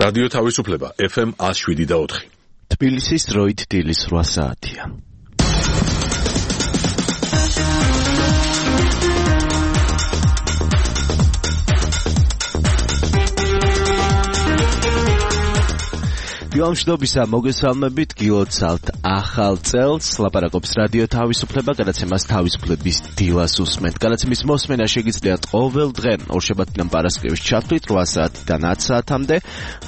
რადიო თავისუფლება FM 107.4. თბილისის დროით დილის 8 საათია. Გამშვიდობისა მოგესალმებით, გილოცავთ ახალ წელს, ლაპარაკობს რადიო თავისუფლება, გადაცემას თავისუფლების დილას უსმენთ. გადაცემის მოსმენა შეგიძლიათ ყოველ დღე ორშაბათიდან პარასკევის ჩათვლით 8 საათიდან 10 საათამდე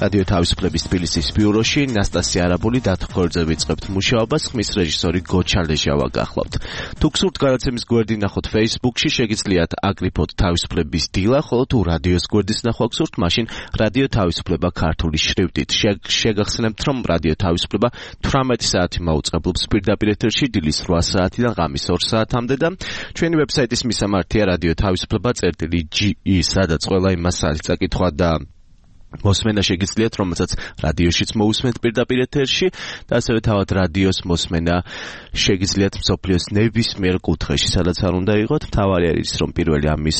რადიო თავისუფლების თბილისის ბიუროში. ნასტასია არაბული დათხოვებზე ვიწყებთ მუშაობას, ხმის რეჟისორი გოჩა ლეჟავა გახლავთ. თუ გსურთ გადაცემის გვერდი ნახოთ Facebook-ში, შეგიძლიათ აკრიფოთ თავისუფლების დილა, ხოლო თუ რადიოს გვერდის ნახვა გსურთ, მაშინ რადიო თავისუფლება ქართული შრიფტით. შეგახსენებთ, რომ რადიო თავისუფლება 18 საათი მაუწყებლობს პირდაპირ ეთერში დილის 8 საათიდან ღამის 2 საათამდე და ჩვენი ვებსაიტის მისამართია რადიო თავისუფლება.ge, სადაც ყველა იმას არის წაკითხვა და მოსმენა შეგიძლიათ, რომელსაც რადიოშიც მოусმენთ პირდაპირ ეთერში და ასევე თავად რადიოს მოსმენა შეგიძლიათ მსოფლიოს ნებისმიერ კუთხეში, სადაც არ უნდა იყოთ. მთავარი არის, რომ პირველი ამის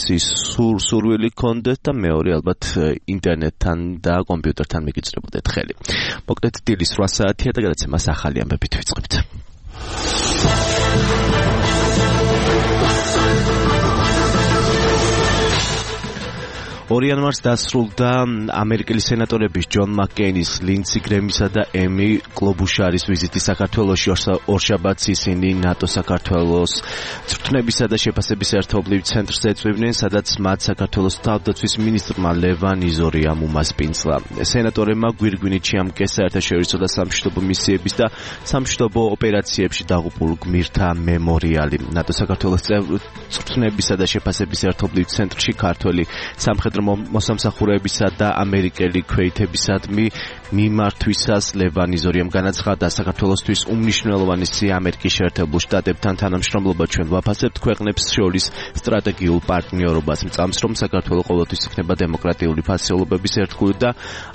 სურვილი გქონდეთ და მეორე ალბათ ინტერნეტთან და კომპიუტერთან მიგიწრებოდეთ ხელი. მოკლედ დილის 8 საათია და გადაცემას ახალი ამბებით ვიწყებთ. იანვარს დასრულდა ამერიკელი სენატორების ჯონ მაკკეინის, ლინდსი გრემისა და ემი კლობუშარის ვიზიტი საქართველოში. ორშაბათს ისინი ნატო საქართველოს წვრთნებისა და შეფასების ერთობლივ ცენტრს ეწვივნენ, სადაც მათ საქართველოს თავდაცვის მინისტრმა ლევან იზორიამ უმასპინძლა. სენატორებმა გვირგვინით შეამკეს საერთაშორისო და სამშვიდობო მისიების და სამშვიდობო ოპერაციებში დაღუპულ გმირთა მემორიალი. ნატო საქართველოს წვრთნებისა და შეფასების ერთობლივ ცენტრში ქართველი სამხედრო მოსამსახურეებისა და ამერიკელი ქვეითებისადმი მიმართვისას ლევან იზორიამ განაცხადა, საქართველოსთვის უმნიშვნელოვანესი ამერიკის შეერთებულ შტატებთან თანამშრომლობა ჩვენ ვაფასებთ ქვეყნებს შორის სტრატეგიულ პარტნიორობას. მწამს, რომ საქართველო ყოველთვის იქნება დემოკრატიული ფასეულობების ერთგული და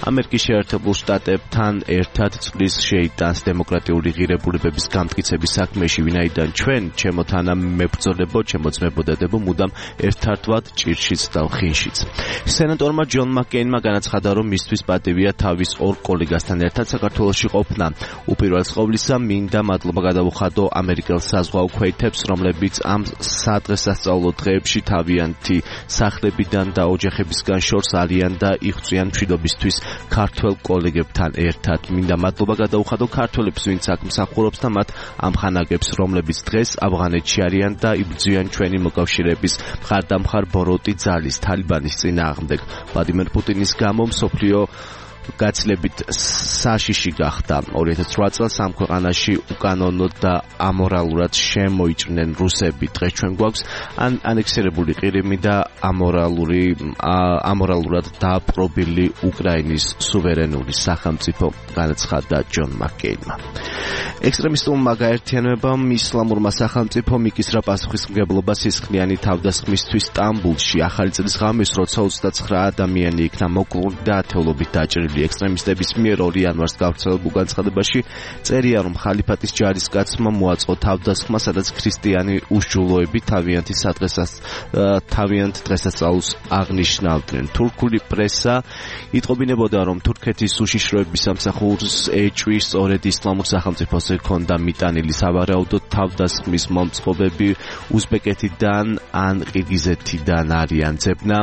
ამერიკის შეერთებულ შტატებთან ერთად წვლის შეიტანს დემოკრატიული ღირებულებების გამტკიცების საქმეში, ვინაიდან ჩვენ, ჩემო თანამებრძოლებო, ჩემო ძმებოდადებო, მუდამ ერთართვად ჭირშიც და ხინშიც. სენატორმა ჯონ მაკკეინმა განაცხადა, რომ მისთვის პატივია თავის ორ კოლეგასთან ერთად საქართველოში ყოფნა. უპირველეს ყოვლისა, მინდა მადლობა გადაუხადო ამერიკელ საზღვაო ქვეითებს, რომლებიც ამ სადღესასწაულო დღეებში თავიანთი სახლებიდან და ოჯახებისგან შორს არიან და იღწვიან მშვიდობისთვის ქართველ კოლეგებთან ერთად. მინდა მადლობა გადაუხადო ქართველებს, ვინც აქ მსახურობს და მათ ამხანაგებს, რომლებიც დღეს ავღანეთში არიან და იბრძვიან ჩვენი მოკავშირეების მხარდამხარ ბოროტი ძალის თალიბანის წინააღმდეგ. ვლადიმერ პუტინის გამო მსოფლიო გაცილებით საშიში გახდა. 2008 წელს ამ ქვეყანაში უკანონოდ და ამორალურად შემოიჭრნენ რუსები. დღეს ჩვენ გვაქვს ანექსირებული ყირიმი და ამორალურად დაპყრობილი უკრაინის სუვერენული სახელმწიფო, განაცხადა ჯონ მაკკეინმა. ექსტრემისტულმა გაერთიანებამ ისლამურმა სახელმწიფომ იკისრა პასუხისმგებლობა სისხლიანი თავდასხმისთვის სტამბულში. ახალი წლის ღამეს, როცა 29 ადამიანი იქნა მოკლული და ათეულობით დაჭრილი. ექსტრემისტების მიერ 2 იანვარს გავრცელებულ განცხადებაში წერია, რომ ხალიფატის ჯარისკაცმა მოაწყო თავდასხმა, სადაც ქრისტიანი უშჯულოები თავიანთ დღესასწაულს აღნიშნავდნენ. თურქული პრესა იტყობინებოდა, რომ თურქეთის უშიშროების სამსახურს ეჭვის სწორედ ისლამურ სახელმწიფოს ჰქონდა მიტანილი. სავარაუდოდ თავდასხმის მომწყობები უზბეკეთიდან ან ყირგიზეთიდან არიან. ძებნა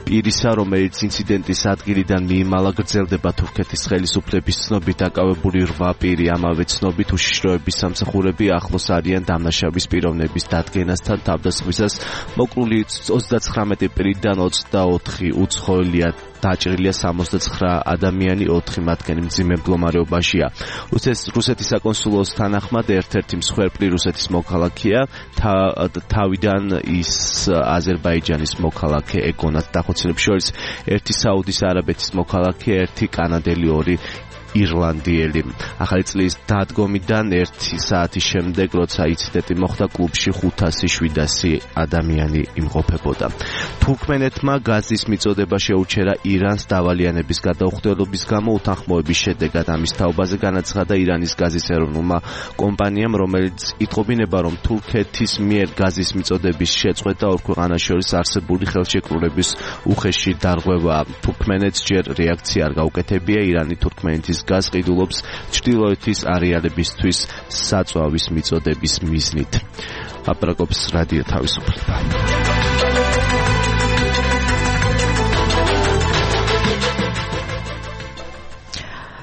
პირისა, რომელიც ინციდენტის ადგილიდან მიიმალა, გრძელდება თურქეთის ხელისუფლების ცნობით აკავებული 8 პირი. ამავე ცნობით უშიშროების სამსახურები ახლოს არიან დამნაშავის პიროვნების დადგენასთან თავდასხმისას. მოკლული 39 პირიდან 24 უცხოელია, დაჭრილია 69 ადამიანი, 4 მათგანი მძიმე მდგომარეობაშია. რუსეთის საკონსულოს თანახმად ერთ-ერთი მსხვერპლი რუსეთის მოქალაქეა, თავიდან ის აზერბაიჯანის მოქალაქე ეგონათ. დახოცილებს შორის ერთი საუდის არაბეთის მოქალაქე, ერთი კანადელი, 2 ირლანდიელი. ახალი წლის დადგომიდან 1 საათის შემდეგ, როცა ინციდენტი მოხდა, კლუბში 500-700 ადამიანი იმყოფებოდა. თურქმენეთმა გაზის მიწოდება შეუჩერა ირანს დავალიანების გადაუხდელობის გამო. უთანხმოების შედეგად ამის თაობაზე განაცხადა ირანის გაზის ეროვნულმა კომპანიამ, რომელიც იტყობინება, რომ თურქეთის მიერ გაზის მიწოდების შეწყვეტა ორ ქვეყანას შორის არსებული ხელშეკრულების უხეში დარღვევაა. თურქმენეთს ჯერ რეაქცია არ გაუკეთებია. ირანი თურქმენეთის გაზს ყიდულობს ჩრდილოეთის არეალებისთვის საწვავის მიწოდების მიზნით. აპრაკობს რადიო თავისუფლება.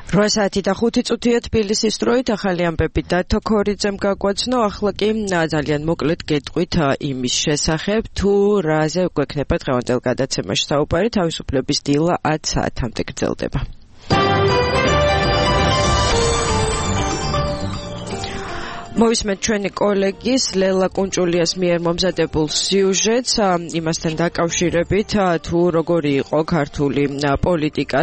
8 საათი და 5 წუთია თბილისის დროით. ახალი ამბები დათო ქორიძემ გაგვაცნო. ახლა კი ძალიან მოკლედ გეტყვით იმის შესახებ, თუ რაზე გვექნება დღევანდელ გადაცემაში საუბარი. თავისუფლების დილა 10 საათამდე გრძელდება. მოვისმენთ ჩვენი კოლეგის ლელა კუნჭულიას მიერ მომზადებულ სიუჟეტს იმასთან დაკავშირებით, თუ როგორი იყო ქართული პოლიტიკა,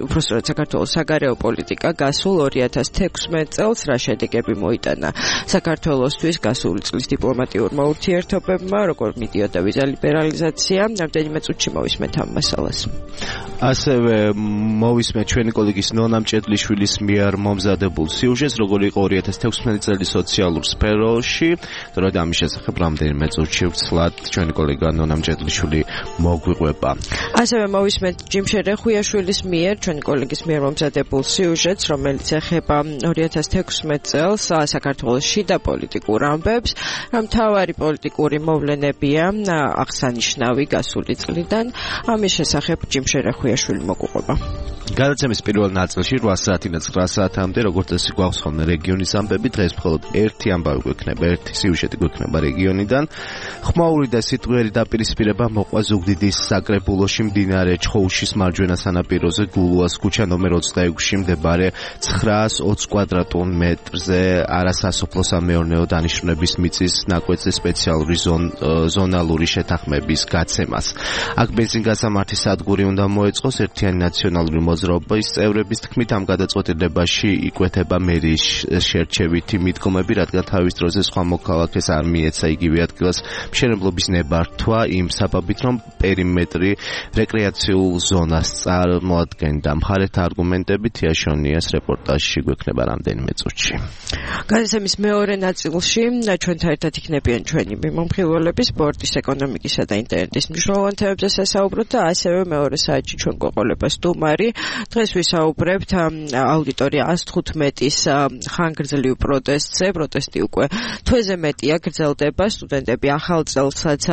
უпростоრად საქართველოს საგარეო პოლიტიკა გასულ 2016 წელს, რა შედეგები მოიტანა საქართველოსთვის გასული წლის დიპლომატიურმა ურთიერთობებმა, როგორ მიდიოდა ვიზა ლიბერალიზაცია. რამდენიმე წუთში მოვისმენთ ამ მასალას. ასევე მოვისმენთ ჩვენი კოლეგის ნონა მჭედლიშვილის მიერ მომზადებულ სიუჟეტს, როგორი იყო 2016 წელი სოციალურ სფეროში. თორედ ამის შესახებ რამდენიმე წუთში ვცლად ჩვენი კოლეგა ნონა მჭედლიშვილი მოგვიყვება. ასევე მოვისმენთ ჯიმშე რეხუიაშვილის მიერ, ჩვენი კოლეგის მიერ მომზადებულ სიუჟეტს, რომელიც ეხება 2016 წელს საქართველოს შიდა პოლიტიკურ ამბებს. მთავარი პოლიტიკური მოვლენებია აღსანიშნავი გასული წლიდან. ამის შესახებ ჯიმშე რეხუიაშვილი მოგვიყვება. გადაცემის პირველ ნაწილში 8 საათიდან 9 საათამდე, როგორც წესი, გვაქვს ხოლმე რეგიონის ამბები. დღეს მხოლოდ ერთი ამბავი გვექნება, ერთი სიუჟეტი გვექნება რეგიონიდან. ხმაური და სიტყვიერი დაპირისპირება მოყვა ზუგდიდის საკრებულოში მდინარე ჩხოუშის მარჯვენა სანაპიროზე, გულუას ქუჩა ნომერ 26-ში მდებარე 920 კვადრატულ მეტრზე არასასოფლო-სამეურნეო დანიშნულების მიწის ნაკვეთზე სპეციალური ზონალური შეთანხმების გაცემას. აქ ბენზინგასამართის სადგური უნდა მოეწყოს. ერთიანი ნაციონალური მოძრაობის წევრების თქმით, ამ გადაწყვეტილებაში იკვეთება მერიის შერჩევითი მიდგომები, რადგან თავის დროზე სხვა მოქალაქეს არ მიეცა იგივე ადგილას მშენებლობის ნებართვა იმ საბაბით, რომ პერიმეტრი რეკრეაციულ ზონას წარმოადგენდა. მხარეთა არგუმენტები თიაშონიას რეპორტაჟში გვექნება რამდენიმე წუთში. გადაცემის მეორე ნაწილში ჩვენთან ერთად იქნებიან ჩვენი მიმომხილველები სპორტის, ეკონომიკისა და ინტერნეტის მნიშვნელოვან თემებზე სასაუბროთ და ასევე მეორე საათში ჩვენ გვეყოლება სტუმარი. დღეს ვისაუბრებთ აუდიტორია 115-ის ხანგრძლივ პროტესტზე. პროტესტი უკვე თვეზე მეტია გრძელდება. სტუდენტები ახალ წელსაც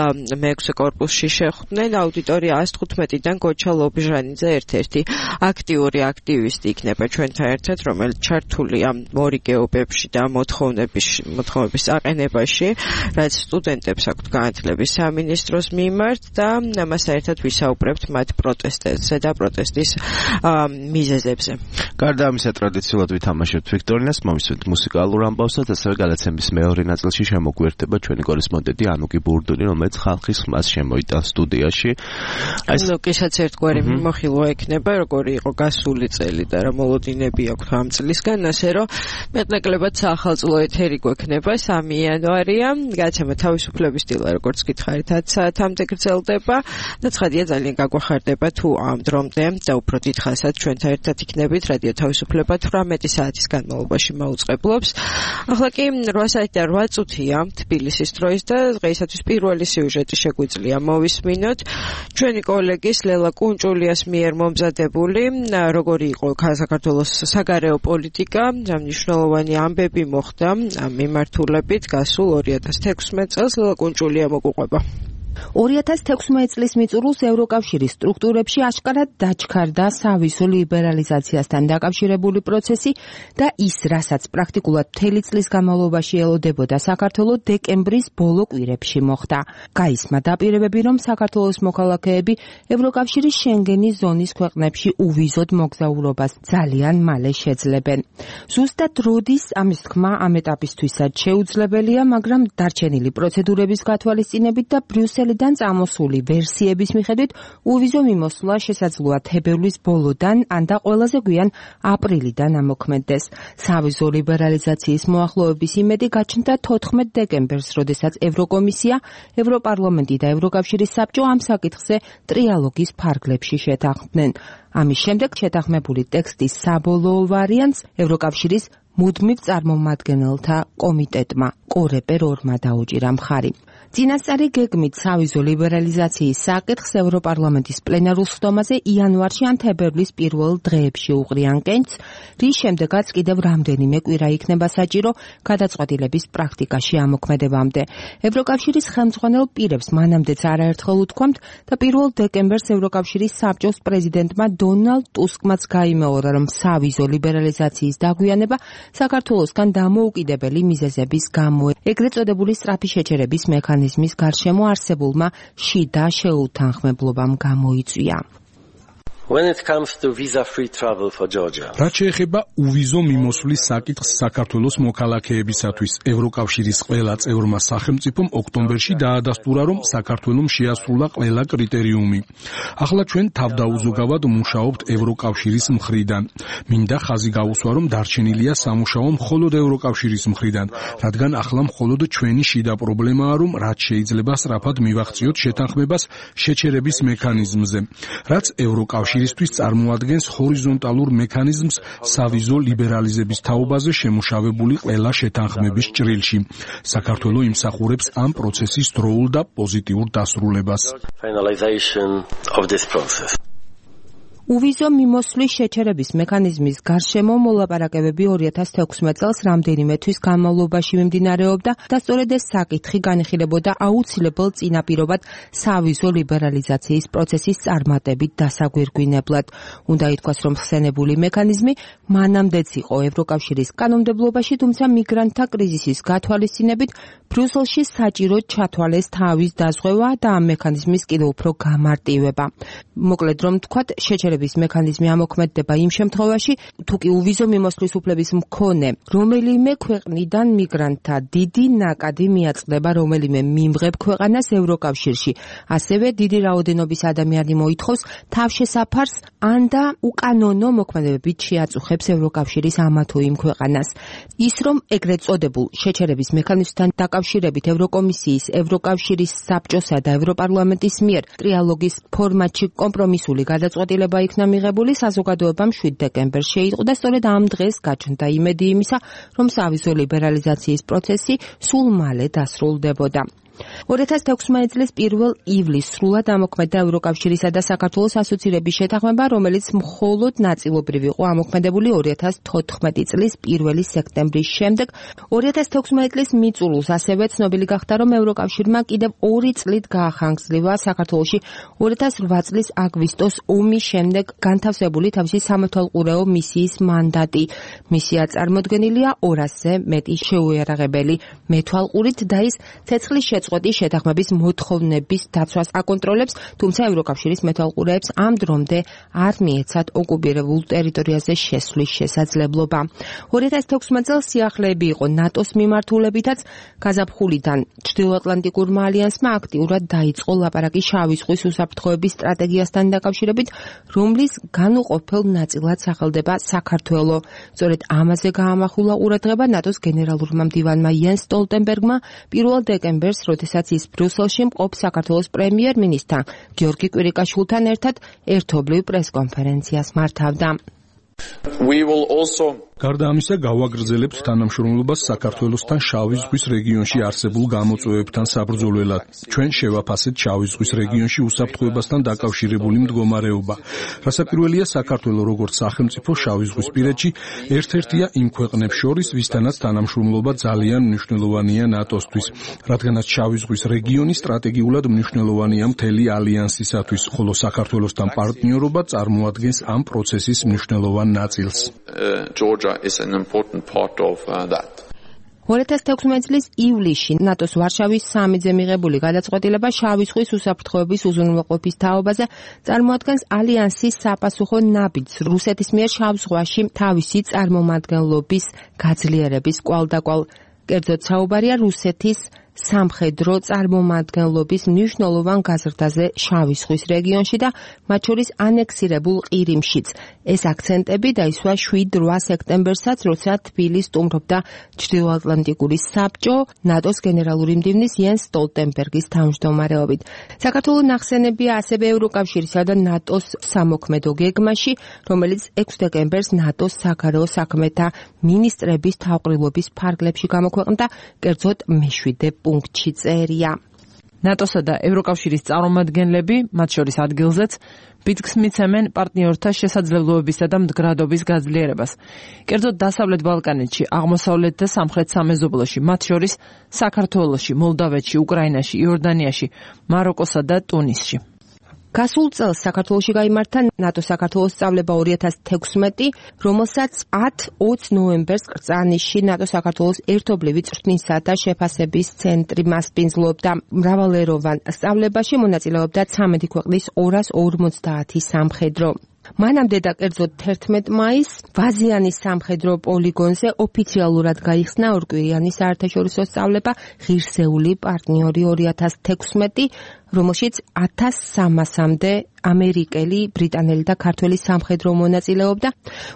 მე-6 კორპუსში შეხვდნენ. აუდიტორია 115-დან გოჩა ლობჟანიძე ერთ-ერთი აქტიური აქტივისტი იქნება ჩვენთან ერთად, რომელიც ჩართულია მორიგეობებში და მოთხოვნების აყენებაში, რაც სტუდენტებს აქვთ განათლების სამინისტროს მიმართ და ამასთან ერთად ვისაუბრებთ მათ პროტესტებზე და პროტესტის მიზეზებზე. გარდა ამისა, ტრადიციულად ვითამაშებთ ვიქტორინას, მოვისმენთ მუსიკალურ ამბავსაც, ასევე გადაცემის მეორე ნაწილში შემოგვიერთება ჩვენი კორესპონდენტი ანუკი ბურდუნი, რომელიც ხალხის ხმას შემოიტანს სტუდიაში. ანუკისაც ერთგვარი მიმოხილვა ექნება, როგორი იყო გასული წელი და რა მოლოდინები აქვს ამ წლისგან, ასე რომ მეტნაკლებად საახალწლო ეთერი გვექნება 3 იანვარია. გადაცემა თავისუფლების დილა, როგორც გითხარით, 10 საათამდე გრძელდება და ცხადია ძალიან გაგვახარდება თუ ამ დრომდე და უფრო დიდხანსაც ჩვენთან ერთად იქნებით. რადიო თავისუფლება 18 საათის განმავლობაში მაუწყებლობს. ახლა კი 8 საათი და 8 წუთია თბილისის დროის და დღეისათვის პირველი სიუჟეტი შეგვიძლია მოვისმინოთ ჩვენი კოლეგის ლელა კუნჭულიას მიერ მომზადებული, როგორი იყო საქართველოს საგარეო პოლიტიკა, მნიშვნელოვანი ამბები მოხდა ამ მიმართულებით გასულ 2016 წელს. ლელა კუნჭულია მოგვიყვება. 2016 წლის მიწურულს ევროკავშირის სტრუქტურებში აშკარად დაჩქარდა სავიზო ლიბერალიზაციასთან დაკავშირებული პროცესი და ის, რასაც პრაქტიკულად მთელი წლის განმავლობაში ელოდებოდა საქართველოს, დეკემბრის ბოლო კვირებში მოხდა. გაისმა დაპირებები, რომ საქართველოს მოქალაქეები ევროკავშირის შენგენის ზონის ქვეყნებში უვიზოდ მოგზაურობას ძალიან მალე შეძლებენ. ზუსტად როდის ამის თქმა ამ ეტაპისთვისაც შეუძლებელია, მაგრამ დარჩენილი პროცედურების გათვალისწინებით და ბრიუსელის ბრიუსელიდან წამოსული ვერსიების მიხედვით უვიზო მიმოსვლა შესაძლოა თებერვლის ბოლოდან ან და ყველაზე გვიან აპრილიდან ამოქმედდეს. სავიზო ლიბერალიზაციის მოახლოების იმედი გაჩნდა 14 დეკემბერს, როდესაც ევროკომისია, ევროპარლამენტი და ევროკავშირის საბჭო ამ საკითხზე ტრიალოგის ფარგლებში შეთანხმდნენ. ამის შემდეგ შეთანხმებული ტექსტის საბოლოო ვარიანტს ევროკავშირის მუდმივ წარმომადგენელთა კომიტეტმა კორეპერ 2-მა დაუჭირა მხარი. წინასწარი გეგმით სავიზო ლიბერალიზაციის საკითხს ევროპარლამენტის პლენარულ სხდომაზე იანვარში ან თებერვლის პირველ დღეებში უყრიან კენჭს, რის შემდეგაც კიდევ რამდენიმე კვირა იქნება საჭირო გადაწყვეტილების პრაქტიკაში ამოქმედებამდე. ევროკავშირის ხელმძღვანელ პირებს მანამდეც არაერთხელ უთქვამთ და 1 დეკემბერს ევროკავშირის საბჭოს პრეზიდენტმა დონალდ ტუსკმაც გაიმეორა, რომ სავიზო ლიბერალიზაციის დაგვიანება საქართველოსგან დამოუკიდებელი მიზეზების გამო ეგრეთ წოდებული სწრაფი შეჩერების მექანიზმის გარშემო არსებულმა შიდა შეუთანხმებლობამ გამოიწვია. When it comes to visa-free travel for Georgia. რაც შეეხება უვიზო მიმოსვლის საკითხს საქართველოს მოქალაქეებისათვის, ევროკავშირის ყველა წევრმა სახელმწიფომ ოქტომბერში დაადასტურა, რომ საქართველოს შეასრულა ყველა კრიტერიუმი. ახლა ჩვენ თავდაუზოგავად მუშაობთ ევროკავშირის მხრიდან. მინდა ხაზი გავუსვა, რომ დარჩენილია სამუშაო მხოლოდ ევროკავშირის მხრიდან, რადგან ახლა მხოლოდ ჩვენი შიდა პრობლემაა, რომ რაც შეიძლება სწრაფად მივახციოთ შეთანხმებას შეჩერების მექანიზმზე, რაც ევროკავშირის ისთვის წარმოადგენს ჰორიზონტალურ მექანიზმს სავიზო ლიბერალიზების თაობაზე შემუშავებული ყველა შეთანხმების ჭრილში. საქართველო იმსახურებს ამ პროცესის დროულ და პოზიტიურ დასრულებას. უვიზო მიმოსვლის შეჩერების მექანიზმის გარშემო მოლაპარაკებები 2016 წელს რამდენიმე თვის განმავლობაში მიმდინარეობდა და სწორედ ეს საკითხი განიხილებოდა აუცილებელ წინაპირობად სავიზო ლიბერალიზაციის პროცესის წარმატებით დასაგვირგვინებლად. უნდა ითქვას, რომ ხსენებული მექანიზმი მანამდეც იყო ევროკავშირის კანონმდებლობაში, თუმცა მიგრანტთა კრიზისის გათვალისწინებით ბრიუსელში საჭირო ჩათვალეს თავის დაზღვევა და ამ მექანიზმის კიდევ უფრო გამარტივება. მოკლედ რომ თქვათ, შეჩერების მექანიზმი ამოქმედდება იმ შემთხვევაში, თუ კი უვიზო მიმოსვლის უფლების მქონე რომელიმე ქვეყნიდან მიგრანტთა დიდი ნაკადი მიაწყდება რომელიმე მიმღებ ქვეყანას ევროკავშირში. ასევე დიდი რაოდენობის ადამიანი მოითხოვს თავშესაფარს ან და უკანონო მოქმედებებით შეაწუხებს ევროკავშირის ამა თუ იმ ქვეყანას. ის რომ ეგრეთ წოდებულ შეჩერების მექანიზმთან დაკავშირებით ევროკომისიის, ევროკავშირის საბჭოსა და ევროპარლამენტის მიერ ტრიალოგის ფორმატში კომპრომისული გადაწყვეტილება იქნა მიღებული, საზოგადოებამ 7 დეკემბერს შეიტყო და სწორედ ამ დღეს გაჩნდა იმედი იმისა, რომ სავიზო ლიბერალიზაციის პროცესი სულ მალე დასრულდებოდა. 2016 წლის 1 ივლისს სრულად ამოქმედდა ევროკავშირისა და საქართველოს ასოცირების შეთანხმება, რომელიც მხოლოდ ნაწილობრივ იყო ამოქმედებული 2014 წლის 1 სექტემბრის შემდეგ. 2016 წლის მიწურულს ასევე ცნობილი გახდა, რომ ევროკავშირმა კიდევ 2 წლით გაახანგრძლივა საქართველოში 2008 წლის აგვისტოს ომის შემდეგ განთავსებული თავისი სამეთვალყურეო მისიის მანდატი. მისია წარმოდგენილია 200-ზე მეტი შეუიარაღებელი მეთვალყურით და ის ცეცხლის წყვეტის შეთანხმების მოთხოვნების დაცვას აკონტროლებს, თუმცა ევროკავშირის მეთვალყურეებს ამ დრომდე არ მიეცათ ოკუპირებულ ტერიტორიაზე შესვლის შესაძლებლობა. 2016 წელს სიახლეები იყო ნატოს მიმართულებითაც, გაზაფხულიდან ჩრდილოატლანტიკურმა ალიანსმა აქტიურად დაიწყო ლაპარაკი შავი ზღვის უსაფრთხოების სტრატეგიასთან დაკავშირებით, რომლის განუყოფელ ნაწილად სახელდება საქართველო. სწორედ ამაზე გაამახვილა ყურადღება ნატოს გენერალურმა მდივანმა იენს სტოლტენბერგმა 1 დეკემბერს, როდესაც ის ბრიუსელში მყოფ საქართველოს პრემიერ-მინისტრთან გიორგი კვირიკაშვილთან ერთად ერთობლივ პრესკონფერენციას მართავდა. გარდა ამისა, გავაგრძელებთ თანამშრომლობას საქართველოსთან შავი ზღვის რეგიონში არსებულ გამოწვევებთან საბრძოლველად. ჩვენ შევაფასეთ შავი ზღვის რეგიონში უსაფრთხოებასთან დაკავშირებული მდგომარეობა. რასაკვირველია, საქართველო როგორც სახელმწიფო შავი ზღვის პირეთში ერთ-ერთია იმ ქვეყნებს შორის, ვისთანაც თანამშრომლობა ძალიან მნიშვნელოვანია ნატოსთვის, რადგანაც შავი ზღვის რეგიონი სტრატეგიულად მნიშვნელოვანია მთელი ალიანსისათვის, ხოლო საქართველოსთან პარტნიორობა წარმოადგენს ამ პროცესის მნიშვნელოვან ნაწილს. is an important part of that. 2016 წლის ივლისში ნატოს ვარშავის სამიძე მიღებული გადაწყვეტილება შავი ზღვის უსაფრთხოების უზრუნველყოფის თაობაზე წარმოადგენს ალიანსის საპასუხო ნაბიჯს რუსეთის მიერ შავ ზღვაში თავისი წარმომადგენლობის გაძლიერების კვალდაკვალ. კერძოდ საუბარია რუსეთის სამხედრო წარმომადგენლობის მნიშვნელოვან გაზრდაზე შავი ზღვის რეგიონში და მათ შორის ანექსირებულ ყირიმშიც. ეს აქცენტები დაისვა 7-8 სექტემბერსაც, როცა თბილისს სტუმრობდა ჩრდილოატლანტიკური საბჭო ნატოს გენერალური მდივნის იენს სტოლტენბერგის თავმჯდომარეობით. საქართველოს ნახსენებია ასევე ევროკავშირისა და ნატოს სამოქმედო გეგმაში, რომელიც 6 დეკემბერს ნატოს საგარეო საქმეთა მინისტრების თავყრილობის ფარგლებში გამოქვეყნდა, კერძოდ მე-7 პუნქტში წერია. ნატოსა და ევროკავშირის წარმომადგენლები, მათ შორის ადგილზეც, ბიძგს მიცემენ პარტნიორთა შესაძლებლობებისა და მდგრადობის გაძლიერებას. კერძოდ დასავლეთ ბალკანეთში, აღმოსავლეთ და სამხრეთ სამეზობლოში, მათ შორის საქართველოში, მოლდავეთში, უკრაინაში, იორდანიაში, მაროკოსა და ტუნისში. გასულ წელს საქართველოში გაიმართა ნატო-საქართველოს სწავლება 2016, რომელსაც 10-20 ნოემბერს კრწანისში ნატო-საქართველოს ერთობლივი წვრთნისა და შეფასების ცენტრი მასპინძლობდა. მრავალეროვან სწავლებაში მონაწილეობდა 13 ქვეყნის 250 სამხედრო. მანამდე და კერძოდ 11 მაისს ვაზიანის სამხედრო პოლიგონზე ოფიციალურად გაიხსნა ორკვირიანი საერთაშორისო სწავლება ღირსეული პარტნიორი 2016, რომელშიც 1300-მდე ამერიკელი, ბრიტანელი და ქართველი სამხედრო მონაწილეობდა.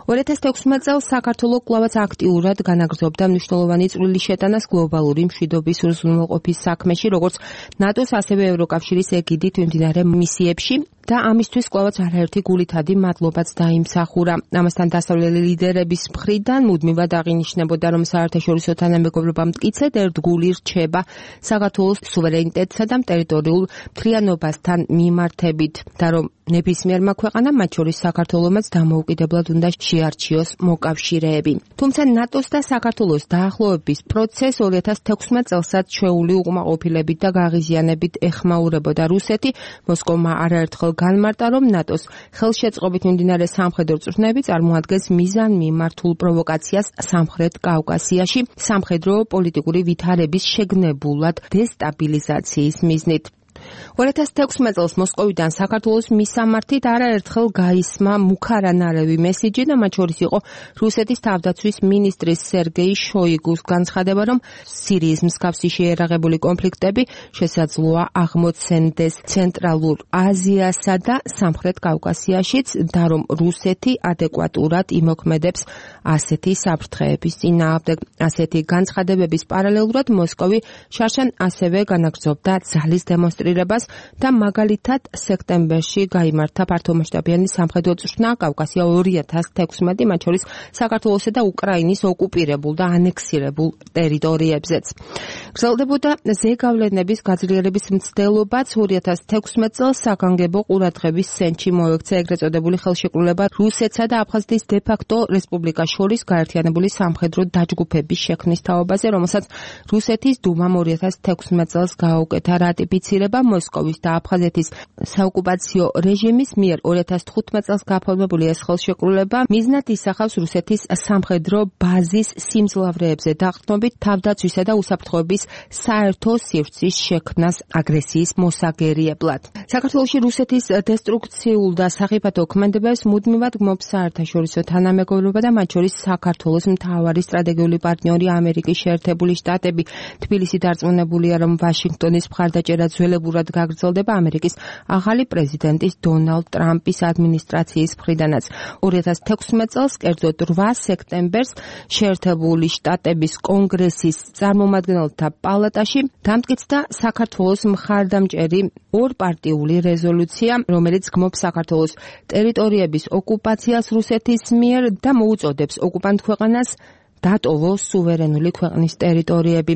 2016 წელს საქართველოს კვლავაც აქტიურად განაგრძობდა მნიშვნელოვანი წვლილი შეტანას გლობალური მშვიდობის უზრუნველყოფის საქმეში, როგორც ნატოს, ასევე ევროკავშირის ეგიდით მიმდინარე მისიებში და ამისთვის კვლავაც არაერთი გულითადი მადლობაც დაიმსახურა. ამასთან დასავლელი ლიდერების მხრიდან მუდმივად აღინიშნებოდა, რომ საერთაშორისო თანამეგობრობა მტკიცედ ერთგული რჩება საქართველოს სუვერენიტეტსა და ტერიტორიულ მთლიანობასთან მიმართებით და რომ ნებისმიერმა ქვეყანამ, მათ შორის საქართველომაც დამოუკიდებლად უნდა შეარჩიოს მოკავშირეები. თუმცა ნატოს და საქართველოს დაახლოების პროცესს 2016 წელსაც ჩვეული უკმაყოფილებით და გაღიზიანებით ეხმაურებოდა რუსეთი. მოსკოვმა არაერთხელ განმარტა, რომ ნატოს ხელშეწყობით მიმდინარე სამხედრო წვრთნები წარმოადგენს მიზანმიმართულ პროვოკაციას სამხრეთ კავკასიაში, სამხედრო პოლიტიკური ვითარების შეგნებულად დესტაბილიზაციის მიზნით. 2016 წელს მოსკოვიდან საქართველოს მისამართით არაერთხელ გაისმა მუქარანარევი მესიჯი და მათ შორის იყო რუსეთის თავდაცვის მინისტრის სერგეი შოიგუს განცხადება, რომ სირიის მსგავსი შეერაღებული კონფლიქტები შესაძლოა აღმოცენდეს ცენტრალურ აზიასა და სამხრეთ კავკასიაშიც და რომ რუსეთი ადეკვატურად იმოქმედებს ასეთი საფრთხეების წინააღმდეგ. ასეთი განცხადებების პარალელურად მოსკოვი შარშან ასევე განაგრძობდა ძალის დემონსტრირებას და მაგალითად სექტემბერში გაიმართა ფართომასშტაბიანი სამხედრო წვრთნა კავკასია 2016, მათ შორის საქართველოსა და უკრაინის ოკუპირებულ და ანექსირებულ ტერიტორიებზეც. გრძელდებოდა ზეგავლენების გაძლიერების მცდელობაც. 2016 წელს საგანგებო ყურადღების ცენტრში მოექცა ეგრეთ წოდებული ხელშეკრულება რუსეთსა და აფხაზეთის დე-ფაქტო რესპუბლიკას შორის გაერთიანებული სამხედრო დაჯგუფების შექმნის თაობაზე, რომელსაც რუსეთის დუმამ 2016 წელს გააუკეთა რატიფიცირება. მოსკოვის და აფხაზეთის საოკუპაციო რეჟიმის მიერ 2015 წელს გაფორმებული ეს ხელშეკრულება მიზნად ისახავს რუსეთის სამხედრო ბაზის სიმძლავრეებზე დაყრდნობით თავდაცვისა და უსაფრთხოების საერთო სივრცის შექმნას აგრესიის მოსაგერიებლად. საქართველოში რუსეთის დესტრუქციულ და სახიფათო ქმედებებს მუდმივად გმობს საერთაშორისო თანამეგობრობა და მათ შორის საქართველოს მთავარი სტრატეგიული პარტნიორი ამერიკის შეერთებული შტატები. თბილისი დარწმუნებულია, რომ ვაშინგტონის მხარდაჭერა ძველებურად გაგრძელდება ამერიკის ახალი პრეზიდენტის დონალდ ტრამპის ადმინისტრაციის მხრიდანაც. 2016 წელს, კერძოდ 8 სექტემბერს, შეერთებული შტატების კონგრესის წარმომადგენელთა პალატაში დამტკიცდა საქართველოს მხარდამჭერი ორპარტიული რეზოლუცია, რომელიც გმობს საქართველოს ტერიტორიების ოკუპაციას რუსეთის მიერ და მოუწოდებს ოკუპანტ ქვეყანას დატოვოს სუვერენული ქვეყნის ტერიტორიები.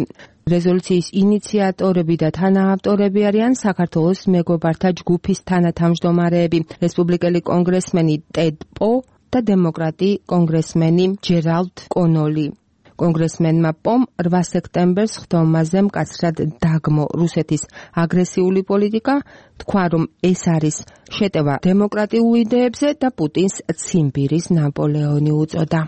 რეზოლუციის ინიციატორები და თანაავტორები არიან საქართველოს მეგობართა ჯგუფის თანათავმჯდომარეები, რესპუბლიკელი კონგრესმენი ტედ პო და დემოკრატი კონგრესმენი ჯერალდ კონოლი. კონგრესმენმა პომ 8 სექტემბერს ხდომაზე მკაცრად დაგმო რუსეთის აგრესიული პოლიტიკა, თქვა, რომ ეს არის შეტევა დემოკრატიულ იდეებზე და პუტინს ციმბირის ნაპოლეონი უწოდა.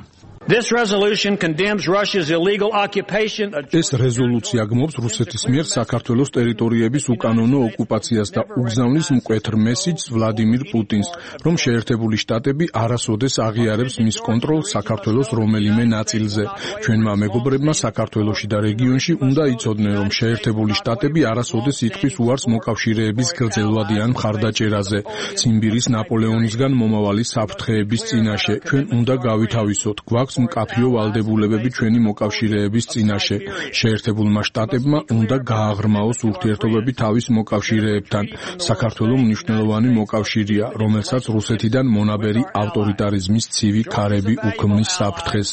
This resolution condemns Russia's illegal occupation of ეს რეზოლუცია გმობს რუსეთის მიერ საქართველოს ტერიტორიების უკანონო ოკუპაციას და უგზავნის მკვეთრ მესიჯს ვლადიმირ პუტინს, რომ შეერთებული შტატები არასოდეს აღიარებს მის კონტროლს საქართველოს რომელიმე ნაწილზე. ჩვენმა მეგობრებმა საქართველოში და რეგიონში უნდა იცოდნენ, რომ შეერთებული შტატები არასოდეს იტყვის უარს მოკავშირეების გრძელვადიან მხარდაჭერაზე, ციმბირის ნაპოლეონისგან მომავალი საფრთხეების წინაშე. ჩვენ უნდა გავითავისოთ, გვაქვს მკაფიო ვალდებულებები ჩვენი მოკავშირეების წინაშე. შეერთებულმა შტატებმა უნდა გააღრმაოს ურთიერთობები თავის მოკავშირეებთან. საქართველო მნიშვნელოვანი მოკავშირეა, რომელსაც რუსეთიდან მონაბერი ავტორიტარიზმის ცივი ქარები უქმნის საფრთხეს.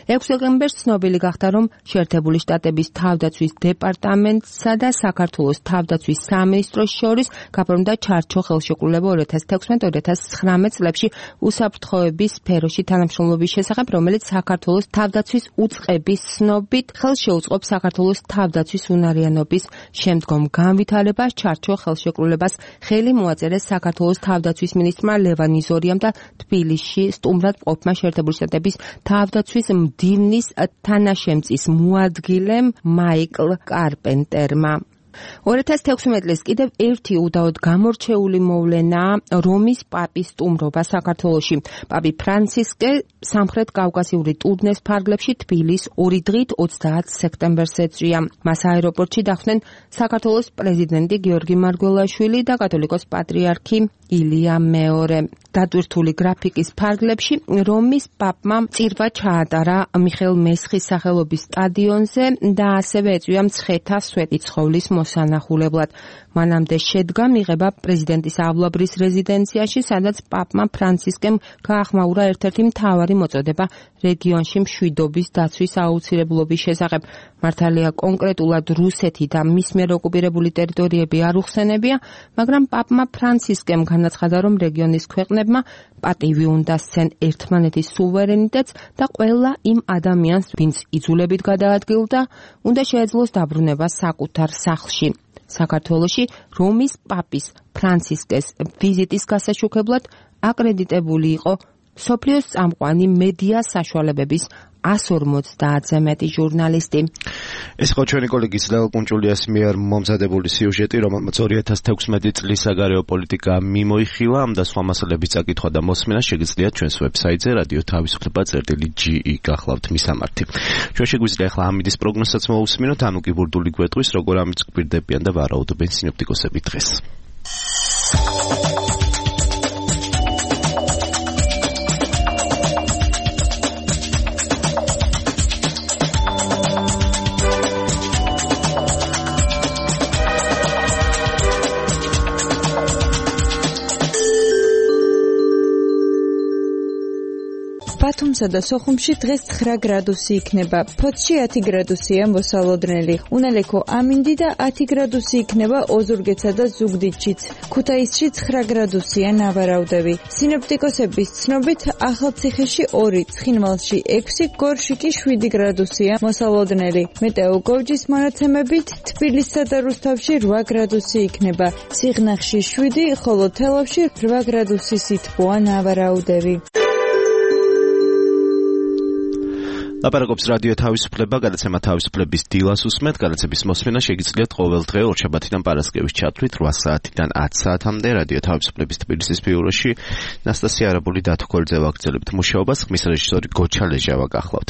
6 დეკემბერს ცნობილი გახდა, რომ შეერთებული შტატების თავდაცვის დეპარტამენტსა და საქართველოს თავდაცვის სამინისტროს შორის გაფორმდა ჩარჩო ხელშეკრულება 2016-2019 წლებში უსაფრთხოების სფეროში თანამშრომლობის შესახებ, რომელიც საქართველოს თავდაცვის უწყების ცნობით ხელს შეუწყობს საქართველოს თავდაცვის უნარიანობის შემდგომ განვითარებას. ჩარჩო ხელშეკრულებას ხელი მოაწერეს საქართველოს თავდაცვის მინისტრმა ლევან იზორიამ და თბილისში სტუმრად მყოფმა შეერთებული შტატების თავდაცვის მდივნის თანაშემწის მოადგილემ მაიკლ კარპენტერმა. 2016 წლის კიდევ ერთი უდაოდ გამორჩეული მოვლენაა რომის პაპის სტუმრობა საქართველოში. პაპი ფრანცისკე სამხრეთ კავკასიური ტურნეს ფარგლებში თბილის 2 დღით 30 სექტემბერს ეწვია. მას აეროპორტში დახვდნენ საქართველოს პრეზიდენტი გიორგი მარგველაშვილი და კათოლიკოს პატრიარქი ილია მეორე. დატვირთული გრაფიკის ფარგლებში რომის პაპმა წირვა ჩაატარა მიხეილ მესხის სახელობის სტადიონზე და ასევე ეწვია მცხეთა სვეტიცხოვლის მოსანახულებლად. მანამდე შედგა მიღება პრეზიდენტის ავლაბრის რეზიდენციაში, სადაც პაპმა ფრანცისკემ გაახმაურა ერთ-ერთი მთავარი მოწოდება რეგიონში მშვიდობის დაცვის აუცილებლობის შესახებ. მართალია კონკრეტულად რუსეთი და მის მიერ ოკუპირებული ტერიტორიები არ უხსენებია, მაგრამ პაპმა ფრანცისკემ განაცხადა, რომ რეგიონის ქვეყნებმა პატივი უნდა სცენ ერთმანეთის სუვერენიტეტს და ყველა იმ ადამიანს, ვინც იძულებით გადაადგილდა, უნდა შეეძლოს დაბრუნება საკუთარ სახლში. საქართველოში რომის პაპის ფრანცისკეს ვიზიტის გასაშუქებლად აკრედიტებული იყო მსოფლიოს წამყვანი მედია საშუალებების 150-ზე მეტი ჟურნალისტი. ეს იყო ჩვენი კოლეგის ლევ კუნჭულიას მიერ მომზადებული სიუჟეტი, რომელმაც 2016 წლის საგარეო პოლიტიკა მიმოიხილა. ამ და სხვა მასალების წაკითხვა და მოსმენა შეგიძლიათ ჩვენს ვებსაიტზე radio.თავისუფლება.ge გახლავთ მისამართი. ჩვენ შეგვიძლია ახლა ამიდის პროგნოზსაც მოусმინოთ, ანუ კი ბურდული გვეტყვის, როგორ ამიც გვირდებიან და ვარაუდობენ სინოპტიკოსები დღეს. ბათუმსა და სოხუმში დღეს 9 გრადუსი იქნება. ფოთში 10 გრადუსია მოსალოდნელი. უნალექო ამინდი და 10 გრადუსი იქნება ოზურგეთსა და ზუგდიდშიც. ქუთაისში 9 გრადუსია ნავარაუდები. სინოპტიკოსების ცნობით ახალციხეში 2, ცხინვალში 6, გორში კი 7 გრადუსია მოსალოდნელი. მეტეოგორჯის მონაცემებით თბილისსა და რუსთავში 8 გრადუსი იქნება. სიღნაღში 7, ხოლო თელავში 8 გრადუსი სითბოა ნავარაუდები. ლაპარაკობს რადიო თავისუფლება, გადაცემა თავისუფლების დილას უსმენთ. გადაცემის მოსმენა შეგიძლიათ ყოველ დღე ორშაბათიდან პარასკევის ჩათვლით 8 საათიდან 10 საათამდე რადიო თავისუფლების თბილისის ბიუროში. ნასტასია არაბული დათქოლძე ვაგრძელებთ მუშაობას, ხმის რეჟისორი გოჩა ლეჟავა გახლავთ.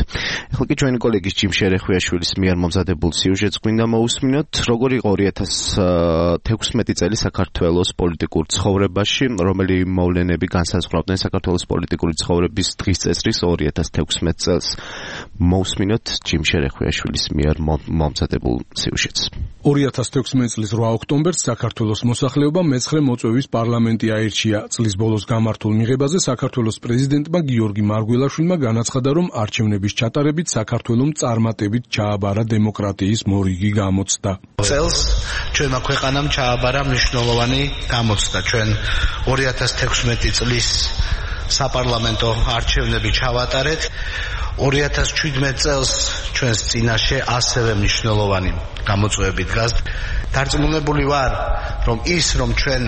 ახლა კი ჩვენი კოლეგის ჯიმ შერეხვიაშვილის მიერ მომზადებულ სიუჟეტს გვინდა მოусმინოთ, როგორ იყო 2016 წელი საქართველოს პოლიტიკურ ცხოვრებაში, რომელი მოვლენები განსაზღვრავდნენ საქართველოს პოლიტიკური ცხოვრების დღის წესრის 2016 წელს. მოусმინოთ ჯიმ შერეხვიაშვილის მიერ მომზადებულ სიუჟეტს. 2016 წლის 8 ოქტომბერს საქართველოს მოსახლეობამ მეცხრე მოწვევის პარლამენტი აირჩია. წლის ბოლოს გამართულ მიღებაზე საქართველოს პრეზიდენტმა გიორგი მარგველაშვილმა განაცხადა, რომ არჩევნების ჩატარებით საქართველოს წარმატებით ჩააბარა დემოკრატიის მორიგი გამოცდა. წელს ჩვენმა ქვეყანამ ჩააბარა მნიშვნელოვანი გამოცდა. ჩვენ 2016 წლის საპარლამენტო არჩევნები ჩავატარეთ. 2017 წელს ჩვენს წინაშე ასევე მნიშვნელოვანი გამოწვევები დგას. დარწმუნებული ვარ, რომ ჩვენ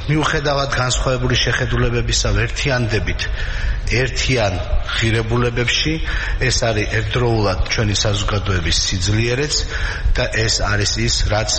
მიუხედავად განსხვავებული შეხედულებებისა ვერთიანდებით ერთიან ღირებულებებში, ეს არის ერთდროულად ჩვენი საზოგადოების სიძლიერეც და ეს არის ის, რაც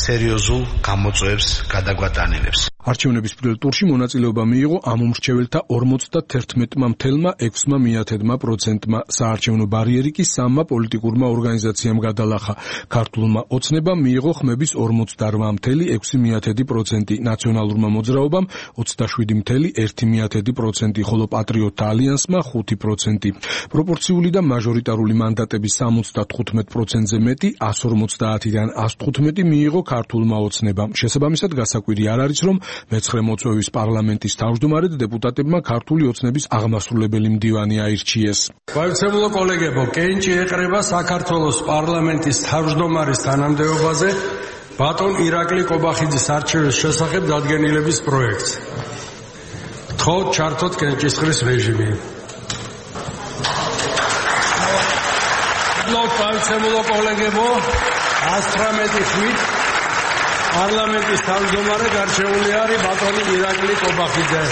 სერიოზულ გამოწვევებს გადაგვატანილებს. არჩევნების პირველ ტურში მონაწილეობა მიიღო ამომრჩეველთა 51.6%-მა. საარჩევნო ბარიერი კი 3 პოლიტიკურმა ორგანიზაციამ გადალახა. ქართულმა ოცნებამ მიიღო ხმების 48.6%, ნაციონალურმა მოძრაობამ 27.1%, ხოლო პატრიოტთა ალიანსმა 5%. პროპორციული და მაჟორიტარული მანდატების 75%-ზე მეტი, 150-დან 115 მიიღო ქართულმა ოცნებამ. შესაბამისად გასაკვირი არ არის, რომ მეცხრე მოწვევის პარლამენტის თავმჯდომარედ დეპუტატებმა ქართული ოცნების აღმასრულებელი მდივანი აირჩიეს. გაიცემულო კოლეგებო, კენჭი ეყრება საქართველოს პარლამენტის თავმჯდომარის თანამდებობაზე ბატონ ირაკლი კობახიძის არჩევის შესახებ დადგენილების პროექტს. გთხოვთ ჩართოთ კენჭისყრის რეჟიმი. გაიცემულო კოლეგებო, 118 ხმით პარლამენტის თავმჯდომარედ არჩეული არის ბატონი ირაკლი კობახიძე.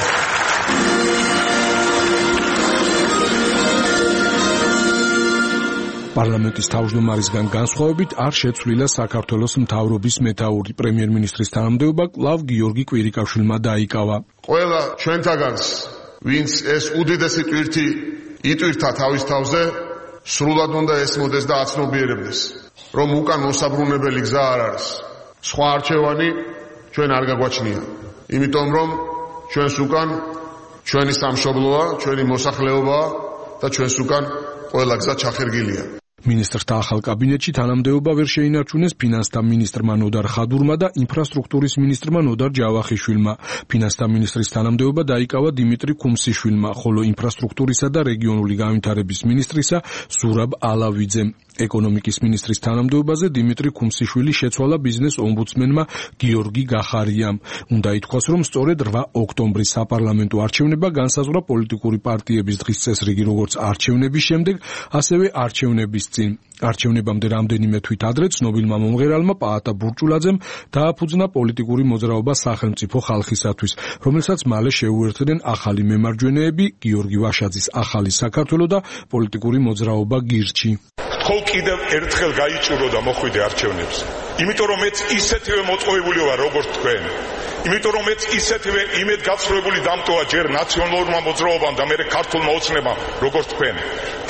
პარლამენტის თავმჯდომარისგან განსხვავებით არ შეცვლილა საქართველოს მთავრობის მეთაური. პრემიერ-მინისტრის თანამდებობა კვლავ გიორგი კვირიკაშვილმა დაიკავა. ყველა ჩვენთაგანს, ვინც ეს უდიდესი ტვირთი იტვირთა თავის თავზე, სრულად უნდა ესმოდეს და აცნობიერებდეს, რომ უკან მოსაბრუნებელი გზა არ არის. სხვა არჩევანი ჩვენ არ გაგვაჩნია. იმიტომ რომ ჩვენს უკან ჩვენი სამშობლოა, ჩვენი მოსახლეობაა და ჩვენს უკან ყველა გზა ჩახერგილია. მინისტრთა ახალ კაბინეტში თანამდებობა ვერ შეინარჩუნეს ფინანსთა მინისტრმა ნოდარ ხადურმა და ინფრასტრუქტურის მინისტრმა ნოდარ ჯავახიშვილმა. ფინანსთა მინისტრის თანამდებობა დაიკავა დიმიტრი ქუმსიშვილმა, ხოლო ინფრასტრუქტურისა და რეგიონული განვითარების მინისტრისა ზურაბ ალავიძემ. ეკონომიკის მინისტრის თანამდებობაზე დიმიტრი ქუმსიშვილი შეცვალა ბიზნეს ომბუდსმენმა გიორგი გახარიამ. უნდა ითქვას, რომ სწორედ 8 ოქტომბრის საპარლამენტო არჩევნება განსაზღვრა პოლიტიკური პარტიების დღის წესრიგი როგორც არჩევნების შემდეგ, ასევე არჩევნების წინ. არჩევნებამდე რამდენიმე თვით ადრე ცნობილმა მომღერალმა პაატა ბურჭულაძემ დააფუძნა პოლიტიკური მოძრაობა სახელმწიფო ხალხისათვის, რომელსაც მალე შეუერთდნენ ახალი მემარჯვენეები, გიორგი ვაშაძის ახალი საქართველო და პოლიტიკური მოძრაობა გირჩი. ხო კიდევ ერთხელ გაიჭირო და მოხვიდე არჩევნებზე. იმიტომ რომ მეც ისეთივე მოწყობილი ვარ როგორც თქვენ. იმიტომ რომ მეც ისეთივე იმედგაცრუებული დამტოა ჯერ ნაციონალურმა მოძრაობამ და მერე ქართულმა ოცნებამ როგორც თქვენ.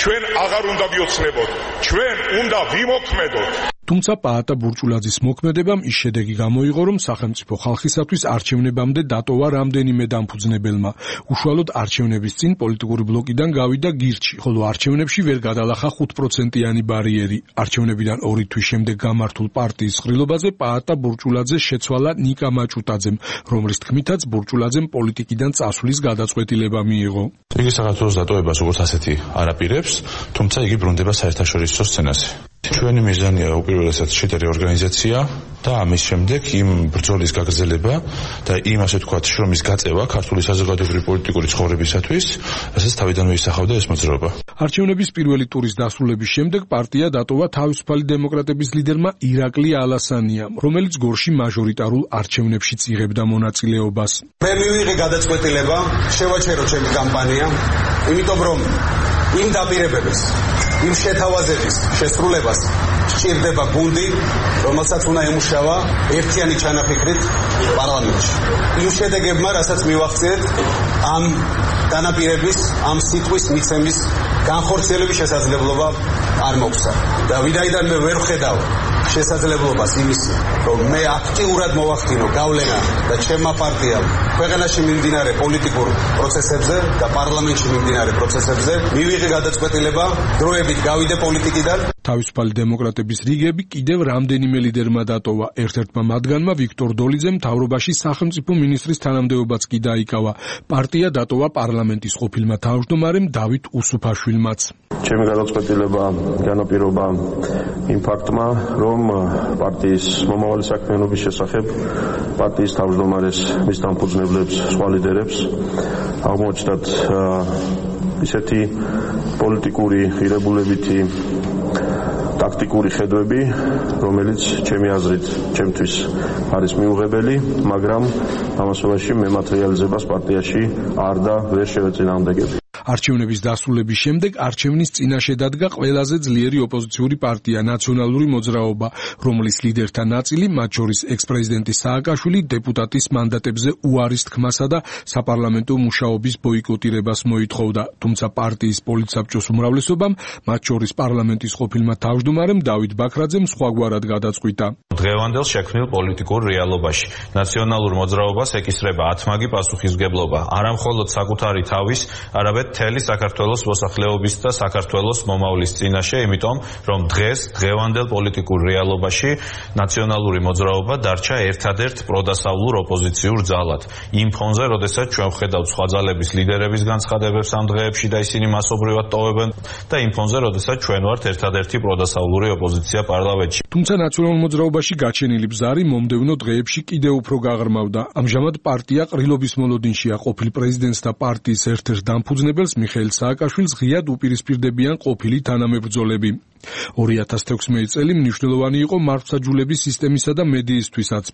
ჩვენ აღარ უნდა ვიოცნებოთ. ჩვენ უნდა ვიმოქმედოთ. თუმცა პაატა ბურჭულაძის მოქმედებამ ის შედეგი გამოიღო, რომ სახელმწიფო ხალხისათვის არჩევნებამდე დატოვა რამდენიმე დამფუძნებელმა. უშუალოდ არჩევნების წინ პოლიტიკური ბლოკიდან გავიდა გირჩი, ხოლო არჩევნებში ვერ გადალახა 5%-იანი ბარიერი. არჩევნებიდან 2 თვის შემდეგ გამართულ პარტიის ყრილობაზე პაატა ბურჭულაძეს შეცვალა ნიკა მაჭუტაძემ, რომლის თქმითაც ბურჭულაძემ პოლიტიკიდან წასვლის გადაწყვეტილება მიიღო. იგი საქართველოს დატოვებას როგორც ასეთი არ აპირებს, თუმცა იგი ბრუნდება საერთაშორისო სცენაზე. ჩვენი მიზანია უპირველესად შიდა რეორგანიზაცია და ამის შემდეგ იმ ბრძოლის გაგრძელება და იმ ასე ვთქვათ შრომის გაწევა ქართული საზოგადოებრივი პოლიტიკური ცხოვრებისათვის, რასაც თავიდანვე ისახავდა ეს მოძრაობა. არჩევნების პირველი ტურის დასრულების შემდეგ პარტია დატოვა თავისუფალი დემოკრატების ლიდერმა ირაკლი ალასანიამ, რომელიც გორში მაჟორიტარულ არჩევნებშიც იღებდა მონაწილეობას. მე მივიღე გადაწყვეტილება შევაჩერო ჩემი კამპანია, იმიტომ რომ იმ დაპირებების, იმ შეთავაზების შესრულებას სჭირდება გუნდი, რომელსაც უნდა ემუშავა ერთიანი ჩანაფიქრით პარლამენტში. იმ შედეგებმა, რასაც მივახციეთ, ამ დანაპირების, ამ სიტყვის მიცემის განხორციელების შესაძლებლობა არ მოგვცა. და ვინაიდან მე ვერ ვხედავ შესაძლებლობას იმის, რომ მე აქტიურად მოვახდინო გავლენა და ჩემმა პარტიამ ქვეყანაში მიმდინარე პოლიტიკურ პროცესებზე და პარლამენტში მიმდინარე პროცესებზე მივიღე გადაწყვეტილება დროებით გავიდე პოლიტიკიდან. თავისუფალი დემოკრატების რიგები კიდევ რამდენიმე ლიდერმა დატოვა. ერთ-ერთმა მათგანმა ვიქტორ დოლიძემ მთავრობაში სახელმწიფო მინისტრის თანამდებობაც კი დაიკავა. პარტია დატოვა პარლამენტის ყოფილმა თავმჯდომარემ დავით უსუფაშვილმაც. ჩემი გადაწყვეტილება განაპირობა იმ ფაქტმა, რომ პარტიის მომავალი საქმიანობის შესახებ პარტიის თავმჯდომარეს, მის დამფუძნებლებს, სხვა ლიდერებს აღმოჩნდათ ისეთი პოლიტიკური ღირებულებითი და ტაქტიკური ხედვები, რომელიც ჩემი აზრით, ჩემთვის არის მიუღებელი, მაგრამ ამასობაში მე მატერიალიზებას პარტიაში არ და ვერ შევეწინააღმდეგები. არჩევნების დასრულების შემდეგ არჩევნის წინაშე დადგა ყველაზე ძლიერი ოპოზიციური პარტია ნაციონალური მოძრაობა, რომლის ლიდერთა ნაწილი, მათ შორის ექს-პრეზიდენტი სააკაშვილი, დეპუტატის მანდატებზე უარის თქმასა და საპარლამენტო მუშაობის ბოიკოტირებას მოითხოვდა. თუმცა პარტიის პოლიტსაბჭოს უმრავლესობამ, მათ შორის პარლამენტის ყოფილმა თავმჯდომარემ დავით ბაქრაძემ სხვაგვარად გადაწყვიტა. დღევანდელ შექმნილ პოლიტიკურ რეალობაში ნაციონალურ მოძრაობას ეკისრება ათმაგი პასუხისმგებლობა, არა მხოლოდ საკუთარი თავის, არამედ მთელი საქართველოს მოსახლეობის და საქართველოს მომავლის წინაშე, იმიტომ რომ დღევანდელ პოლიტიკურ რეალობაში ნაციონალური მოძრაობა დარჩა ერთადერთ პროდასავლურ ოპოზიციურ ძალად. იმ ფონზე, როდესაც ჩვენ ვხედავთ სხვა ძალების ლიდერების განცხადებებს ამ დღეებში და ისინი მასობრივად ტოვებენ და იმ ფონზე, როდესაც ჩვენ ვართ ერთადერთი პროდასავლური ოპოზიცია პარლამენტში. თუმცა ნაციონალურ მოძრაობაში გაჩენილი ბზარი მომდევნო დღეებში კიდევ უფრო გაღრმავდა. ამჟამად პარტია ყრილობის მოლოდინშია ყოფილ პრეზიდენტს და პარტიის ერთ-ერთ დამფუძნებელს მიხეილ სააკაშვილს ღიად უპირისპირდებიან ყოფილი თანამებრძოლები. 2016 წელი მნიშვნელოვანი იყო მართლმსაჯულების სისტემისა და მედიისთვისაც.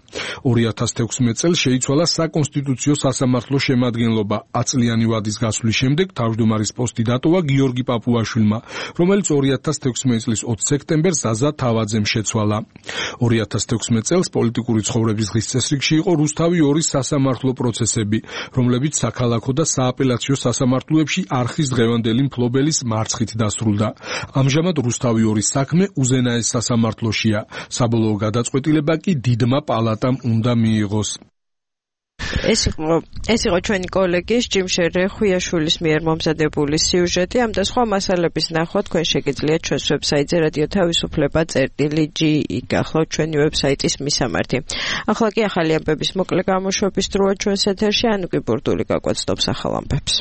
2016 წელს შეიცვალა საკონსტიტუციო სასამართლო შემადგენლობა. 10 წლიანი ვადის გასვლის შემდეგ თავმჯდომარის პოსტი დატოვა გიორგი პაპუაშვილმა, რომელიც 2016 წლის 20 სექტემბერს ზაზა თავაძემ შეცვალა. 2016 წელს პოლიტიკური ცხოვრების დღის წესრიგში იყო რუსთავი 2 სასამართლო პროცესები, რომლებიც საქალაქო და სააპელაციო სასამართლოებში არხის დღევანდელი მფლობელის მარცხით დასრულდა. ამჟამად რუსთავი 2 საქმე უზენაეს სასამართლოშია. საბოლოო გადაწყვეტილება კი დიდმა პალატამ უნდა მიიღოს. ეს იყო ჩვენი კოლეგის ჯიმშერ რეხვიაშვილის მიერ მომზადებული სიუჟეტი. ამ და სხვა მასალების ნახვა თქვენ შეგიძლიათ ჩვენს ვებსაიტზე radio-თავისუფლება.gi გახლავთ ჩვენი ვებსაიტის მისამართი. ახლა კი ახალი ამბების მოკლე გამოშვების დროა ჩვენს ეთერში. ანუკი ბურდული გაკვეთდობს ახალ ამბებს.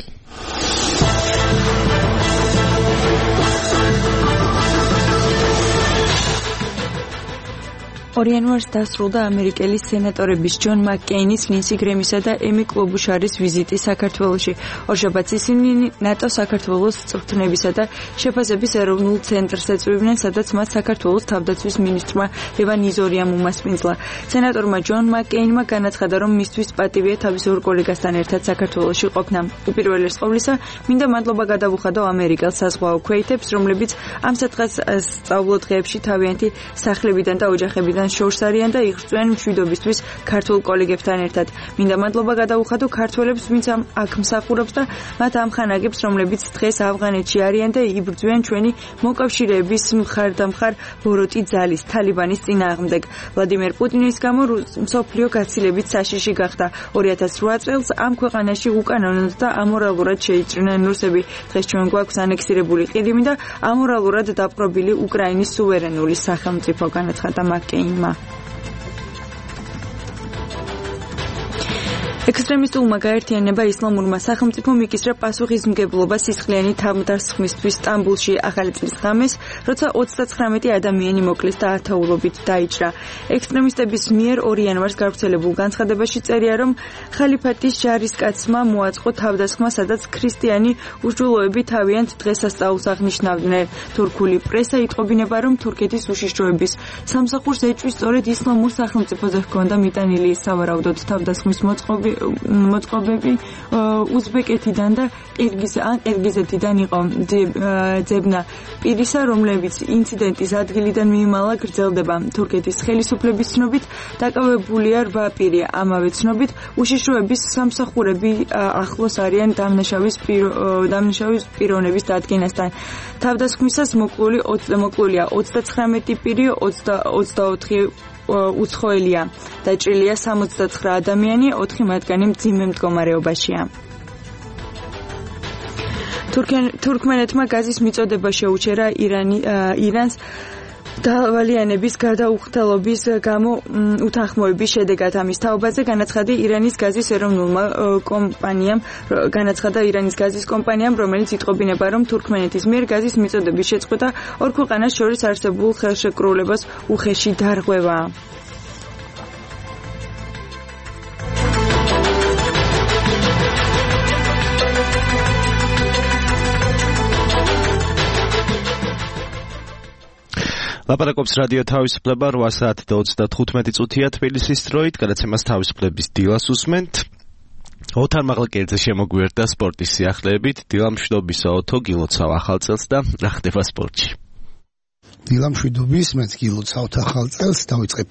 იანვარს დასრულდა ამერიკელი სენატორების ჯონ მაკკეინის, ლინსი გრემისა და ემი კლობუშარის ვიზიტი საქართველოში. ორშაბათს ისინი ნატო საქართველოს წვრთნებისა და შეფასების ეროვნულ ცენტრს ეწვივნენ, სადაც მათ საქართველოს თავდაცვის მინისტრმა ლევან იზორიამ უმასპინძლა. სენატორმა ჯონ მაკკეინმა განაცხადა, რომ მისთვის პატივია თავის ორ კოლეგასთან ერთად საქართველოში ყოფნა. უპირველეს ყოვლისა, მინდა მადლობა გადავუხადო ამერიკელ საზღვაო ქვეითებს, რომლებიც ამ სათხას სწავლო დღეებში თავიანთი სახლებიდან და ოჯახებიდან შორს არიან და იღწვიან მშვიდობისთვის ქართულ კოლეგებთან ერთად. მინდა მადლობა გადავუხადო ქართველებს, ვინც აქ მსახურობს და მათ ამ ხანაგებს, რომლებიც დღეს ავღანეთში არიან და იბრძვიან ჩვენი მოკავშირეების მხარდამხარ ბოროტი ძალის თალიბანის წინააღმდეგ. ვლადიმერ პუტინის გამო მსოფლიო გაცილებით საშიში გახდა. 2008 წელს ამ ქვეყანაში უკანონოდ და ამორალურად შეიჭრნენ რუსები. დღეს ჩვენ გვაქვს ანექსირებული ყირიმი და ამორალურად დაპყრობილი უკრაინის სუვერენული სახელმწიფო, განაცხადა მაკკეინმა. ექსტრემისტულმა გაერთიანება ისლამურმა სახელმწიფომ იკისრა პასუხისმგებლობა სისხლიანი თავდასხმისთვის სტამბულში ახალი წლის ღამეს, როცა 39 ადამიანი მოკლეს და ათეულობით დაიჭრა. ექსტრემისტების მიერ 2 იანვარს გავრცელებულ განცხადებაში წერია, რომ ხალიფატის ჯარისკაცმა მოაწყო თავდასხმა, სადაც ქრისტიანი უშუალოები თავიანთ დღესასწაულს აღნიშნავდნენ. თურქული პრესა იტყობინება, რომ თურქეთის უშიშროების სამსახურს ეჭვის სწორედ ისლამურ სახელმწიფოზე ჰქონდა მიტანილი სავარაუდოდ თავდასხმის მოწყობები უზბეკეთიდან და ყირგიზეთიდან იყო ძებნა პირისა, რომლებიც ინციდენტის ადგილიდან მიიმალა გრძელდება. თურქეთის ხელისუფლების ცნობით დაკავებულია 8 პირი. ამავე ცნობით უშიშროების სამსახურები ახლოს არიან დამნაშავის პიროვნების დადგენასთან. თავდასხმისას მოკლულია 39 პირი, 24 უცხოელია. დაჭრილია 69 ადამიანი, 4 მათგანი მძიმე მდგომარეობაშია. თურქმენეთმა გაზის მიწოდება შეუჩერა ირანს დავალიანების გადაუხდელობის გამო უთანხმოების შედეგად. ამის თაობაზე განაცხადა ირანის გაზის ეროვნულმა კომპანიამ, რომელიც იტყობინება, რომ თურქმენეთის მიერ გაზის მიწოდების შეწყვეტა ორ ქვეყანას შორის არსებულ ხელშეკრულებას უხეში დარღვევა. ლაპარაკობს რადიო თავისუფლება 8 საათი და 35 წუთია თბილისის დროით, გადაცემას თავისუფლების დილას უსმენთ. ოთარ მაღლაკერძე შემოგვიერთდა სპორტის სიახლეებით, დილა მშვიდობისა ოთო, გილოცავ ახალ წელს და რა ხდება სპორტში. დილა მშვიდობის, მეც გილოცავთ ახალ წელს, დავიწყებ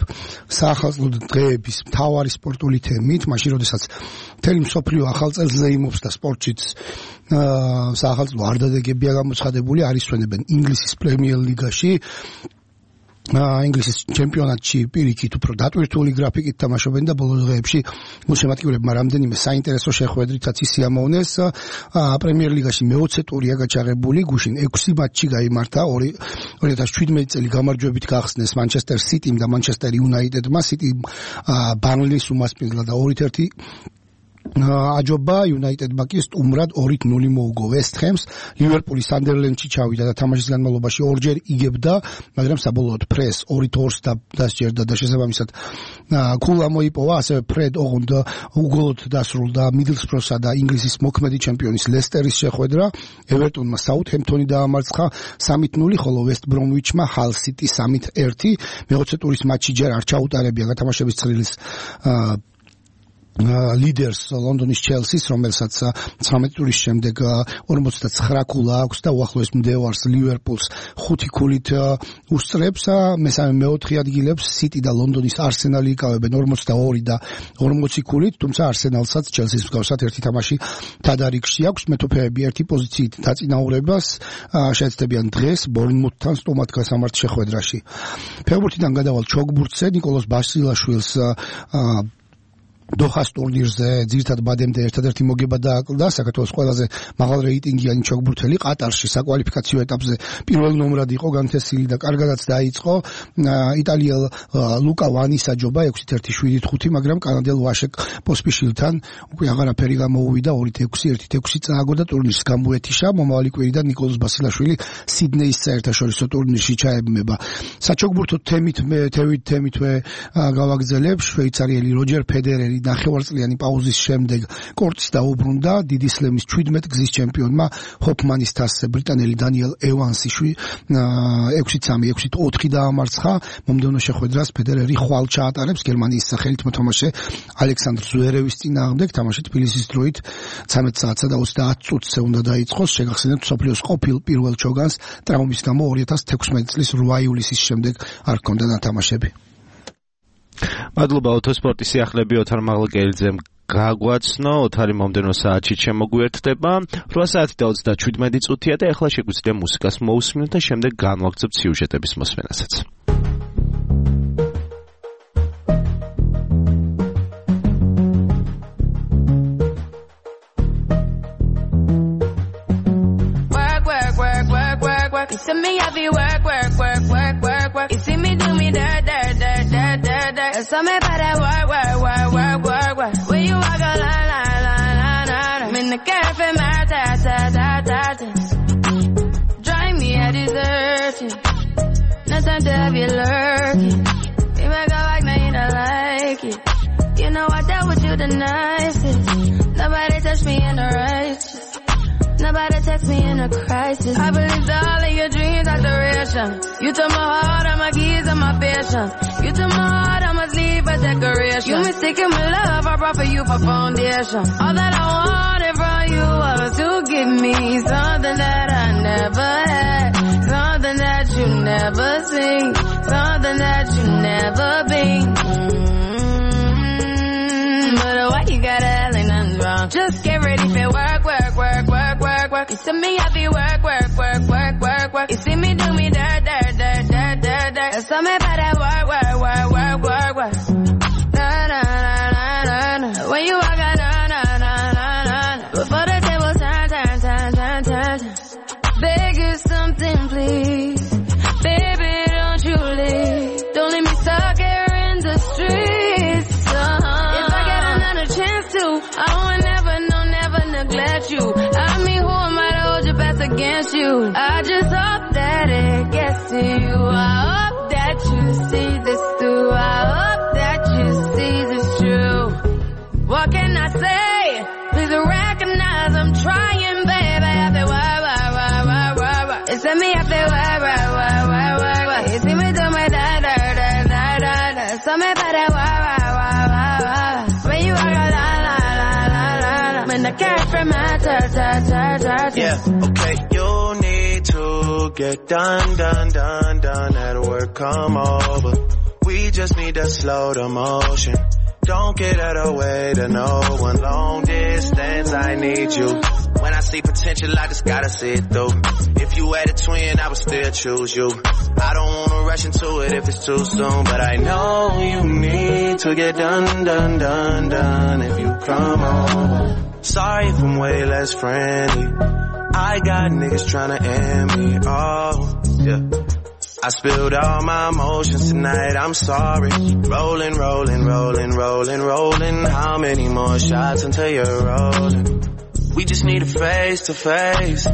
საახალწლო დღეების მთავარი სპორტული თემით, მაშინ როდესაც მთელი მსოფლიო ახალ წელს ზეიმობს და სპორტშიც საახალწლო არდადეგებია გამოცხადებული, არის ჩვენებენ ინგლისის პრემიერ ლიგაში. ინგლისის ჩემპიონატში პირიქით უფრო დატვირთული გრაფიკით თამაშობენ და ბოლო დღეებში გულშემატკივრებმა რამდენიმე საინტერესო შეხვედრითაც ისიამოვნეს. პრემიერ ლიგაში მეოცე ტურია გაჩაღებული, გუშინ 6 მატჩი გაიმართა, 2017 წელი გამარჯვებით გახსნეს მანჩესტერ სიტიმ და მანჩესტერ იუნაიტედმა. სიტი ბარნლის უმასპინძლა და 2-1 აჯობა, იუნაიტედმა კი სტუმრად 2-0 მოუგო ვესტ ჰემს. ლივერპული სანდერლენდში ჩავიდა და თამაშის განმავლობაში ორჯერ იგებდა, მაგრამ საბოლოოდ ფრეს 2-2 დასჯერდა და შესაბამისად ქულა მოიპოვა. ასევე ფრედ ოღონდ უგოლოდ დასრულდა მიდლსბროსა და ინგლისის მოქმედი ჩემპიონის ლესტერის შეხვედრა. ევერტონმა საუთჰემპტონი დაამარცხა 3-0, ხოლო ვესტ ბრომვიჩმა ჰალ სიტი 3-1. მეოცე ტურის მატჩი ჯერ არ ჩაუტარებია გათამაშების ცხრილის ლიდერს ლონდონის ჩელსის, რომელსაც 19 ტურის შემდეგ 49 ქულა აქვს და უახლოეს მდევარს ლივერპულს 5 ქულით უსწრებს. მესამე მეოთხე ადგილებს სიტი და ლონდონის არსენალი იკავებენ 42 და 40 ქულით, თუმცა არსენალსაც ჩელსის მსგავსად ერთი თამაში თადარიგში აქვს. მეტოქეები ერთი პოზიციით დაწინაურებას შეეცდებიან დღეს ბორნმუთთან სტუმრად გასამართ შეხვედრაში. ფეხბურთიდან გადავალ ჩოგბურთზე, ნიკოლოზ ბასილაშვილს დოჰას ტურნირზე ძირითადად ბადემდე ერთადერთი მოგება დააკლდა. საქართველოს ყველაზე მაღალ რეიტინგიანი ჩოგბურთელი ყატარში საკვალიფიკაციო ეტაპზე პირველ ნომრად იყო განთესილი და კარგადაც დაიწყო. იტალიელ ლუკა ვანის აჯობა 6-1-7-5, მაგრამ კანადელ ვაშეკ პოსპიშილთან უკვე აღარაფერი გამოუვიდა. 2-6, 1-6 წააგო და ტურნირს გამოეთიშა. მომავალი კვირიდან ნიკოლოზ ბასილაშვილი სიდნეის საერთაშორისო ტურნირში ჩაებმება. საჩოგბურთო თემითვე გავაგრძელებ. შვეიცარიელი როჯერ ფედერერი ნახევარწლიანი პაუზის შემდეგ კორტს დაუბრუნდა. დიდი სლემის 17 გზის ჩემპიონმა ჰოფმანის თასზე ბრიტანელი დანიელ ევანსი 6-3, 6-4 დაამარცხა. მომდევნო შეხვედრას ფედერერი ხვალ ჩაატარებს გერმანიის სახელით მოთამაშე ალექსანდრ ზვერევის წინააღმდეგ. თამაში თბილისის დროით 13 საათსა და 30 წუთზე უნდა დაიწყოს. შეგახსენებთ, მსოფლიოს ყოფილ პირველ ჩოგანს ტრავმის გამო 2016 წლის 8 ივლისის შემდეგ არ ჰქონდა ნათამაშები. მადლობა ოტოსპორტის სიახლეები ოთარ მაღლაკერძემ გაგვაცნო. ოთარი მომდენო საათში შემოგვიერთდება 8 საათი და 37 წუთია და ეხლა შეგვიძლია მუსიკას მოусმინოთ და შემდეგ განვაგრძობთ სიუჟეტების მოსმენასაც. You see me heavy work. You see me do me dirt. So me by that work. When you walk a line. I'm in the cafe, my ta. Drive me a dessert. No time to have you lurking. You make a like, now you don't like it. You know I dealt with you the nicest. Nobody touched me in the righteous. Nobody text me in a crisis. I believed all of your dreams are duration. You took my heart, all my keys, and my patience. You took my heart, I must leave a decoration. You mistaken my love, I brought for you for foundation. All that I wanted from you was to give me something that I never had, something that you never seen, something that you never been. But why you gotta act like nothing's wrong? Just get ready for work. You see me heavy work. You see me do me dirt. So me by that work. Na. When you walk out, na. Before the table turn. Beg you something, please. Baby, don't you leave. Don't leave me stuck here in the streets. If I get another chance to, I will never neglect you. I mean, who am I to hold your best against you? I just hope that it gets to you. I hope that you see this through. I hope that you see this true. What can I say? Please recognize I'm trying, baby. I feel why. It's me, I feel why. You see me cash from my Yeah, okay, you need to get done at work, come over. We just need to slow the motion. Don't get out of the way to no one. Long distance, I need you. When I see potential, I just gotta see it through. If you had a twin, I would still choose you. I don't wanna rush into it if it's too soon, but I know you need to get done if you come over. Sorry if I'm way less friendly. I got niggas tryna end me, oh, yeah. I spilled all my emotions tonight, I'm sorry. Rolling. How many more shots until you're rolling? We just need a face to face.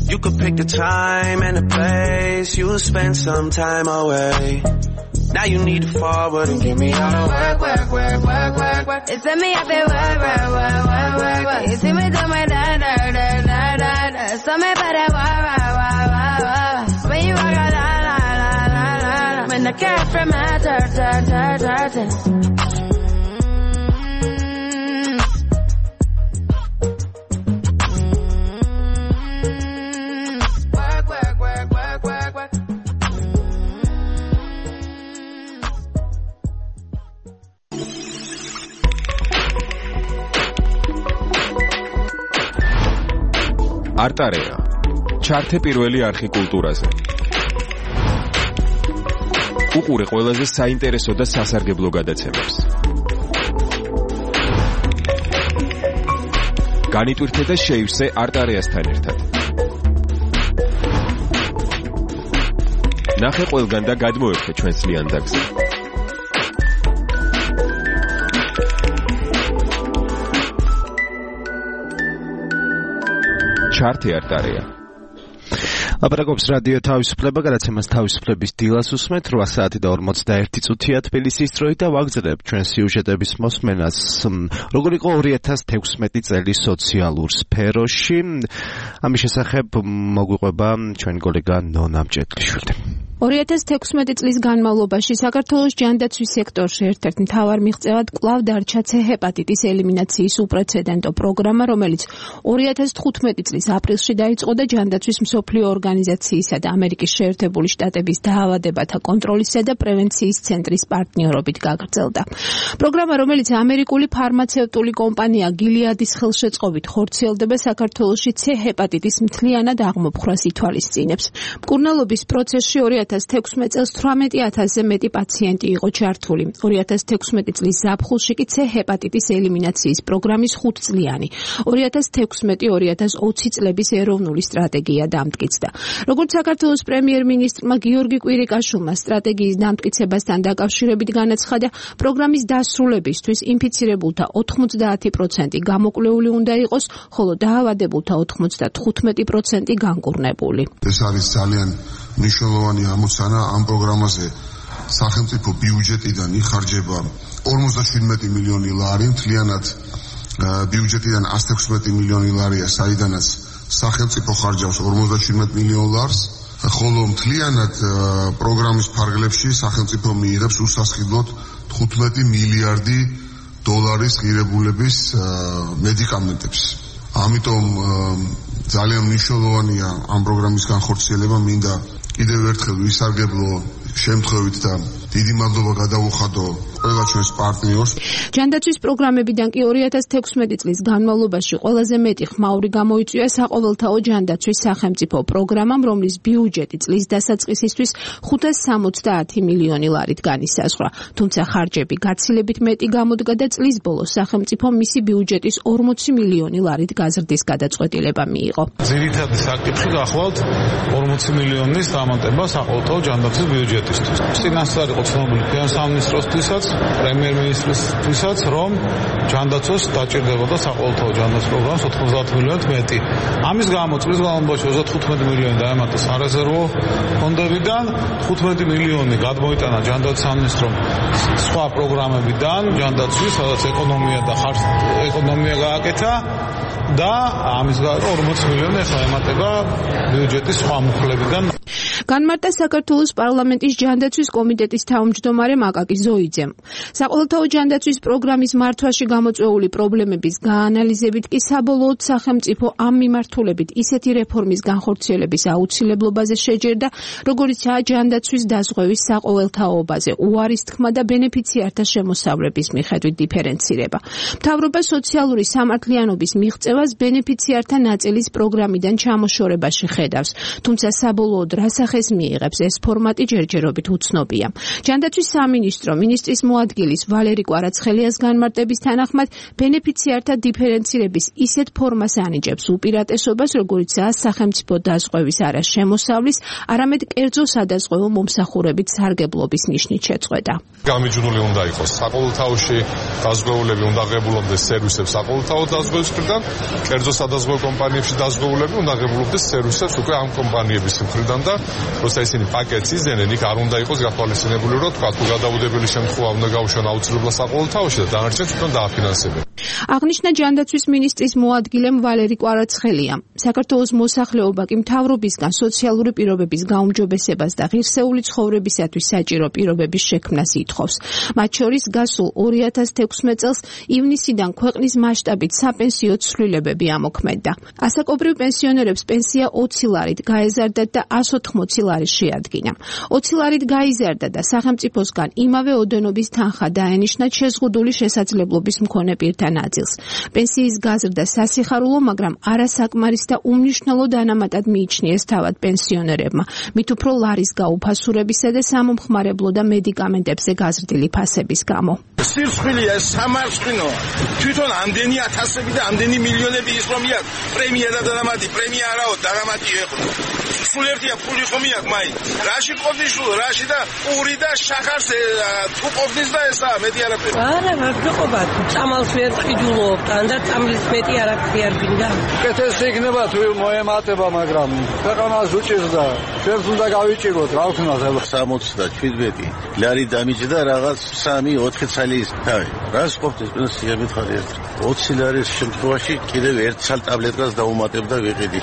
You could pick the time and the place. You'll spend some time away. Now you need to forward and give me all the work. It's me up there, work. You see me do my da. So me better work. When you walk out, la. When the cash from my dirt. არტარეა ჩართე პირველი არხი კულტურაზე. უყურე ყველაზე საინტერესო და სასარგებლო გადაცემებს. განიტვირთე და შეივსე არტარეასთან ერთად. ნახე ყველგან და გადმოერთე ჩვენს ლიანდაგზე. ჩართე არტარეა. აპარაკობს რადიო თავისუფლება, გადაცემას თავისუფლების დილას უსმენთ 8 საათი და 41 წუთია თბილისის დროით და ვაგრძელებთ ჩვენ სიუჟეტების მოსმენას. როგორ იყო 2016 წელი სოციალურ სფეროში? ამის შესახებ მოგვიყვება ჩვენ კოლეგა ნონა მჭედლიშვილი. 2016 წლის განმავლობაში საქართველოს ჯანდაცვის სექტორში ერთ-ერთ მთავარ მიღწევად კვლავ დარჩა C ჰეპატიტის ელიმინაციის უპრეცედენტო პროგრამა, რომელიც 2015 წლის აპრილში დაიწყო და ჯანდაცვის მსოფლიო ორგანიზაციისა და ამერიკის შეერთებული შტატების დაავადებათა კონტროლისა და პრევენციის ცენტრის პარტნიორობით გაგრძელდა. პროგრამა, რომელიც ამერიკული ფარმაცევტული კომპანია გილიადის ხელშეწყობით ხორციელდება, საქართველოში C ჰეპატიტის მთლიანად აღმოფხვრას ითვალისწინებს. მკურნალობის პროცესში 2016 წელს 18,000-ზე მეტი პაციენტი იყო ჩართული. 2016 წლის ზაფხულში კი C ჰეპატიტის ელიმინაციის პროგრამის 5-წლიანი 2016-2020 წლების ეროვნული სტრატეგია დამტკიცდა. როგორც საქართველოს პრემიერ-მინისტრმა გიორგი კვირიკაშვილმა სტრატეგიის დამტკიცებასთან დაკავშირებით განაცხადა, პროგრამის დასრულებისთვის ინფიცირებულთა 90% გამოკვლეული უნდა იყოს, ხოლო დაავადებულთა 95% განკურნებული. ეს არის ძალიან მნიშვნელოვანი ამოცანა. ამ პროგრამაზე სახელმწიფო ბიუჯეტიდან იხარჯება 57 მილიონი ლარი, მთლიანად ბიუჯეტიდან 116 მილიონი ლარია, საიდანაც სახელმწიფო ხარჯავს 57 მილიონ ლარს, ხოლო მთლიანად პროგრამის ფარგლებში სახელმწიფო მიიღებს უსასყიდლოდ 15 მილიარდი დოლარის ღირებულების მედიკამენტებს. ამიტომ ძალიან მნიშვნელოვანია ამ პროგრამის განხორციელება. მინდა კიდევ ერთხელ ვისარგებლო შემთხვევით და დიდი მადლობა გადავუხადო ყველა ჩვენს პარტნიორს. ჯანდაცვის პროგრამებიდან კი 2016 წლის განმავლობაში ყველაზე მეტი ხმაური გამოიწვია საყოველთაო ჯანდაცვის სახელმწიფო პროგრამამ, რომლის ბიუჯეტი წლის დასაწყისისთვის 570 მილიონი ლარით განისაზღვრა. თუმცა ხარჯები გაცილებით მეტი გამოდგა და წლის ბოლოს სახელმწიფო მისი ბიუჯეტის 40 მილიონი ლარით გაზრდის გადაწყვეტილება მიიღო. ძირითადი საკითხი გახლავთ 40 მილიონის დამატება საყოველთაო ჯანდაცვის ბიუჯეტისთვის. წინასწარ იყო ცნობილი სამინისტროსთვისაც, პრემიერ-მინისტრისთვისაც, რომ ჯანდაცვას დაჭირდებოდა საყოველთაო ჯანდაცვის პროგრამას 90 მილიონით მეტი. ამის გამო წლის განმავლობაში 35 მილიონი დაემატა სარეზერვო ფონდებიდან, 15 მილიონი გადმოიტანა ჯანდაცვის სამინისტრომ სხვა პროგრამებიდან, ჯანდაცვის, სადაც ეკონომია გააკეთა და ამის გამო 40 მილიონი ახლა ემატება ბიუჯეტის სხვა მუხლებიდან. განმარტა საქართველოს პარლამენტის ჯანდაცვის კომიტეტის თავმჯდომარე მაკაკი ზოიძემ. საყოველთაო ჯანდაცვის პროგრამის მართვაში გამოწვეული პრობლემების გაანალიზებით კი საბოლოოდ სახელმწიფო ამ მიმართულებით ისეთი რეფორმის განხორციელების აუცილებლობაზე შეჯერდა, როგორიცაა ჯანდაცვის დაზღვევის საყოველთაობაზე უარის თქმა და ბენეფიციართა შემოსავლების მიხედვით დიფერენცირება. მთავრობა სოციალური სამართლიანობის მიღწევას ბენეფიციართა ნაწილის პროგრამიდან ჩამოშორებაში ხედავს, თუმცა საბოლოოდ რა სახეს მიიღებს ეს ფორმატი ჯერჯერობით უცნობია. ჯანდაცვის სამინისტრო მინისტრის მოადგილის ვალერი კვარაცხელიას განმარტების თანახმად ბენეფიციართა დიფერენცირების ისეთ ფორმას ანიჭებს უპირატესობას, როგორიცაა სახელმწიფო დაზღვევის არა შემოსავლის, არამედ კერძო სადაზღვევო მომსახურებით სარგებლობის ნიშნით შეწყვეტა. გამიჯნული უნდა იყოს საყოველთაოში დაზღვეულები უნდა ღებულობდეს სერვისებს საყოველთაო დაზღვევის მხრიდან, კერძო სადაზღვევო კომპანიებში დაზღვეულები უნდა ღებულობდეს სერვისებს უკვე ამ კომპანიების მხრიდან და როცა ისინი პაკეტს იზრდნენ, იქ არ უნდა იყოს გათვალისწინებული, რომ თქვა თუ გადაუდებელი შემთხვევა უნდა გაუშვან აუცილებლად საყოველთაოში და დანარჩენს თვითონ დააფინანსებენ. აღნიშნა ჯანდაცვის მინისტრის მოადგილემ ვალერი კვარაცხელიამ. საქართველოს მოსახლეობა კი მთავრობისგან სოციალური პირობების გაუმჯობესებას და ღირსეული ცხოვრებისათვის საჭირო პირობების შექმნას ითხოვს. მათ შორის გასულ 2016 წელს ივნისიდან ქვეყნის მასშტაბით საპენსიო ცვლილებები ამოქმედდა. ასაკობრივ პენსიონერებს პენსია 20 ლარით გაეზარდათ და 180 ლარი შეადგინა. 20 ლარით გაიზარდა და სახელმწიფოსგან იმავე ოდენობის თანხა დაენიშნა შეზღუდული შესაძლებლობის მქონე პირთა ნაწილს. პენსიის გაზრდა სასიხარულო, მაგრამ არასაკმარის და უმნიშვნელო დანამატად მიიჩნიეს თავად პენსიონერებმა, მით უფრო ლარის გაუფასურებისა და სამომხმარებლო და მედიკამენტებზე გაზრდილი ფასების გამო. სირცხვილია, სამარცხინოა. თვითონ ამდენი ათასები და ამდენი მილიონები ის რომ იაკ პრემია და დანამატი, პრემია არაო, დანამატი ეხო. სულ ერთია ფული ხომ იაკ მაი. რაში ყოფნის სულ, რაში და პური და შახარს თუ ყოფნის და ესა მეტი არაფერი. არა, მოგყობა. წამალს ვერ ყიდულობ, და წამლის მეტი არაფერი არ გინდა. კეთილს იქნება თუ მოემატება, მაგრამ ქვეყანას უჭირდა. შენს უნდა გავიჭიროთ, რა ვქნა ხება. 67 ლარი დამიჯდა რაღაც 3-4 წლის თავი. რას ყოფნის პენსია მითხარი ერთ 20 ლარის შემთხვევაში კიდევ ერთ ცალ ტაბლეტკას დაუმატებ და ვიყიდი.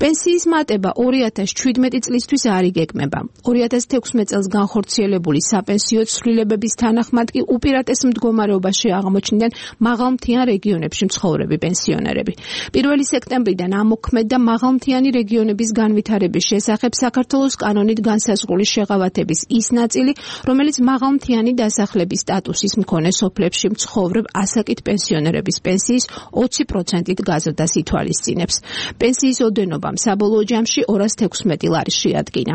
პენსიის მატება 2017 წლისთვის არ იგეგმება. 2016 წელს განხორციელებული საპენსიო ცვლილებების თანახმად კი უპირატეს მდგომარეობაში აღმოჩნდნენ მაღალმთიან რეგიონებში მცხოვრები პენსიონერები. 1 სექტემბრიდან ამოქმედდა მაღალმთიანი რეგიონების განვითარების შესახებ საქართველოს კანონით განსაზღვრული შეღავათების ის ნაწილი, რომელიც მაღალმთიანი დასახლების სტატუსის მქონე სოფლებში მცხოვრებ ასაკით პენსიონერების პენსიის 20%-ით გაზრდას ითვალისწინებს. პენსიის ოდენობამ საბოლოო ჯამში 216 ლარი შეადგინა.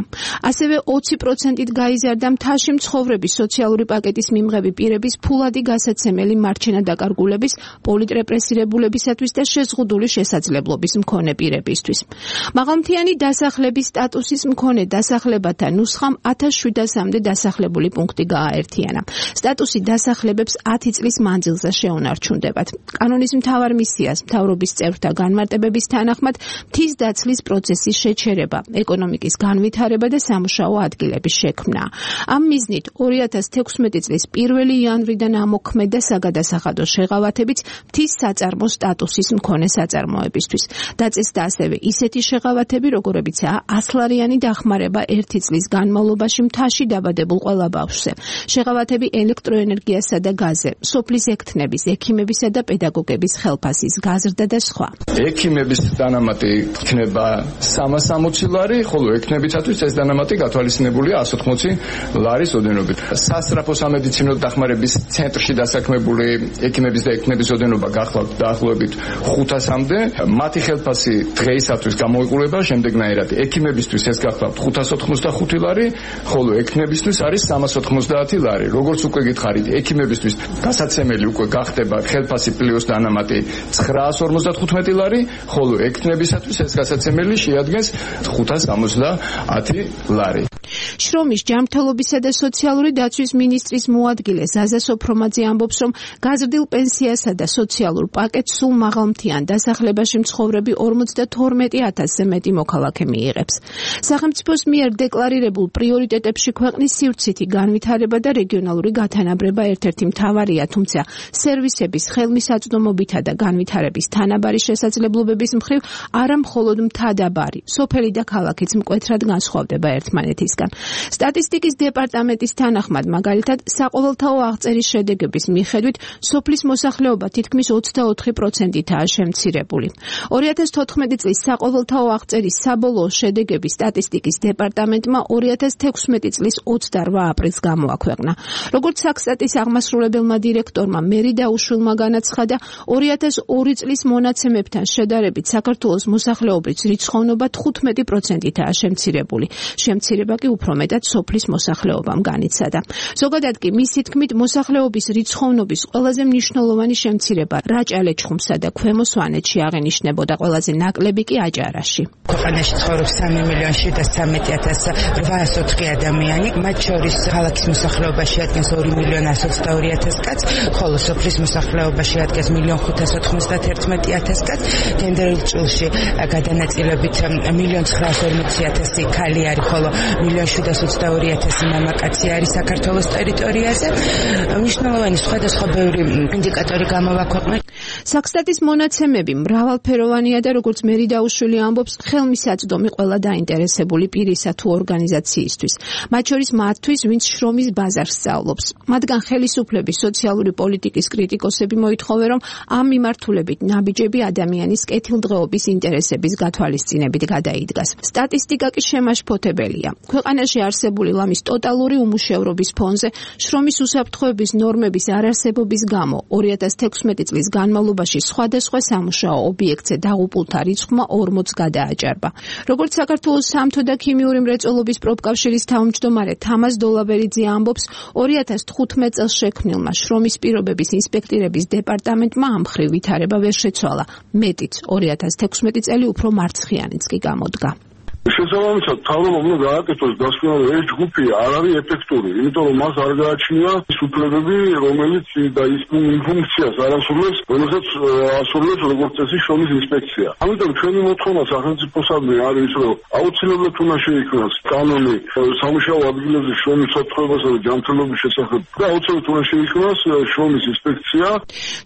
ასევე 20%-ით გაიზარდა მთაში მცხოვრების სოციალური პაკეტის მიმღები პირების ფულადი გასაცემელი მარჩენადაკარგულების, პოლიტრეპრესირებულებისათვის და შეზღუდული შესაძლებლობის მქონე პირებისთვის. მაღალმთიანი დასახლების სტატუსის მქონე დასახლებათა ნუსხამ 1700-მდე დასახლებული პუნქტი გააერთიანა. სტატუსი დასახლებებს 10 წლის მანძილზე შეუნარჩუნდებათ. კანონის მთავარ მისიას მთავრობის წევრთა განმარტებების თანახმად მთის დაცლის პროცესის შეჩერება, ეკონომიკის განვითარება და სამუშაო ადგილების შექმნა. ამ მიზნით 2016 წლის 1 იანვრიდან ამოქმედდა საგადასახადო შეღავათებიც მთის საწარმო სტატუსის მქონე საწარმოებისთვის. დაწესდა ასევე ისეთი შეღავათები, როგორებიცაა 100 ლარიანი დახმარება 1 წლის განმავლობაში მთაში დაბადებულ ყველა ბავშვზე. შეღავათები ელექტროენერგიასა და გაზზე, სოფლის ექთნების, ექიმებისა და პედაგოგების ხელფასის გაზრდა და სხვა. ექიმების დანამატი იქნება 360 ლარი, ხოლო ექნებისათვის ეს დანამატი გათვალისწინებულია 180 ლარის ოდენობით. სასწრაფო სამედიცინო დახმარების ცენტრში დასაქმებული ექიმების და ექნების ოდენობა გახლავთ დაახლოებით 500-მდე. მათი ხელფასი დღეისათვის გამოიყურება შემდეგნაირად. ექიმებისთვის ეს გახლავთ 585 ლარი, ხოლო ექნებისთვის არის 390 ლარი. როგორც უკვე გითხარით, ექიმებისთვის გასაცემელი უკვე გახდება ხელფასი პლუს დანამატი 955 ლარი, ხოლო ექნებისათვის ეს გასაცემელი შეადგენს 570 ლარი. შრომის ჯანმრთელობისა და სოციალური დაცვის მინისტრის მოადგილე ზაზა სოფრომაძე ამბობს, რომ გაზრდილ პენსიასა და სოციალურ პაკეტს სულ მაღალმთიან დასახლებაში მცხოვრები 52,000-ზე მეტი მოქალაქე მიიღებს. სახელმწიფოს მიერ დეკლარირებულ პრიორიტეტებში ქვეყნის სივრცითი განვითარება და რეგიონალური გათანაბრება ერთ-ერთი მთავარია, თუმცა სერვისების ხელმისაწვდომობითა და განვითარების თანაბარი შესაძლებლობების მხრივ არა მხოლოდ მთადაბარი, სოფელი და ქალაქიც მკვეთრად განსხვავდება ერთმანეთისგან. სტატისტიკის დეპარტამენტის თანახმად, მაგალითად, საყოველთაო აღწერის შედეგების მიხედვით, სოფლის მოსახლეობა თითქმის 24%-ითაა შემცირებული. 2014 წლის საყოველთაო აღწერის საბოლოო შედეგები სტატისტიკის დეპარტამენტმა 2016 წლის 28 აპრილს გამოაქვეყნა. როგორც საქსტატის აღმასრულებელმა დირექტორმა მერი დაუშვილმა განაცხადა, 2002 წლის მონაცემებთან შედარებით საქართველოს მოსახლეობის რიცხოვნობა 15%-ითაა შემცირებული. შემცირება კი უფრო მეტად სოფლის მოსახლეობამ განიცადა. ზოგადად კი მისი თქმით მოსახლეობის რიცხოვნობის ყველაზე მნიშვნელოვანი შემცირება რაჭა-ლეჩხუმსა და ქვემო სვანეთში აღენიშნებოდა, ყველაზე ნაკლები კი აჭარაში. ქვეყანაში ცხოვრობს 3,704,804 ადამიანი, მათ შორის ქალაქის მოსახლეობა შეადგენს 2,122,000 კაცს, ხოლო სოფლის მოსახლეობა შეადგენს 1,591,000 კაცს. თენდერულ წილში გადანაწილებით 1,940,000 ქალი არის, ხოლო 1,722,000 მამაკაცი არის საქართველოს ტერიტორიაზე. მნიშვნელოვანი სხვადასხვა ბევრი ინდიკატორი გამოვაქვეყნეთ. საქსტატის მონაცემები მრავალფეროვანია და როგორც მერი დაუშვილი ამბობს, ხელმისაწვდომი ყველა დაინტერესებული პირისა თუ ორგანიზაციისთვის. მათ შორის მათთვის, ვინც შრომის ბაზარს სწავლობს. მათგან ხელისუფლების სოციალური პოლიტიკის კრიტიკოსები მოითხოვენ, რომ ამ მიმართულებით ნაბიჯები ადამიანის კეთილდღეობის ინტერესების გათვალისწინებით გადაიდგას. სტატისტიკა კი შემაშფოთებელია. ქვეყანაში არსებული ლამის ტოტალური უმუშევრობის ფონზე შრომის უსაფრთხოების ნორმების არარსებობის გამო 2016 წლის განმავლობაში სხვადასხვა სამუშაო ობიექტზე დაღუპულთა რიცხვმა 40-ს გადააჭარბა. როგორც საქართველოს სამთო და ქიმიური მრეწველობის პროფკავშირის თავმჯდომარე თამაზ დოლაბერიძე ამბობს, 2015 წელს შექმნილმა შრომის პირობების ინსპექტირების დეპარტამენტმა ამ მხრივ ვითარება ვერ შეცვალა. მეტიც, 2016 წელი უფრო მარცხიანიც კი გამოდგა. შესაბამისად, თავრობამ უნდა გააკეთოს დასკვნა, რომ ეს ჯგუფი არ არის ეფექტური, იმიტომ რომ მას არ გააჩნია ის უფლებები, რომელიც და ის ფუნქციას არ ასრულებს, რომელსაც ასრულებს როგორც წესი შრომის ინსპექცია. ამიტომ ჩვენი მოთხოვნა სახელმწიფოსადმი არის, რომ აუცილებლად უნდა შეიქმნას კანონი სამუშაო ადგილებზე შრომის უსაფრთხოებასა და ჯანმრთელობის შესახებ და აუცილებლად უნდა შეიქმნას შრომის ინსპექცია.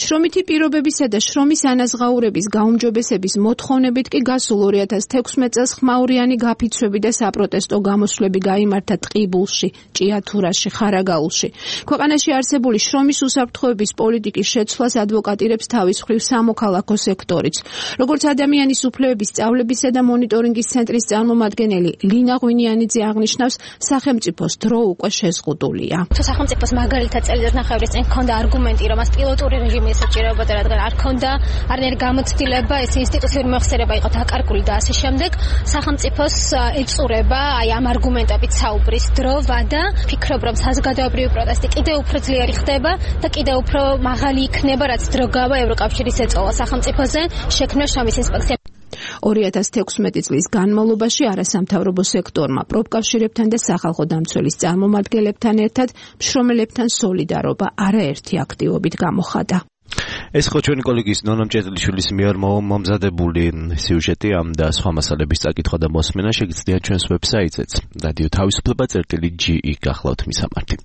შრომითი პირობებისა და შრომის ანაზღაურების გაუმჯობესების მოთხოვნებით კი გასულ 2016 წელს ხმაურიანი გაფიცვები და საპროტესტო გამოსვლები გაიმართა ტყიბულში, ჭიათურაში, ხარაგაულში. ქვეყანაში არსებული შრომის უსაფრთხოების პოლიტიკის შეცვლას ადვოკატირებს თავის მხრივ სამოქალაქო სექტორიც. როგორც ადამიანის უფლებების სწავლებისა და მონიტორინგის ცენტრის წარმომადგენელი ლინა ღვინიანიძე აღნიშნავს, სახელმწიფოს დრო უკვე შეზღუდულია. თუ სახელმწიფოს მაგალითად წელიწადნახევრის წინ ჰქონდა არგუმენტი, რომ მას პილოტური რეჟიმი ესაჭიროებოდა, რადგან არ ჰქონდა არანაირი გამოცდილება, ეს ინსტიტუციური მოხსერება იყო დაკარგული და ასე შემდეგ, სახელმწიფოს ეწურება აი ამ არგუმენტებით საუბრის დრო, ვადა. ფიქრობ, რომ საზოგადოებრივი პროტესტი კიდევ უფრო ძლიერი ხდება და კიდევ უფრო მაღალი იქნება, რაც დრო გავა ევროკავშირის ეწოლა სახელმწიფოზე შექმნა შრომის ინსპექცია. 2016 წლის განმავლობაში არასამთავრობო სექტორმა პროფკავშირებთან და სახალხო დამცველის წარმომადგენლებთან ერთად მშრომელებთან სოლიდარობა არაერთი აქტივობით გამოხატა. ეს ხო ჩვენი კოლეგის ნონა მჭედლიშვილის მიერ მომზადებული სიუჟეტი ამ და სხვა მასალების წაკითხვა და მოსმენა შეგიძლიათ ჩვენს ვებსაიტზეც რადიო თავისუფლება.ge გახლავთ მისამართი.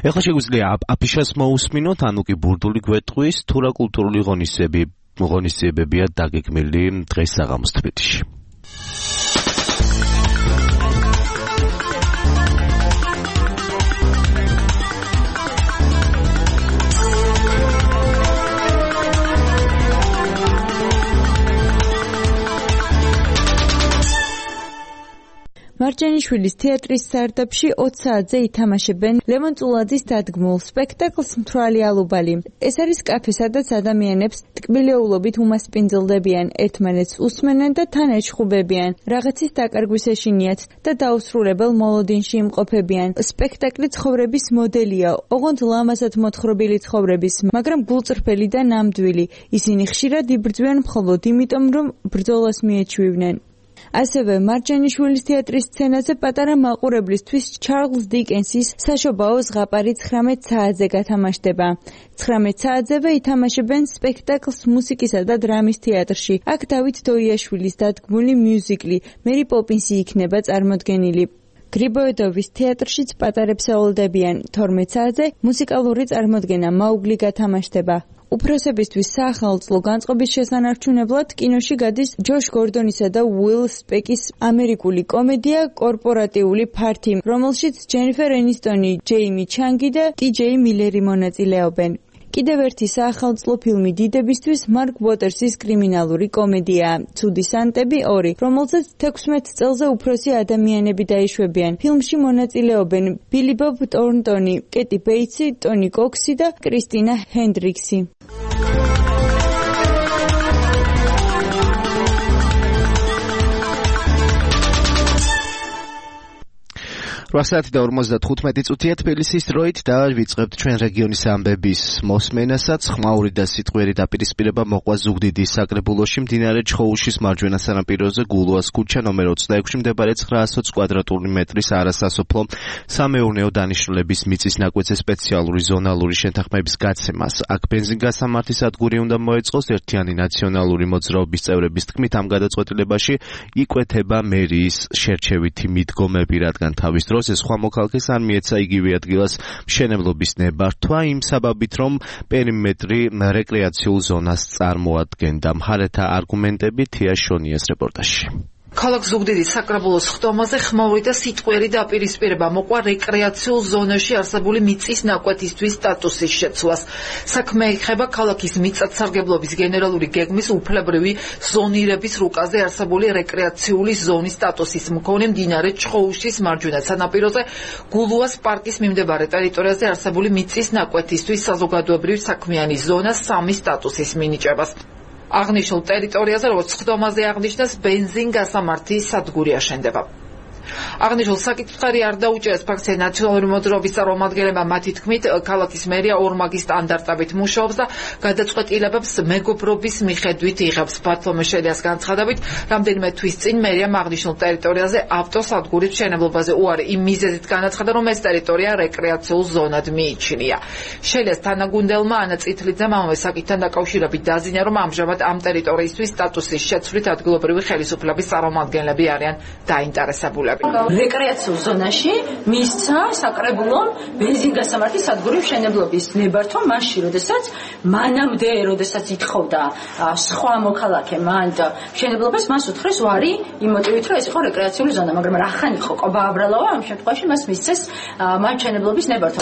ეხლა შეგვიძლია აფიშას მოусმინოთ, ანუ კი ბურდული გვეტყვის, თუ რა კულტურული ღონისძიებებია დაგეგმილი დღეს საღამოს თბილისში. მარჯანიშვილის თეატრის სარდაფში 20 საათზე ითამაშებენ ლევონ წულაძის დადგმულ სპექტაკლს მთვრალი ალუბალი. ეს არის კაფე, სადაც ადამიანებს ტკბილეულობით უმასპინძლდებიან, ერთმანეთს უსმენენ და თან ეჩხუბებიან, რაღაცის დაკარგვის ეშინიათ და დაუსრულებელ მოლოდინში იმყოფებიან. სპექტაკლი ცხოვრების მოდელია, ოღონდ ლამაზად მოთხრობილი ცხოვრების, მაგრამ გულწრფელი და ნამდვილი. ისინი ხშირად იბრძვიან მხოლოდ იმიტომ, რომ ბრძოლას მიეჩვივნენ. ასევე მარჯანიშვილის თეატრის სცენაზე პატარა მაყურებლისთვის ჩარლზ დიკენსის საშობაო ზღაპარი 19 საათზე გათამაშდება. 19 საათზევე ითამაშებენ სპექტაკლს მუსიკისა და დრამის თეატრში. აქ დავით დოიაშვილის დადგმული მიუზიკლი მერი პოპინსი იქნება წარმოდგენილი. გრიბოედოვის თეატრშიც პატარებს ეულდებიან. 12 საათზე მუსიკალური წარმოდგენა მაუგლი გათამაშდება. უფროსებისთვის საახალწლო განწყობის შესანარჩუნებლად კინოში გადის ჯოშ გორდონისა და უილ სპეკის ამერიკული კომედია კორპორატიული ფართი, რომელშიც ჯენიფერ ენისტონი, ჯეიმი ჩანგი და ტიჯეი მილერი მონაწილეობენ. კიდევ ერთი საახალწლო ფილმი დიდებისთვის მარკ უოტერსის კრიმინალური კომედიაა ცუდი სანტები 2, რომელზეც 16 წელზე უფროსი ადამიანები დაიშვებიან. ფილმში მონაწილეობენ ბილი ბობ ტორნტონი, კეტი ბეიტსი, ტონი კოქსი და კრისტინა ჰენდრიქსი. 8:55 თბილისის დროით და ვიწყებთ ჩვენ რეგიონის ამბების მოსმენასაც. ხმაური და სიტყვიერი დაპირისპირება მოყვა ზუგდიდის საკრებულოში მდინარე ჩხოუშის მარჯვენა სანაპიროზე გულუას ქუჩა ნომერ 26-ში მდებარე 920 კვადრატული მეტრის არასასოფლო სამეურნეო დანიშნულების მიწის ნაკვეთზე სპეციალური ზონალური შეთანხმების გაცემას. აქ ბენზინგასამართი სადგური უნდა მოეწყოს. ერთიანი ნაციონალური მოძრაობის წევრების თქმით, ამ გადაწყვეტილებაში იკვეთება მერიის შერჩევითი მიდგომები, რადგან თავის დროს ეს სხვა მოქალაქეს არ მიეცა იგივე ადგილას მშენებლობის ნებართვა იმ საბაბით, რომ პერიმეტრი რეკრეაციულ ზონას წარმოადგენდა. მხარეთა არგუმენტები თია შონიას რეპორტაჟში. ქალაქ ზუგდიდის საკრებულოს ხტომაზე ხმაური და სიტყვიერი დაპირისპირება მოყვა რეკრეაციულ ზონაში არსებული მიწის ნაკვეთისთვის სტატუსის შეცვლას. საქმე ეხება ქალაქის მიწათსარგებლობის გენერალური გეგმის უფლებრივი ზონირების რუკაზე არსებული რეკრეაციული ზონის სტატუსის მქონე მდინარე ჩხოუშის მარჯვენა სანაპიროზე გულუას პარკის მიმდებარე ტერიტორიაზე არსებული მიწის ნაკვეთისთვის საზოგადოებრივი საქმიანი ზონას 3 სტატუსის მინიჭებას. აღნიშნულ ტერიტორიაზე, როგორც ხდომაზე აღნიშნეს, ბენზინგასამართი სადგური აშენდება. აღნიშნულ საკითხი არ დაუჭერს ფრაქცია ნაციონალური მოძრაობის წარმომადგენლებმა. მათი თქმით, ქალაქის მერია ორმაგი სტანდარტებით მუშაობს და გადაწყვეტილებებს მეგობრობის მიხედვით იღებს. ბათლომე შელიას განცხადებით, რამდენიმე თვის წინ მერიამ აღნიშნულ ტერიტორიაზე ავტოსადგურის მშენებლობაზე უარი იმ მიზეზით განაცხადა, რომ ეს ტერიტორია რეკრეაციულ ზონად მიიჩნია. შელიას თანაგუნდელმა ანა წითლიძემ ამავე საკითხთან დაკავშირებით დაზინა, რომ ამჟამად ამ ტერიტორიისთვის სტატუსის შეცვლით ადგილობრივი ხელისუფლების წარმომადგენლები არიან დაინტერესებული. რეკრეაციულ ზონაში მისცა საკრებულომ ბენზინგასამართი სადგურის მშენებლობის ნებართვა მაშინ, როდესაც ითხოვდა სხვა მოქალაქე მან მშენებლობას, მას უთხრეს უარი იმ მოტივით, რომ ეს იყო რეკრეაციული ზონა, მაგრამ რახან იყო ყობა აბრალავა, ამ შემთხვევაში მას მისცეს მან მშენებლობის ნებართვა.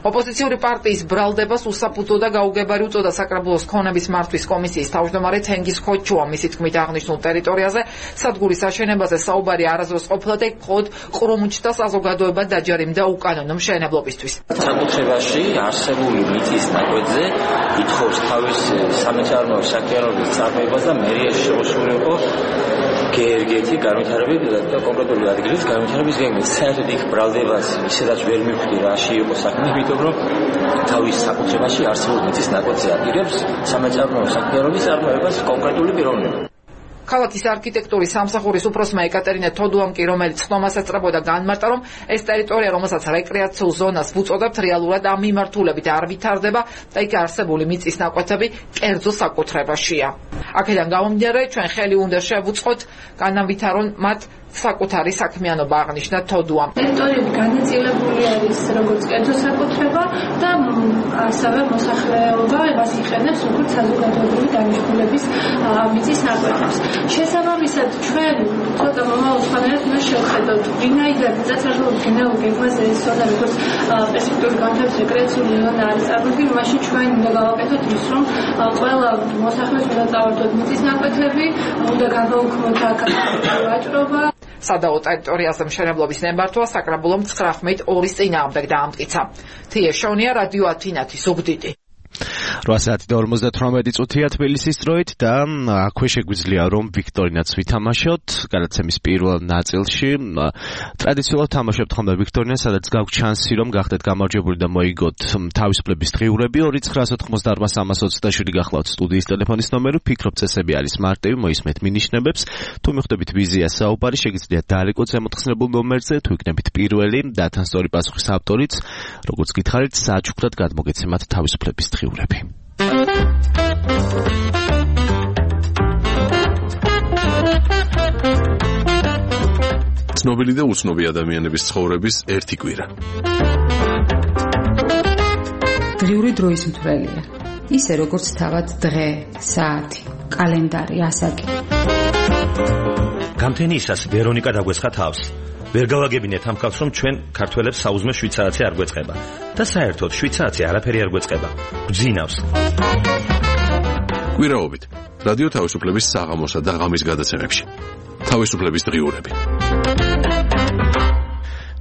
ოპოზიციური პარტიის ბრალდებას უსაფუძო და გაუგებარი უწოდა საკრებულოს ქონების მართვის კომისიის თავმჯდომარე თენგიზ ხოჩუა. მისი თქმით, აღნიშნულ ტერიტორიაზე სადგურის აშენებაზე საუბარი არასდროს ყოფილა და მხოლოდ ყრუმუჩთა საზოგადოება დაჯერიმდა უკანონო მშენებლობისთვის. საკუთრებაში არსებული მიწის ნაკვეთზე ითხოვს თავის სამეცნიერო საქმიანობის წარმოებას და მერიაში შეუსული იყო გერგეთი განვითარების და კონკრეტული ადგილის განვითარების გეგმის. საერთოდ იქ ბრალდებას ისედაც ვერ მივხვდი რაში იყო საქმე, იმიტომ რომ თავის საკუთრებაში არსებულ მიწის ნაკვეთზე აპირებს სამეცნიერო საქმიანობის წარმოებას კონკრეტული პიროვნება. ქალაქის არქიტექტურის სამსახურის უფროსმა ეკატერინე თოდუამ კი, რომელიც ხტომას ეწრებოდა, განმარტა, რომ ეს ტერიტორია, რომელსაც რეკრეაციულ ზონას ვუწოდებთ, რეალურად ამ მიმართულებით არ ვითარდება და იქ არსებული მიწის ნაკვეთები კერძო საკუთრებაშია. აქედან გამომდინარე, ჩვენ ხელი უნდა შევუწყოთ, განავითარონ მათ საკუთარი საქმიანობა, აღნიშნა თოდუამ. ტერიტორიები განაწილებული არის როგორც კერძო საკუთრება და ასევე მოსახლეობა მას იყენებს როგორც საზოგადოებრივი დანიშნულების მიწის ნაკვეთებს. შესაბამისად, ჩვენ ცოტა მომავალ სხვანაირად უნდა შევხედოთ, ვინაიდან მიწათსარგებლობის გენერალურ გეგმაზე ეს ზონა როგორც პერსპექტიული განვითარების რეკრეაციული ზონა არის წარმოდგენილი, მაშინ ჩვენ უნდა გავაკეთოთ ის, რომ ყველა მოსახლეს უნდა წავარდოთ მიწის ნაკვეთები, უნდა გავაუქმოთ აქ ვაჭრობა. სადაო ტერიტორიაზე მშენებლობის ნებართვა საკრებულომ 9:02 წინააღმდეგ დაამტკიცა. თია შონია, რადიო ათინათი, ზუგდიდი. 8:58 თბილისის დროით და აქვე შეგვიძლია რომ ვიქტორინაც ვითამაშოთ. გადაცემის პირველ ნაწილში ტრადიციულად თამაშობთ ხოლმე ვიქტორინას, სადაც გაგვთ შანსი რომ გახდეთ გამარჯვებული და მოიგოთ თავისუფლების დღიურები. 2988327 გახლავთ სტუდიის ტელეფონის ნომერი. ფიქრობ წესები არის მარტივი, მოისმენთ მინიშნებებს. თუ მიხვდებით ვიზია საუბარი, შეგიძლიათ დაალეკოთ ზემოთხსნებულ ნომერზე, თუ იქნებით პირველი და თან სწორი პასუხის ავტორიც, როგორც გითხარით, საჩუქრად გადმოგეცემათ თავისუფლების დღიურები. ცნობილი და უცნობი ადამიანების ცხოვრების ერთი კვირა. დღიური დროის მთვრელია. ისე როგორც თავად დღე, საათი, კალენდარი, ასაკი. გამთენიისას ვერონიკა დაგვეცხა თავს. ვერ გავაგებინეთ ამ კაცს, რომ ჩვენ ქართველებს საუზმე 7 საათი არ გვეწყება და საერთოდ 7 საათი არაფერი არ გვეწყება. გძინავს. კვირაობით რადიო თავისუფლების საღამოსა და ღამის გადაცემებში. თავისუფლების დღიურები.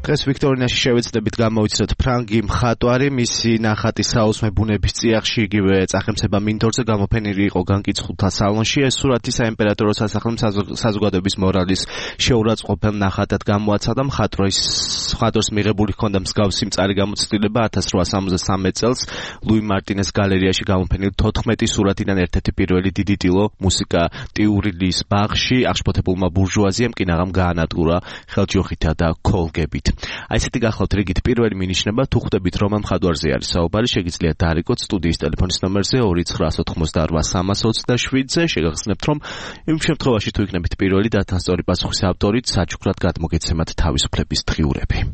დღეს ვიქტორინაში შევეცდებით გამოვიცნოთ ფრანგი მხატვარი, მისი ნახატი საუზმე ბუნების წიაღში იგივე წახემსება მინდორზე გამოფენილი იყო განკიცხულთა სალონში. ეს სურათი საიმპერატორო სასახლემ საზოგადოების მორალის შეურაცხყოფელ ნახატად გამოაცხადა. მხატვარს მიღებული ჰქონდა მსგავსი მწარი გამოცდილება 1873 წელს ლუი მარტინეს გალერეაში გამოფენილი 14 სურათიდან ერთ-ერთი პირველი დიდი ტილო მუსიკა ტიურილის ბაღში აღშფოთებულმა ბურჟუაზიამ კი ნაღამ გაანადგურა ხელჯოხითა და ქოლგებით. აი ესეთი გახლავთ რიგით პირველი მინიშნება. თუ ხვდებით რომ ამ მხატვარზე არის საუბარი, შეგიძლიათ დაარეკოთ სტუდიის ტელეფონის ნომერზე 2988-327-ზე. შეგახსენებთ რომ იმ შემთხვევაში თუ იქნებით პირველი და თან სწორი პასუხის ავტორით, საჩუქრად გადმოგეცემათ თავისუფლების დღიურები.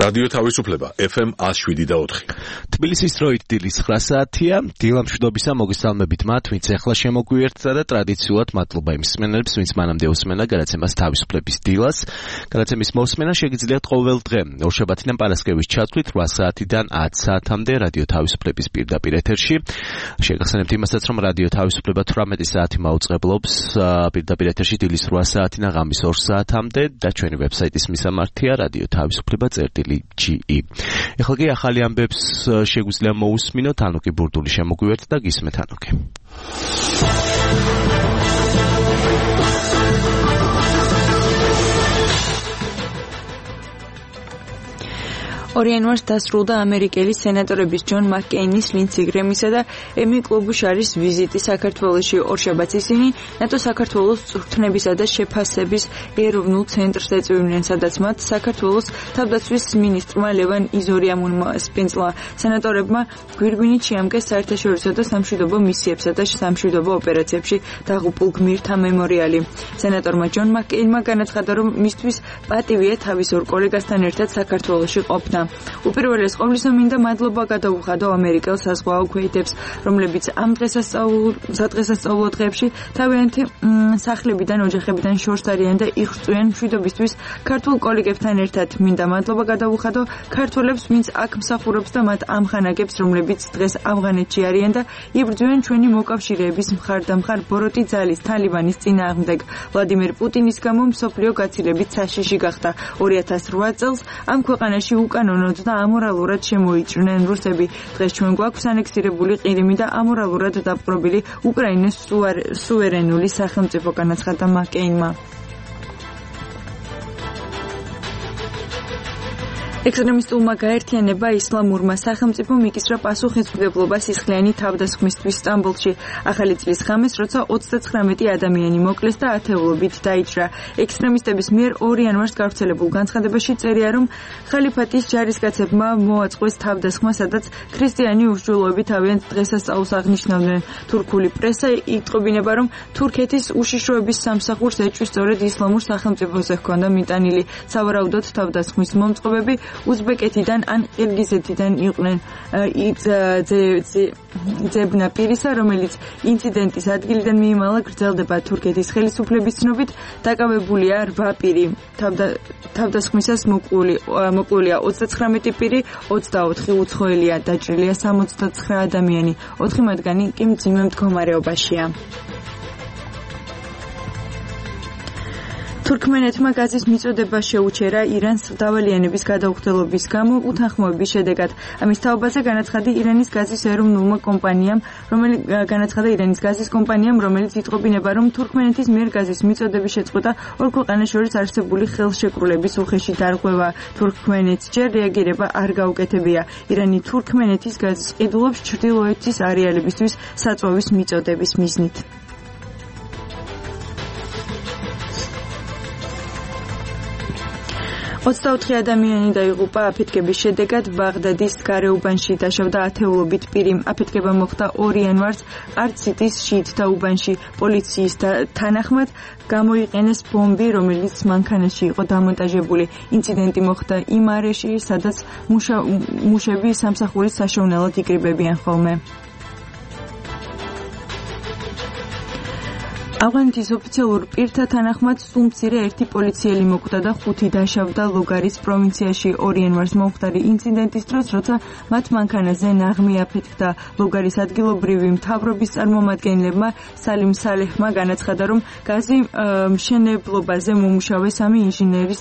რადიო თავისუფლება FM 107.4. თბილისის დროით დილის 9 საათია. დილა მშვიდობისა მოგესალმებით მათ, ვინც ახლა შემოგვიერთდა და ტრადიციულად მადლობა იმ მსმენელებს, ვინც მანამდე უსმენდა გადაცემას თავისუფლების დილას. გადაცემის მოსმენა შეგიძლიათ ყოველ დღე ორშაბათიდან პარასკევის ჩათვლით 8 საათიდან 10 საათამდე რადიო თავისუფლების პირდაპირ ეთერში. შეგახსენებთ იმასაც, რომ რადიო თავისუფლება 18 საათი მაუწყებლობს პირდაპირ ეთერში დილის 8 საათიდან ღამის 2 საათამდე და ჩვენი ვებსაიტის მისამართია რადიო თავისუფლება.ge. ეხლა კი ახალი ამბებს შეგვიძლია მოусმინოთ. ანუკი ბურდული შემოგვიერთდა და გისმენთ ანუკი. ორი იანვარს დასრულდა ამერიკელი სენატორების ჯონ მაკკეინის, ლინდსი გრემისა და ემი კლობუშარის ვიზიტი საქართველოში. ორშაბათს ისინი ნატო საქართველოს წვრთნებისა და შეფასების ეროვნულ ცენტრს ეწვივნენ, სადაც მათ საქართველოს თავდაცვის მინისტრმა ლევან იზორიამონმა სპინძლა. სენატორებმა გვირგვინით შეამკეს საერთაშორისო და სამშვიდობო მისიებსა და სამშვიდობო ოპერაციებში დაღუპულ გმირთა მემორიალი. სენატორმა ჯონ მაკკეინმა განაცხადა, რომ მისთვის პატივია თავის ორ კოლეგასთან ერთად საქართველოში ყოფნა. უპირველეს ყოვლისა მინდა მადლობა გადაუხადო ამერიკელ საზღვაო ქვეითებს, რომლებიც ამ დღესასწაულო დღეებში თავიანთი სახლებიდან, ოჯახებიდან შორს არიან და იღწვიან მშვიდობისთვის ქართულ კოლეგებთან ერთად. მინდა მადლობა გადაუხადო ქართველებს, ვინც აქ მსახურობს და მათ ამხანაგებს, რომლებიც დღეს ავღანეთში არიან და იბრძვიან ჩვენი მოკავშირეების მხარდამხარ ბოროტი ძალის თალიბანის წინააღმდეგ. ვლადიმერ პუტინის გამო მსოფლიო გაცილებით საშიში გახდა. 2008 წელს ამ ქვეყანაში უკანონოდ და ამორალურად შემოიჭრნენ რუსები. დღეს ჩვენ გვაქვს ანექსირებული ყირიმი და ამორალურად დაპყრობილი უკრაინის სუვერენული სახელმწიფო, განაცხადა მაკკეინმა. ექსტრემისტულმა გაერთიანება ისლამურმა სახელმწიფომ იკისრა პასუხისმგებლობა სისხლიანი თავდასხმისთვის სტამბოლში. ახალი წლის ღამეს, როცა 39 ადამიანი მოკლეს და ათეულობით დაიჭრა. ექსტრემისტების მიერ 2 იანვარს გავრცელებულ განცხადებაში წერია, რომ ხალიფატის ჯარისკაცებმა მოაწყვეს თავდასხმა, სადაც ქრისტიანი უშუალოები თავიანთ დღესასწაულს აღნიშნავდნენ. თურქული პრესა იტყობინება, რომ თურქეთის უშიშროების სამსახურს ეჭვი სწორედ ისლამურ სახელმწიფოზე ჰქონდა მიტანილი. სავარაუდოდ თავდასხმის მომწყობები უზბეკეთიდან ან ყირგიზეთიდან იყვნენ. ძებნა პირისა, რომელიც ინციდენტის ადგილიდან მიიმალა, გრძელდება. თურქეთის ხელისუფლების ცნობით დაკავებულია 8 პირი. თავდასხმისას მოკლულია 39 პირი, 24 უცხოელია, დაჭრილია 69 ადამიანი. 4 მათგანი კი მძიმე მდგომარეობაშია. თურქმენეთმა გაზის მიწოდება შეუჩერა irans დავალიანების გადაუხდელობის გამო უთანხმოების შედეგად. ამის თაობაზე განაცხადა ირანის გაზის ეროვნულმა კომპანიამ, რომელიც იტყობინება, რომ თურქმენეთის მიერ გაზის მიწოდების შეწყვეტა ორ ქვეყანას შორის არსებული ხელშეკრულების უხეში დარღვევა. თურქმენეთს ჯერ რეაგირება არ გაუკეთებია. ირანი თურქმენეთის გაზის ყიდულობს ჩრდილოეთის არეალებისთვის საწვავის მიწოდების მიზნით. 24 ადამიანი დაიღუპა აფეთქების შედეგად ბაღდადის გარეუბანში დაშავდა ათეულობით პირი. აფეთქება მოხდა 2 იანვარს არციტის შიიტთა უბანში. პოლიციის თანახმად გამოიყენეს ბომბი, რომელიც მანქანაში იყო დამონტაჟებული. ინციდენტი მოხდა იმ არეში, სადაც მუშები სამსახურის საშოვნელად იკრიბებიან ხოლმე. ავღანეთის ოფიციალურ პირთა თანახმად სულ მცირე 1 პოლიციელი მოკვდა და 5 დაშავდა ლოგარის პროვინციაში 2 იანვარს მომხდარი ინციდენტის დროს, როცა მათ მანქანაზე ნაღმი აფეთქდა. ლოგარის ადგილობრივი მთავრობის წარმომადგენლებმა სალიმ სალეჰმა განაცხადა, რომ გაზი მშენებლობაზე მომუშავე 3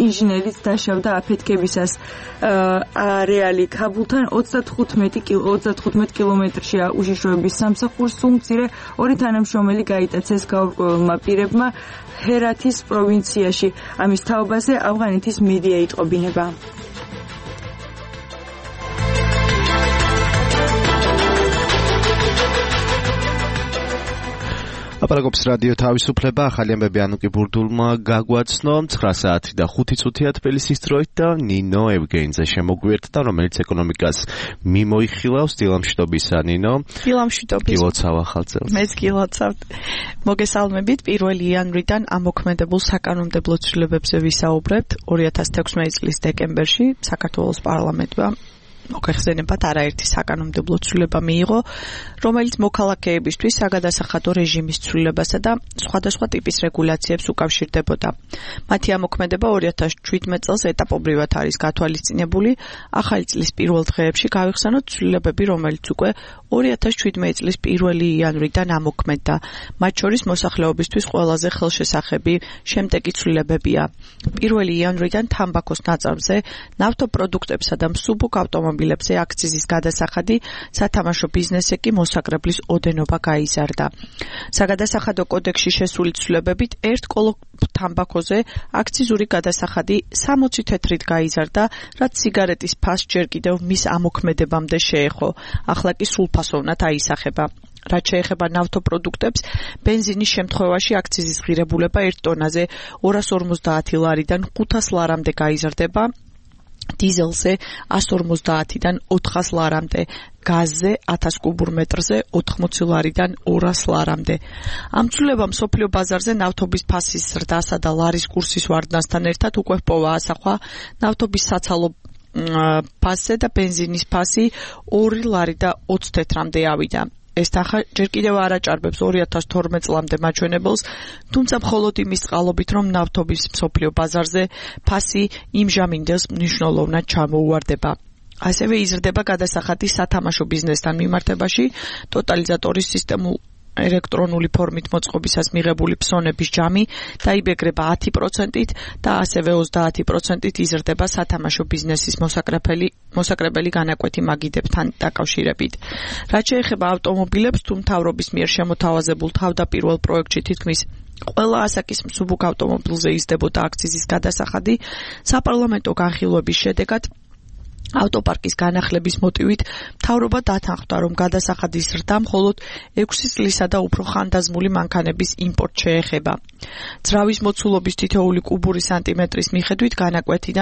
ინჟინერიც დაშავდა აფეთქებისას. არეალი ქაბულთან 35 კილომეტრშია უშიშროების სამსახურს სულ მცირე 2 თანამშრომელი გაიტაცეს გაურკვეველმა პირებმა ჰერათის პროვინციაში. ამის თაობაზე ავღანეთის მედია იტყობინება. აპარაკობს რადიო თავისუფლება. ახალი ამბები ანუკი ბურდულმა გაგვაცნო 9 საათი და 5 წუთია თბილისის დროით და ნინო ევგენიძე შემოგვიერთდა, რომელიც ეკონომიკას მიმოიხილავს. დილამშვიდობისა ნინო. დილამშვიდობის. გილოცავ ახალწელს. მეც გილოცავთ. მოგესალმებით. 1 იანვრიდან ამოქმედებულ საკანონმდებლო ცვლილებებზე ვისაუბრებთ. 2016 წლის დეკემბერში საქართველოს პარლამენტმა მოგეხსენებათ არაერთი საკანონმდებლო ცვლილება მიიღო, რომელიც მოქალაქეებისთვის საგადასახადო რეჟიმის ცვლილებასა და სხვადასხვა ტიპის რეგულაციებს უკავშირდებოდა. მათი ამოქმედება 2017 წელს ეტაპობრივად არის გათვალისწინებული. ახალი წლის პირველ დღეებში გავიხსენოთ ცვლილებები, რომელიც უკვე 2017 წლის 1 იანვრიდან ამოქმედდა. მათ შორის მოსახლეობისთვის ყველაზე ხელშესახები შემდეგი ცვლილებებია. 1 იანვრიდან თამბაქოს ნაწარმზე, ნავთობპროდუქტებსა და მსუბუქ ავტომობილებზე აქციზის გადასახადი, სათამაშო ბიზნესზე კი მოსაკრებლის ოდენობა გაიზარდა. საგადასახადო კოდექსში შესული ცვლილებებით 1 კოლო თამბაქოზე აქციზური გადასახადი 60 თეთრით გაიზარდა, რაც სიგარეტის ფასს ჯერ კიდევ მის ამოქმედებამდე შეეხო. ახლა კი სრულფასოვნად აისახება. რაც შეეხება ნავთობპროდუქტებს, ბენზინის შემთხვევაში აქციზის ღირებულება 1 ტონაზე 250 ლარიდან 500 ლარამდე გაიზარდება, დიზელზე 150-დან 400 ლარამდე, გაზზე 1000 კუბურ მეტრზე 80 ლარიდან 200 ლარამდე. ამ ცვლილებამ მსოფლიო ბაზარზე ნავთობის ფასის ზრდასა და ლარის კურსის ვარდნასთან ერთად უკვე ჰპოვა ასახვა ნავთობის საცალო ფასზე და ბენზინის ფასი 2 ლარი და 20 თეთრამდე ავიდა. ეს თანხა ჯერ კიდევ არ აჭარბებს 2012 წლამდე მაჩვენებელს, თუმცა მხოლოდ იმის წყალობით, რომ ნავთობის მსოფლიო ბაზარზე ფასი იმჟამინდელს მნიშვნელოვნად ჩამოუვარდება. ასევე იზრდება გადასახადი სათამაშო ბიზნესთან მიმართებაში, ტოტალიზატორის სისტემულ ელექტრონული ფორმით მოწყობისას მიღებული ფსონების ჯამი დაიბეგრება 10%-ით და ასევე 30%-ით იზრდება სათამაშო ბიზნესის მოსაკრებელი განაკვეთი მაგიდებთან დაკავშირებით. რაც შეეხება ავტომობილებს, თუ მთავრობის მიერ შემოთავაზებულ თავდაპირველ პროექტში თითქმის ყველა ასაკის მსუბუქ ავტომობილზე იზრდებოდა აქციზის გადასახადი, საპარლამენტო განხილვების შედეგად ავტოპარკის განახლების მოტივით მთავრობა დათანხმდა, რომ გადასახადის ზრდა მხოლოდ 6 წლისა და უფრო ხანდაზმული მანქანების იმპორტს შეეხება. ძრავის მოცულობის თითოეული კუბური სანტიმეტრის მიხედვით განაკვეთი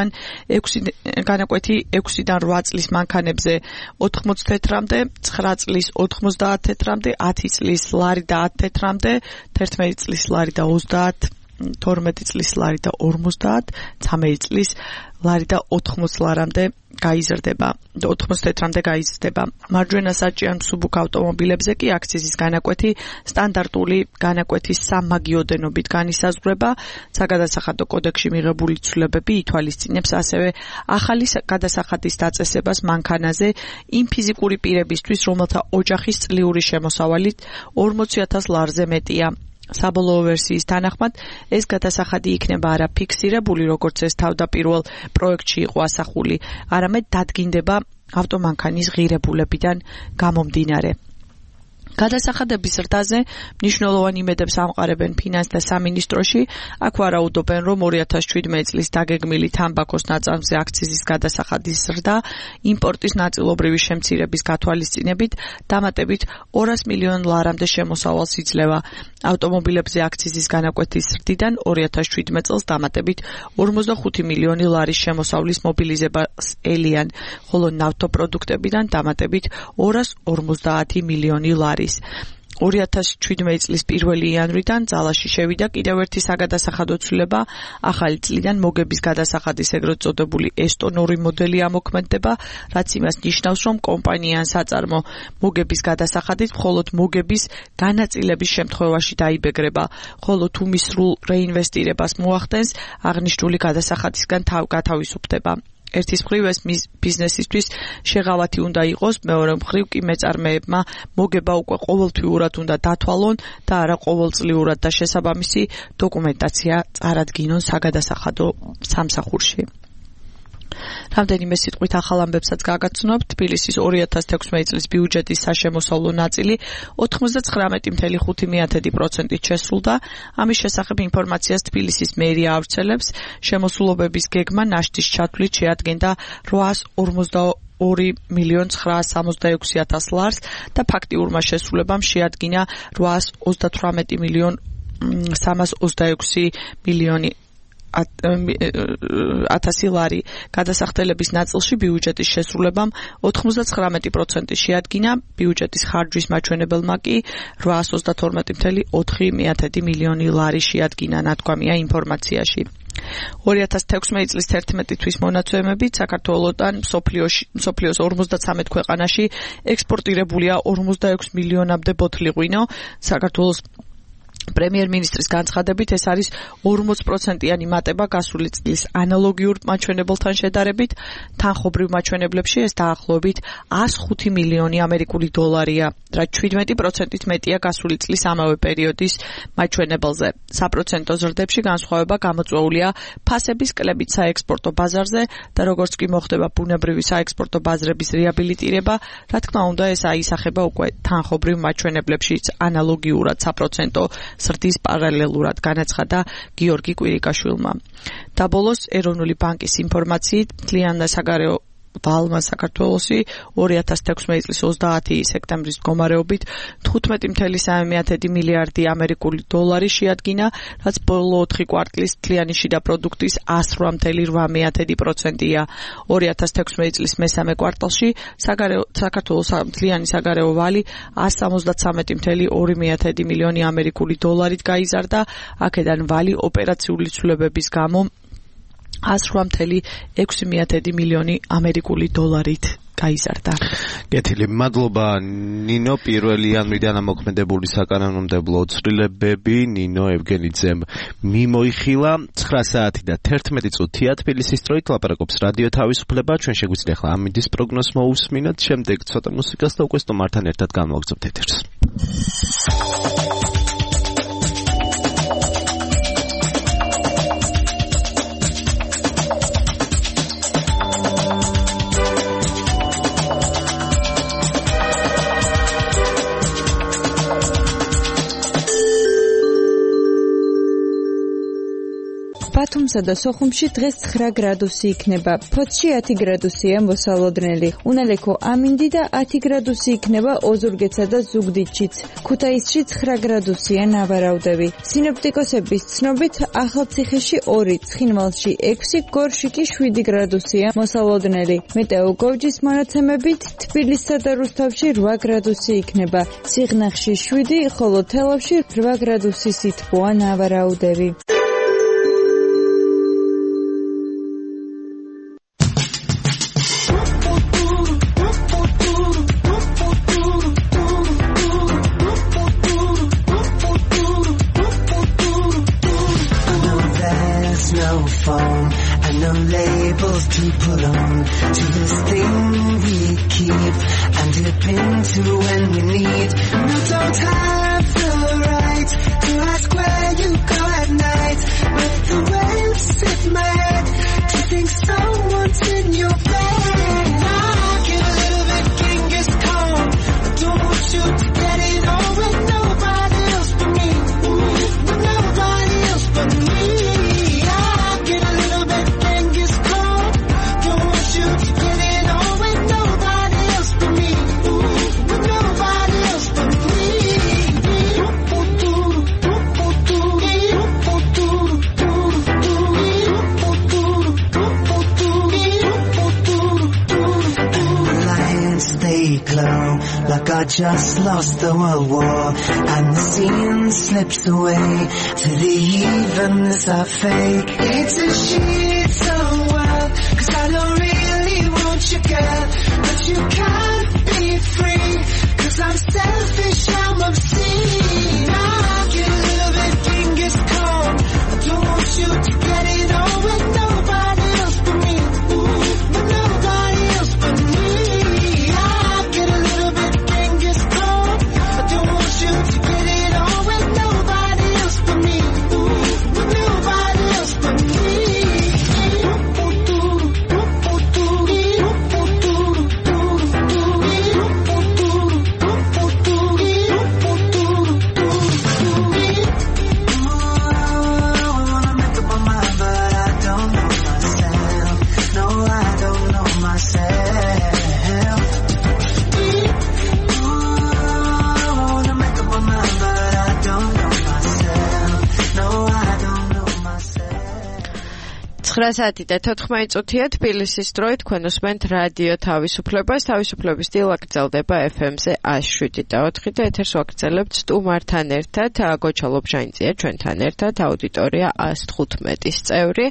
6-დან 8 წლის მანქანებზე 80 თეთრამდე, 9 წლის 90 თეთრამდე, 10 წლის ლარი და 10 თეთრამდე, 11 წლის ლარი და 30, 12 წლის ლარი და 50, 13 წლის ლარი და 80 ლარამდე გაიზრდება, 80 თეთრამდე გაიზრდება. მარჯვენა საჭიარ მსუბუქ ავტომობილებზე კი აქციზის განაკვეთი სტანდარტული განაკვეთის სამმაგი ოდენობით განისაზღვრება. საგადასახადო კოდექსში მიღებული ცვლილებები ითვალისწინებს ასევე ახალი გადასახადის დაწესებას მანქანაზე იმ ფიზიკური პირებისთვის, რომელთა ოჯახის წლიური შემოსავალით 40,000 ლარზე მეტია. საბოლოო ვერსიის თანახმად ეს გადასახადი იქნება არა ფიქსირებული, როგორც ეს თავდაპირველ პროექტში იყო ასახული, არამედ დადგინდება ავტომანქანის ღირებულებიდან გამომდინარე. გადასახადების ზრდაზე მნიშვნელოვან იმედებს ამყარებენ ფინანს და სამინისტროში. აქ ვარაუდობენ, რომ 2017 წლის დაგეგმილი თამბაქოს ნაწარმზე აქციზის გადასახადის ზრდა იმპორტის ნაწილობრივი შემცირების გათვალისწინებით დამატებით 200 მილიონ ლარამდე შემოსავალს იძლევა. ავტომობილებზე აქციზის განაკვეთის ზრდიდან 2017 წელს დამატებით 45 მილიონი ლარის შემოსავლის მობილიზებას ელიან, ხოლო ნავთობპროდუქტებიდან დამატებით 250 მილიონი ლარი. 2017 წლის 1 იანვრიდან ძალაში შევიდა კიდევ ერთი საგადასახადო ცვლილება. ახალი წლიდან მოგების გადასახადის ეგრეთ წოდებული ესტონური მოდელი ამოქმედდება, რაც იმას ნიშნავს, რომ კომპანია ან საწარმო მოგების გადასახადით მხოლოდ მოგების განაწილების შემთხვევაში დაიბეგრება, ხოლო თუ მის სრულ რეინვესტირებას მოახდენს, აღნიშნული გადასახადისგან გათავისუფლდება. ერთის მხრივ ეს ბიზნესისთვის შეღავათი უნდა იყოს, მეორე მხრივ კი მეწარმეებმა მოგება უკვე ყოველთვიურად უნდა დათვალონ და არა ყოველწლიურად და შესაბამისი დოკუმენტაცია წარადგინონ საგადასახადო სამსახურში. რამდენიმე სიტყვით ახალ ამბებსაც გაგაცნობთ. თბილისის 2016 წლის ბიუჯეტის საშემოსავლო ნაწილი 99.5%-ით შესრულდა. ამის შესახებ ინფორმაციას თბილისის მერია ავრცელებს. შემოსულობების გეგმა ნაშთის ჩათვლით შეადგენდა 822.966.000 ლარს და ფაქტიურმა შესრულებამ შეადგინა 838.326.000 1000 ლარი. გადასახდელების ნაწილში ბიუჯეტის შესრულებამ 99% შეადგინა, ბიუჯეტის ხარჯვის მაჩვენებელმა კი 832.4 მილიონი ლარი შეადგინა, ნათქვამია ინფორმაციაში. 2016 წლის 11 თვის მონაცემებით საქართველოსთან მსოფლიოს 53 ქვეყანაში ექსპორტირებულია 46 მილიონამდე ბოთლი ღვინო. საქართველოს პრემიერ-მინისტრის განცხადებით ეს არის 40%-იანი მატება გასული წლის ანალოგიურ მაჩვენებელთან შედარებით. თანხობრივ მაჩვენებლებში ეს დაახლოებით 105 მილიონი ამერიკული დოლარია, რაც 17%-ით მეტია გასული წლის ამავე პერიოდის მაჩვენებელზე. საპროცენტო ზრდებში განსხვავება გამოწვეულია ფასების კლებით საექსპორტო ბაზარზე და როგორც კი მოხდება ბუნებრივი საექსპორტო ბაზრების რეაბილიტირება, რა თქმა უნდა ეს აისახება უკვე თანხობრივ მაჩვენებლებშიც ანალოგიურად საპროცენტო ზრდის პარალელურად, განაცხადა გიორგი კვირიკაშვილმა. და ბოლოს ეროვნული ბანკის ინფორმაციით მთლიან და საგარეო ვალმა საქართველოსი 2016 წლის 30 სექტემბრის მდგომარეობით 15.3 მილიარდი ამერიკული დოლარი შეადგინა, რაც ბოლო 4 კვარტლის მთლიანი შიდა პროდუქტის 108.8%-ია. 2016 წლის მესამე კვარტალში საქართველოს მთლიანი საგარეო ვალი 173.2 მილიონი ამერიკული დოლარით გაიზარდა, აქედან ვალი ოპერაციული ცვლილებების გამო 108.6 მილიონი ამერიკული დოლარით გაიზარდა. გეთილი, მადლობა ნინო. 1 იანვრიდან ამოქმედებული საკანონმდებლო ცვლილებები ნინო ევგენიძემ მიმოიხილა. 9 საათი და 11 წუთია თბილისის დროით ლაპარაკობს რადიო თავისუფლება. ჩვენ შეგვიძლია ახლა ამინდის პროგნოზს მოусმინოთ, შემდეგ ცოტა მუსიკას და უკვე სტუმართან ერთად განვაგრძობთ ეთერს. ბათუმსა და სოხუმში დღეს 9 გრადუსი იქნება. ფოთში 10 გრადუსია მოსალოდნელი. უნალექო ამინდი და 10 გრადუსი იქნება ოზურგეთსა და ზუგდიდშიც. ქუთაისში 9 გრადუსია ნავარაუდები. სინოპტიკოსების ცნობით ახალციხეში 2, ცხინვალში 6, გორში კი 7 გრადუსია მოსალოდნელი. მეტეოგოვჯის მონაცემებით თბილისსა და რუსთავში 8 გრადუსი იქნება. სიღნაღში 7, ხოლო თელავში 8 გრადუსი სითბოა ნავარაუდები. To put on to this thing we keep and dip into when we need. You don't have the right to ask where you go at night. But the waves hit my head to think someone's in your bed. I get a little bit Genghis Khan. I don't want you to get it on. God just lost the World War, and the scene slips away to the evenness of fake. It's a shit world, 'cause I don't really want you, girl, but you can't be free, 'cause I'm selfish, I'm obscene. I get a little bit Genghis Khan. I don't want you to get it on with nobody else but me. Ooh, but nobody else but me. I get a little bit Genghis Khan. I don't want you to get it on with nobody else but me. Ooh, but nobody else but me. საათი და 14 წუთია თბილისის დროით თქვენ უსმენთ რადიო თავისუფლებას. თავისუფლების დილა გრძელდება FM-ზე 107.4 და ეთერს ვაგრძელებთ სტუმართან ერთად. გოჩა ლობჟანიძეა ჩვენთან ერთად, აუდიტორია 115-ის წევრი.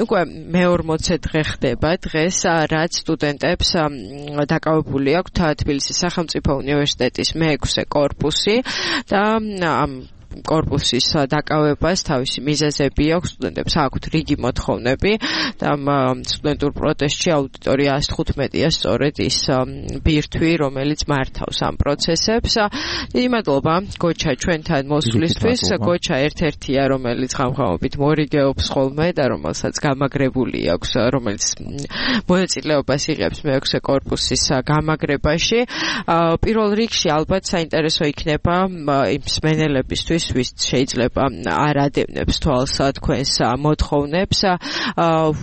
უკვე მე-40 დღე ხდება დღეს, რაც სტუდენტებს დაკავებული აქვთ თბილისის სახელმწიფო უნივერსიტეტის მე-6 კორპუსი და ამ კორპუსის დაკავებას თავისი მიზეზები აქვს, სტუდენტებს აქვთ რიგი მოთხოვნები და სტუდენტურ პროტესტში აუდიტორია 115-ია სწორედ ის ბირთვი, რომელიც მართავს ამ პროცესებს. დიდი მადლობა გოჩა ჩვენთან მოსვლისთვის. გოჩა ერთ-ერთია, რომელიც ხამხამობით მორიგეობს ხოლმე და რომელსაც გამაგრებული აქვს, რომელიც მონაწილეობას იღებს მე-6 კორპუსის გამაგრებაში. პირველ რიგში ალბათ საინტერესო იქნება იმ მსმენელებისთვის, ვის შეიძლება არ ადევნებს თვალს თქვენს მოთხოვნებს,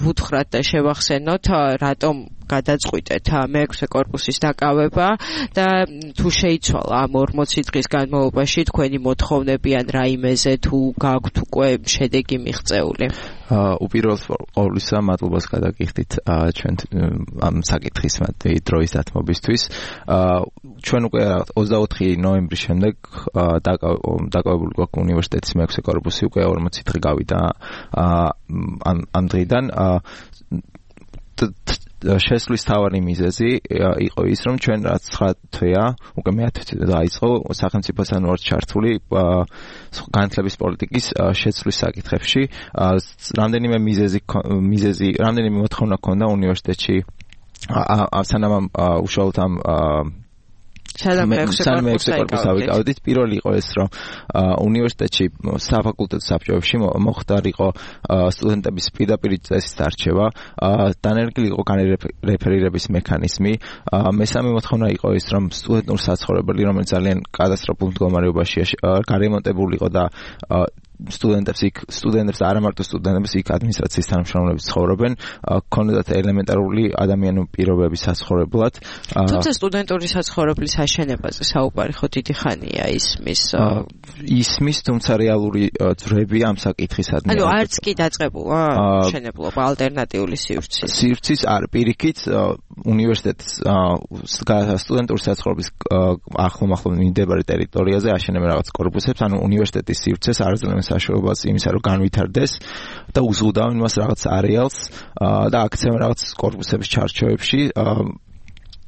ვუთხრათ და შევახსენოთ, რატომ გადაწყვიტეთ მე-6 კორპუსის დაკავება და თუ შეიცვალა ამ 40 დღის განმავლობაში თქვენი მოთხოვნები ან რაიმეზე თუ გაქვთ უკვე შედეგი მიღწეული. უპირველეს ყოვლისა მადლობას გადაგიხდით ჩვენ ამ საკითხის დროის დათმობისთვის. ჩვენ უკვე 24 ნოემბრის შემდეგ დაკავებული გვაქვს უნივერსიტეტის მე-6 კორპუსი, უკვე 40 დღე გავიდა ამ დღიდან. შესვლის თავარი მიზეზი იყო ის, რომ ჩვენ რაც 9 თვეა, უკვე მე-10 თვე დაიწყო სახელმწიფოსთან ვართ ჩართული განათლების პოლიტიკის შეცვლის საკითხებში. რამდენიმე რამდენიმე მოთხოვნა ჰქონდა უნივერსიტეტში სანამ უშუალოდ ამ სანამ მე-6 კორპუსს ავიკავდით. პირველი იყო ეს, რომ უნივერსიტეტში საფაკულტეტო საბჭოებში მოხდარიყო სტუდენტების პირდაპირ წესის არჩევა, დანერგილი იყო განრეფერირების მექანიზმი. მესამე მოთხოვნა იყო ის, რომ სტუდენტურ საცხოვრებელი, რომელიც ძალიან კატასტროფულ მდგომარეობაშია, გარემონტებული იყო და სტუდენტებს არა მარტო სტუდენტებს, იქ ადმინისტრაციის თანამშრომლები ცხოვრობენ, ქონდათ ელემენტარული ადამიანური პირობები საცხოვრებლად. თუმცა სტუდენტური საცხოვრებლის აშენებაზე საუბარი ხო დიდი ხანია ისმის, თუმცა რეალური ძვრები ამ საკითხისადმი. ანუ არც კი დაწყებულა მშენებლობა ალტერნატიული სივრცის არ პირიქით უნივერსიტეტის სტუდენტური საცხოვრების ახლომახლო მიმდებარე ტერიტორიაზე აშენებენ რაღაც კორპუსებს, ანუ უნივერსიტეტის სივრცეს არ აძლევენ საშუალებას იმისა, რომ განვითარდეს და უზრუნავენ მას რაღაც არეალს და აქცევენ რაღაც კორპუსების ჩარჩოებში.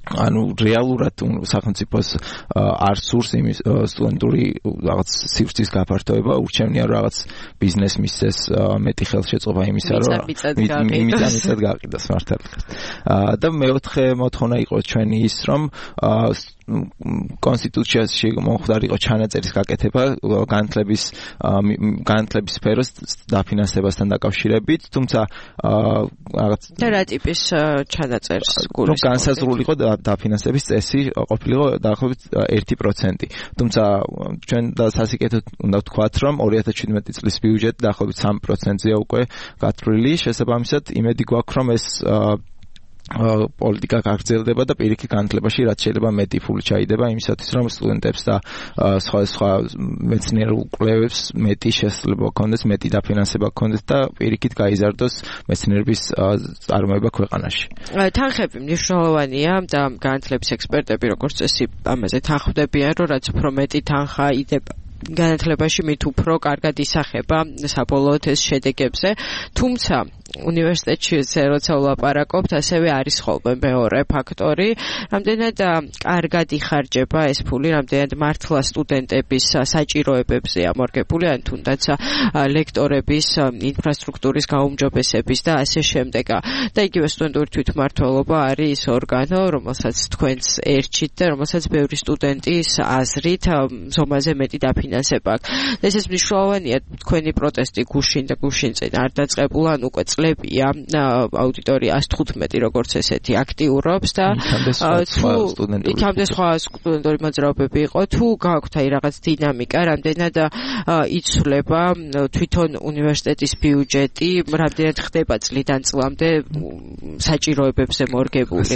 ანუ რეალურად სახელმწიფოს არ სურს იმის სტუდენტური რაღაც სივრცის გაფართოება, ურჩევნია რაღაც ბიზნეს მისცეს მეტი ხელშეწყობა იმისა, რომ მიწად გაყიდოს მართალია. და მე-4 მოთხოვნა იყო ჩვენი ის, რომ კონსტიტუციაში მომხდარიყო ჩანაწერის გაკეთება განათლების სფეროს დაფინანსებასთან დაკავშირებით, თუმცა რაღაც რა ტიპის ჩანაწერს გულისხმობთ? განსაზღვრულიყო დაფინანსების წესი ყოფილიყო დაახლოებით 1%. თუმცა ჩვენ სასიკეთოდ უნდა ვთქვათ, რომ 2017 წლის ბიუჯეტი დაახლოებით 3%-ია უკვე გათვლილი. შესაბამისად, იმედი გვაქვს, რომ ეს პოლიტიკა გაგრძელდება და პირიქით განათლებაში რაც შეიძლება მეტი ფული ჩაიდება იმისათვის რომ სტუდენტებს და სხვა მეცნიერულ კვლევებს მეტი შესაძლებლობა ჰქონდეს, მეტი დაფინანსება ჰქონდეს და პირიქით გაიზარდოს მეცნიერების წარმოება ქვეყანაში. თანხები მნიშვნელოვანია და განათლების ექსპერტები როგორც წესი ამაზე თანხმდებიან, რომ რაც უფრო მეტი თანხა იდება განათლებაში მით უფრო კარგად ისახება საბოლოოდ ეს შედეგებზე, თუმცა უნივერსიტეტში როცა ვლაპარაკობთ, ასევე არის ხოლმე მეორე ფაქტორი, რამდენად კარგად იხარჯება ეს ფული, რამდენად მართლა სტუდენტების საჭიროებებზე ამორგებული, ან თუნდაც ლექტორების ინფრასტრუქტურის გაუმჯობესების და ასე შემდეგ. და იგივე სტუდენტური თვითმმართველობა არის ის ორგანო, რომელსაც თქვენს ერჩით და რომელსაც ბევრი სტუდენტის აზრით ზომაზე მეტი დაფინანსება აქვს. ეს მნიშვნელოვანია, თქვენი პროტესტი გუშინ და გუშინ წინ არ დაწყებულა, ან უკვე წლებია აუდიტორია 115 როგორც ესეთი აქტიურობს და იქამდე სხვა სტუდენტური მოძრაობები იყო, თუ გააქვთ აი რაღაც დინამიკა, რამდენად იცვლება თვითონ უნივერსიტეტის ბიუჯეტი, რამდენად ხდება წლიდან წლამდე საჭიროებებზე მორგებული.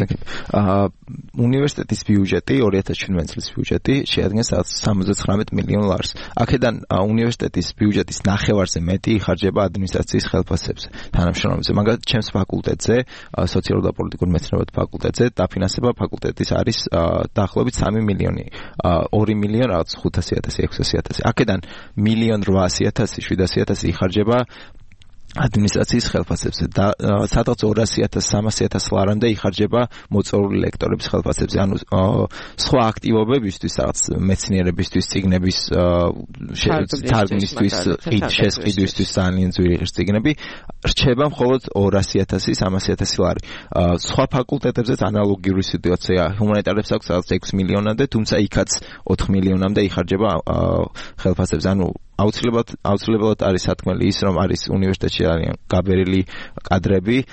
უნივერსიტეტის ბიუჯეტი 2017 წლის ბიუჯეტი შეადგენს 79 მილიონ ლარს. აქედან უნივერსიტეტის ბიუჯეტის ნახევარზე მეტი იხარჯება ადმინისტრაციის ხელფასებზე. თანამშრომლებზე, მაგალითად, ჩემს ფაკულტეტზე, სოციალურ და პოლიტიკურ მეცნიერებათა ფაკულტეტზე, დაფინანსება ფაკულტეტის არის დაახლოებით 3 მილიონი, 2 მილიონ რაღაც 500.000, 600.000. აქედან 1,800,000 იხარჯება ადმინისტრაციის ხელფასებზე და სადღაც 200.000, 300.000 ლარამდე იხარჯება მოწვეული ლექტორების ხელფასებზე. ანუ სხვა აქტივობებისთვის, რაღაც მეცნიერებისთვის, წიგნების თარგმნისთვის, შესყიდვისთვის ძალიან ძვირი წიგნები რჩება მხოლოდ 200.000, 300.000 ლარი. სხვა ფაკულტეტებზეც ანალოგიური სიტუაცია. ჰუმანიტარებს აქვს რაღაც 6 მილიონამდე, თუმცა იქაც 4 მილიონამდე იხარჯება ხელფასებზე. ანუ აუცილებლად არის სათქმელი ის, რომ არის უნივერსიტეტში ძალიან გაბერილი კადრები,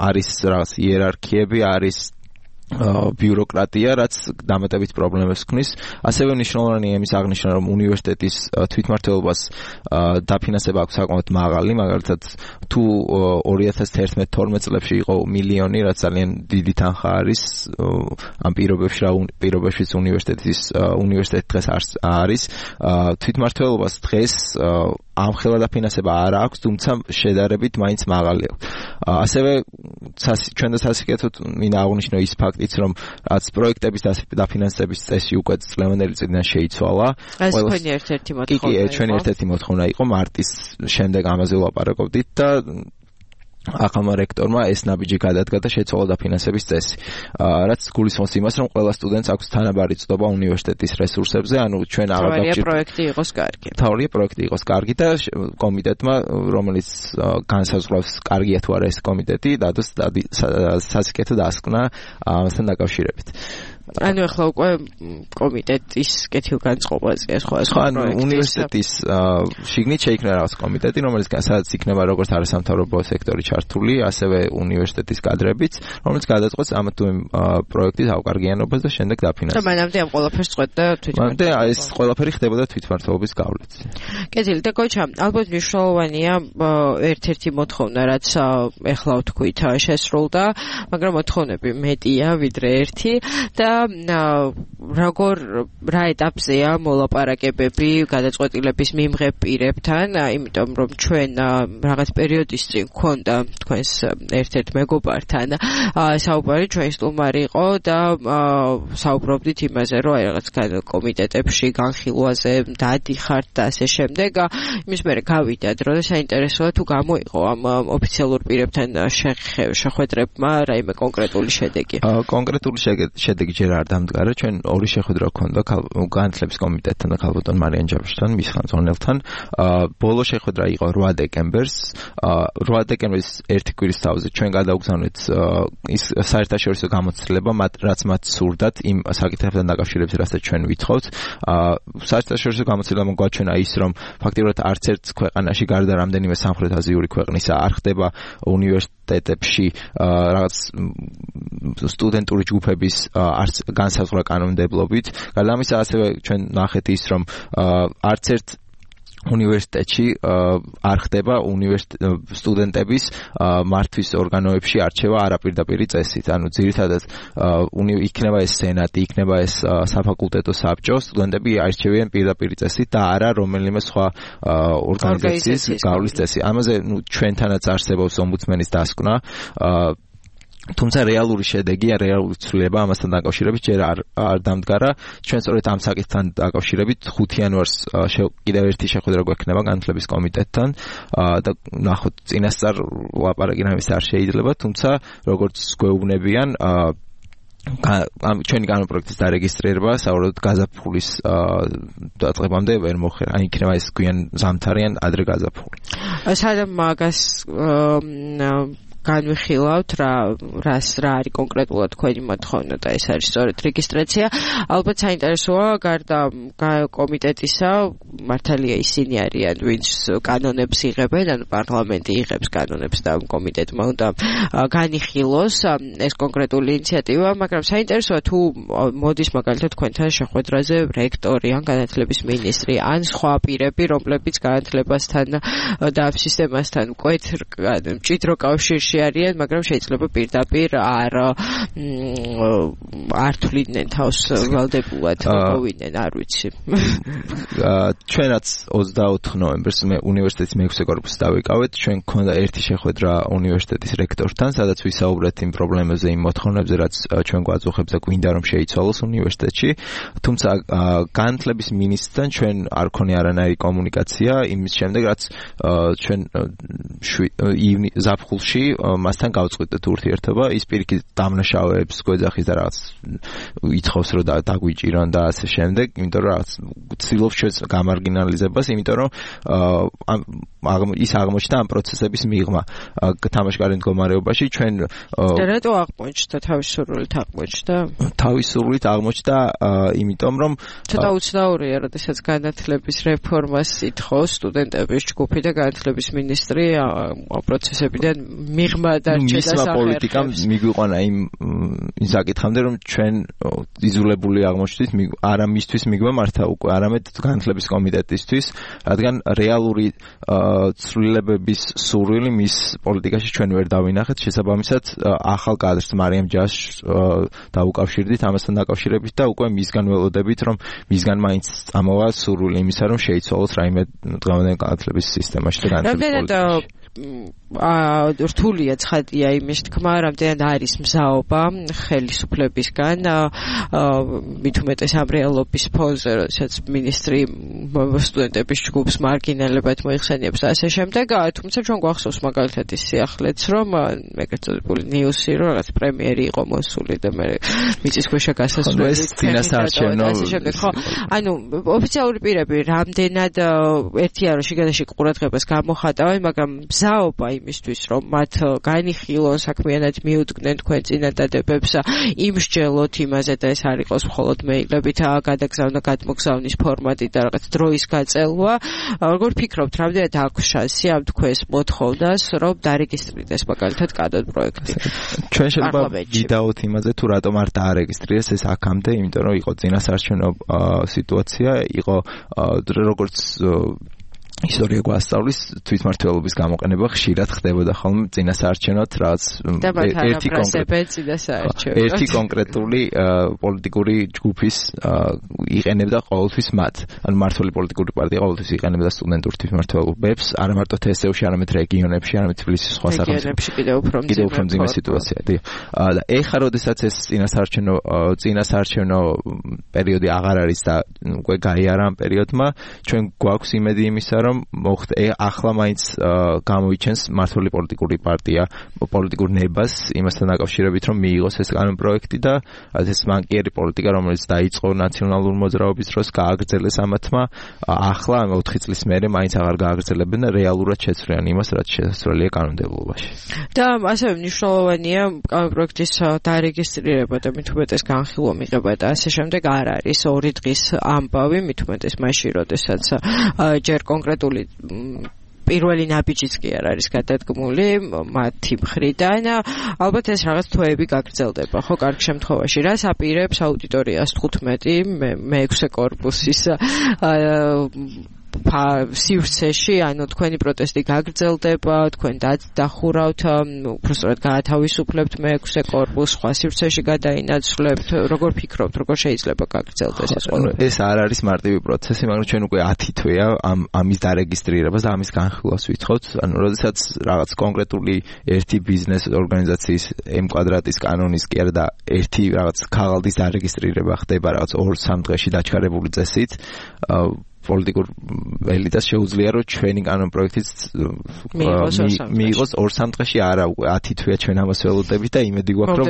არის რაღაც იერარქიები, არის ბიუროკრატია, რაც დამატებით პრობლემებს ქმნის. ასევე მნიშვნელოვანია იმის აღნიშვნა, რომ უნივერსიტეტის თვითმმართველობას დაფინანსება აქვს საკმაოდ მაღალი, მაგალითად თუ 2011-12 წლებში იყო მილიონი, რაც ძალიან დიდი თანხა არის ამ პირობებში უნივერსიტეტი დღეს არის თვითმმართველობას დღეს ამხელა დაფინანსება არ აქვს, თუმცა შედარებით მაინც მაღალი აქვს. ასევე ჩვენ და სასიკეთოდ მინდა აღვნიშნო ის ფაქტიც, რომ რაც პროექტების დაფინანსების წესი უკვე წლევანდელი წლიდან შეიცვალა. ეს თქვენი ერთ-ერთი მოთხოვნა იყო. კი, ჩვენი ერთ-ერთი მოთხოვნა იყო მარტის შემდეგ ამაზე ვლაპარაკობდით და ახალმა რექტორმა ეს ნაბიჯი გადადგა და შეცვალა დაფინანსების წესი. რაც გულისხმობს იმას, რომ ყველა სტუდენტს აქვს თანაბარი წვდობა უნივერსიტეტის რესურსებზე, ანუ ჩვენ აღარ დავჭირდება პროექტი იყოს კარგი. თავია პროექტი იყოს კარგი და კომიტეტმა, რომელიც განსაზღვრავს კარგია თუ არა ეს კომიტეტი, დადოს სასიკეთო დასკვნა ამასთან დაკავშირებით. ანუ ახლა უკვე კომიტეტის კეთილგანწყობაზე სხვა უნივერსიტეტის შიგნით შეიქმნა რაღაც კომიტეტი, რომელიც სადაც იქნება როგორც არასამთავრობო სექტორი ჩართული, ასევე უნივერსიტეტის კადრებიც, რომელიც გადაწყვეტს ამ თუ იმ პროექტის ავკარგიანობას და შემდეგ დაფინანსებს. და მანამდე ამ ყველაფერს წყვეტდა თვითმმართველობა. და ეს ყველაფერი ხდებოდა თვითმმართველობის გავლით. კეთილი და კოჩა, ალბათ მნიშვნელოვანია ერთ-ერთი მოთხოვნა, რაც ახლა ვთქვით შესრულდა, მაგრამ მოთხოვნები მეტია ვიდრე ერთი და რა ეტაპზეა მოლაპარაკებები გადაწყვეტილების მიმღებ პირებთან, იმიტომ რომ ჩვენ რაღაც პერიოდის წინ გვქონდა თქვენს ერთ-ერთ მეგობართან საუბარი, ჩვენი სტუმარი იყო და საუბრობდით იმაზე, რომ აი რაღაც კომიტეტებში განხილვაზე დადიხართ და ასე შემდეგ. იმის მერე გავიდა დრო და საინტერესოა თუ გამოიყო ამ ოფიციალურ პირებთან შეხვედრებმა რაიმე კონკრეტული შედეგი. კონკრეტული შედეგი ჯერ არ დამდგარა. ჩვენ ორი შეხვედრა ჰქონდა განათლების კომიტეტთან და ქალბატონ მარიან ჯავშთან, მის ხელმძღვანელთან. ბოლო შეხვედრა იყო 8 დეკემბერს. 8 დეკემბრის ერთი კვირის თავზე ჩვენ გადავგზავნეთ ის საერთაშორისო გამოცდილება, რაც მათ სურდათ იმ საკითხებთან დაკავშირებით, რასაც ჩვენ ვითხოვთ. საერთაშორისო გამოცდილება გვაჩვენა ის, რომ ფაქტიურად არც ერთ ქვეყანაში გარდა რამდენიმე სამხრეთ-აზიური ქვეყნისა არ ხდება უნივერსიტეტებში რაღაც სტუდენტური ჯგუფების განსაზღვრა კანონმდებლობით. გარდა ამისა, ასევე ჩვენ ნახეთ ის, რომ არც ერთ უნივერსიტეტში არ ხდება სტუდენტების მართვის ორგანოებში არჩევა არაპირდაპირი წესით. ანუ ძირითადად იქნება ეს სენატი, იქნება ეს საფაკულტეტო საბჭო, სტუდენტები არჩევიან პირდაპირი წესით და არა რომელიმე სხვა ორგანიზაციის გავლის წესი. ამაზე ჩვენთანაც არსებობს ომბუდსმენის დასკვნა. თუმცა რეალური შედეგი, რეალური ცვლილება ამასთან დაკავშირებით ჯერ არ დამდგარა. ჩვენ სწორედ ამ საკითხთან დაკავშირებით 5 იანვარს კიდევ ერთი შეხვედრა გვექნება განათლების კომიტეტთან და ნახოთ წინასწარ ლაპარაკი რამის არ შეიძლება, თუმცა როგორც გვეუბნებიან ჩვენი კანონპროექტის დარეგისტრირება საუბრობთ გაზაფხულის დაწყებამდე ვერ მოხერხდა. ან იქნება ეს გვიან ზამთარი ან ადრე გაზაფხული. სადამ მაგას განვიხილავთ რა არის კონკრეტულად თქვენი მოთხოვნა და ეს არის სწორედ რეგისტრაცია. ალბათ საინტერესოა გარდა კომიტეტისა, მართალია ისინი არიან ვინც კანონებს იღებენ, ანუ პარლამენტი იღებს კანონებს და კომიტეტმა უნდა განიხილოს ეს კონკრეტული ინიციატივა, მაგრამ საინტერესოა თუ მოდის მაგალითად თქვენთან შეხვედრაზე რექტორი ან განათლების მინისტრი ან სხვა პირები, რომლებიც განათლებასთან და ამ სისტემასთან მჭიდრო კავშირში არიან, მაგრამ შეიძლება პირდაპირ არ თვლიდნენ თავს ვალდებულად მოვიდნენ, არ ვიცი. ჩვენაც 24 ნოემბერს მე უნივერსიტეტის მე-6 კორპუსში დავიკავეთ. ჩვენ გქონდა ერთი შეხვედრა უნივერსიტეტის რექტორთან, სადაც ვისაუბრეთ იმ პრობლემებზე, იმ მოთხოვნებზე, რაც ჩვენ გვაწუხებს და გვინდა რომ შეიცვალოს უნივერსიტეტში. თუმცა განათლების მინისტრთან ჩვენ არ ქონია არანაირი კომუნიკაცია იმის შემდეგ, რაც ჩვენ ზაფხულში მასთან გავწყვიტეთ ურთიერთობა. ის პირიქით დამნაშავეებს გვეძახის და რაღაც ითხოვს რომ დაგვიჭირონ და ასე შემდეგ, იმიტომ რომ რაღაც ცდილობს ჩვენს გამარგინალიზებას, იმიტომ რომ ის აღმოჩნდა ამ პროცესების მიღმა თამაშგარე მდგომარეობაში. ჩვენ რატო აღმოჩნდა თავისუფლად აღმოჩნდა? თავისუფლად აღმოჩნდა, იმიტომ რომ ცოტა უცნაურია, როდესაც განათლების რეფორმას ითხოვს სტუდენტების ჯგუფი და განათლების მინისტრი პროცესებიდან მიღმა დარჩა და მისმა პოლიტიკამ მიგვიყვანა იმ საკითხამდე, რომ ჩვენ იზოლებული აღმოჩნდით, არა მისთვის მიგმა მართა უკვე, არამედ განათლების კომიტეტისთვის, რადგან რეალური ცვლილებების სურვილი მის პოლიტიკაში ჩვენ ვერ დავინახეთ. შესაბამისად, ახალ კადრს მარიამ ჯაშს დაუკავშირდით ამასთან დაკავშირებით და უკვე მისგან ველოდებით, რომ მისგან მაინც წამოვა სურვილი იმისა, რომ შეიცვალოს რაიმე დღევანდელი განათლების სისტემაში და განათლების პოლიტიკაში. რთულია ცხადია იმის თქმა, რამდენად არის მზაობა ხელისუფლებისგან, მით უმეტეს ამ რეალობის ფონზე, როდესაც მინისტრი სტუდენტების ჯგუფს მარგინალებად მოიხსენიებს და ასე შემდეგ. თუმცა ჩვენ გვახსოვს მაგალითად ის სიახლეც, რომ ეგრეთ წოდებული ნიუსი, რომ რაღაც პრემიერი იყო მოსული და მე მიწისქვეშა გასასვლელი წინასაარჩევნო ასე შემდეგ. ხო, ანუ ოფიციალური პირები რამდენად ერთია რომ შიგადაში ყურადღებას გამოხატავენ, მაგრამ მზაობა იმისთვის, რომ მათ განიხილონ, საქმიანად მიუდგნენ თქვენ წინადადებებს, იმსჯელოთ იმაზე და ეს არ იყოს მხოლოდ მეილებით გადაგზავნა, გადმოგზავნის ფორმატი და რაღაც დროის გაწელვა. როგორ ფიქრობთ, რამდენად აქვს შანსი ამ თქვენს მოთხოვნას, რომ დარეგისტრირდეს მაგალითად კადრ პროექტი? ჩვენ შეიძლება ვიდაოთ იმაზე, თუ რატომ არ დაარეგისტრირეს ეს აქამდე, იმიტომ რომ იყო წინასაარჩევნო სიტუაცია, იყო როგორც ისტორია გვასწავლის, თვითმმართველობის გამოყენება ხშირად ხდებოდა ხოლმე წინასაარჩევნოთ, რაც ერთი კონკრეტული პოლიტიკური ჯგუფის იყენებდა ყოველთვის მათ. ანუ მმართველი პოლიტიკური პარტია ყოველთვის იყენებდა სტუდენტურ თვითმმართველობებს, არა მარტო თსევში, არამედ რეგიონებში, არამედ თბილისის სხვა სახელმწიფოებში კიდევ უფრო მძიმე სიტუაცია. და ეხლა როდესაც ეს წინასაარჩევნო პერიოდი აღარ არის და უკვე გაიარა ამ პერიოდმა, ჩვენ გვაქვს იმედი იმისა, რომ ახლა მაინც გამოიჩენს მმართველი პოლიტიკური პარტია პოლიტიკურ ნებას იმასთან დაკავშირებით, რომ მიიღოს ეს კანონპროექტი და ეს მანკიერი პოლიტიკა, რომელიც დაიწყო ნაციონალურ მოძრაობის დროს, გააგრძელეს ამათმა. ახლა 4 წლის მერე მაინც აღარ გააგრძელებენ და რეალურად შეცვლიან იმას, რაც შესაძლებელია კანონმდებლობაში. და ასევე მნიშვნელოვანია კანონპროექტის დარეგისტრირება და მით უმეტეს განხილვა მიღება და ასე შემდეგ არ არის 2 დღის ამბავი, მით უმეტეს მაშინ, როდესაც ჯერ კონკრეტული პირველი ნაბიჯიც კი არ არის გადადგმული მათი მხრიდან. ალბათ ეს რაღაც თვეები გაგრძელდება, ხო, კარგ შემთხვევაში. რას აპირებს აუდიტორიას 15 მე-6 კორპუსის სივრცეში, ანუ თქვენი პროტესტი გაგრძელდება, თქვენ დახურავთ, უბრალოდ გაათავისუფლებთ მე-6 კორპუსს, სხვა სივრცეში გადაინაცვლებთ, როგორ ფიქრობთ, როგორ შეიძლება გაგრძელდეს ეს ყველაფერი? ეს არ არის მარტივი პროცესი, მაგრამ ჩვენ უკვე 10 თვეა ამის დარეგისტრირებას და ამის განხილვას ვიცხოვთ. ანუ როდესაც რაღაც კონკრეტული ერთი ბიზნეს ორგანიზაციის M-კვადრატის კანონის კი არა და ერთი რაღაც ქაღალდის დარეგისტრირება ხდება რაღაც 2-3 დღეში დაჩქარებული წესით, პოლიტიკურ ელიტას შეუძლია რომ ჩვენი კანონპროექტიც მიიღოს 2-3 დღეში, არა 10 თვეა ჩვენ ამას ველოდებით და იმედი გვაქვს რომ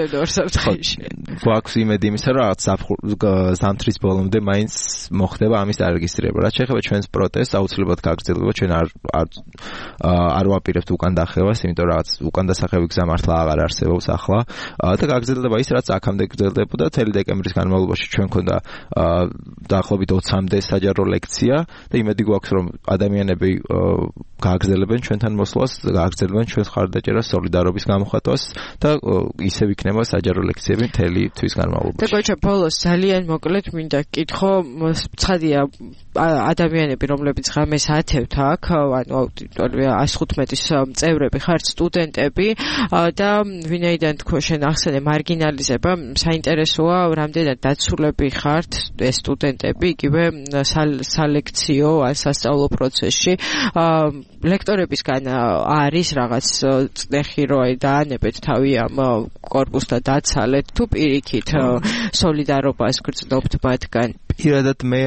გვაქვს იმედი იმისა რომ რაღაც ზამთრის ბოლომდე მაინც მოხდება ამის დარეგისტრირება. რაც შეეხება ჩვენს პროტესტს, აუცილებლად გაგრძელდება, ჩვენ არ ვაპირებთ უკან დახევას, იმიტომ რომ რაღაც უკან დასახევი გზა მართლა აღარ არსებობს ახლა და გაგრძელდება ის რაც აქამდე გრძელდებოდა. თელი დეკემბრის განმავლობაში ჩვენ ქონდა დაახლოებით 20-მდე საჯარო ლექცია და იმედი გვაქვს რომ ადამიანები გააგრძელებენ ჩვენთან მოსვლას, გააგრძელებენ ჩვენს ხარდაჭერას, სოლიდარობის გამოხატვას და ისევ იქნება საჯარო ლექციები მთელი თვის განმავლობაში. და გოჩა ბოლოს ძალიან მოკლედ მინდა გკითხო, ცხადია ადამიანები რომლებიც ღამეს ათევთ აქ, ანუ აუდიტორია 115-ის წევრები ხართ, სტუდენტები და ვინაიდან თქვენ შენ ახსენე მარგინალიზება, საინტერესოა რამდენად დაცულები ხართ ეს სტუდენტები იგივე სალექციო ან სასწავლო პროცესში. ლექტორებისგან არის რაღაც წნეხი რომ დაანებეთ თავი ამ კორპუსთან დაცალეთ თუ პირიქით სოლიდარობას გრძნობთ მათგან? პირადად მე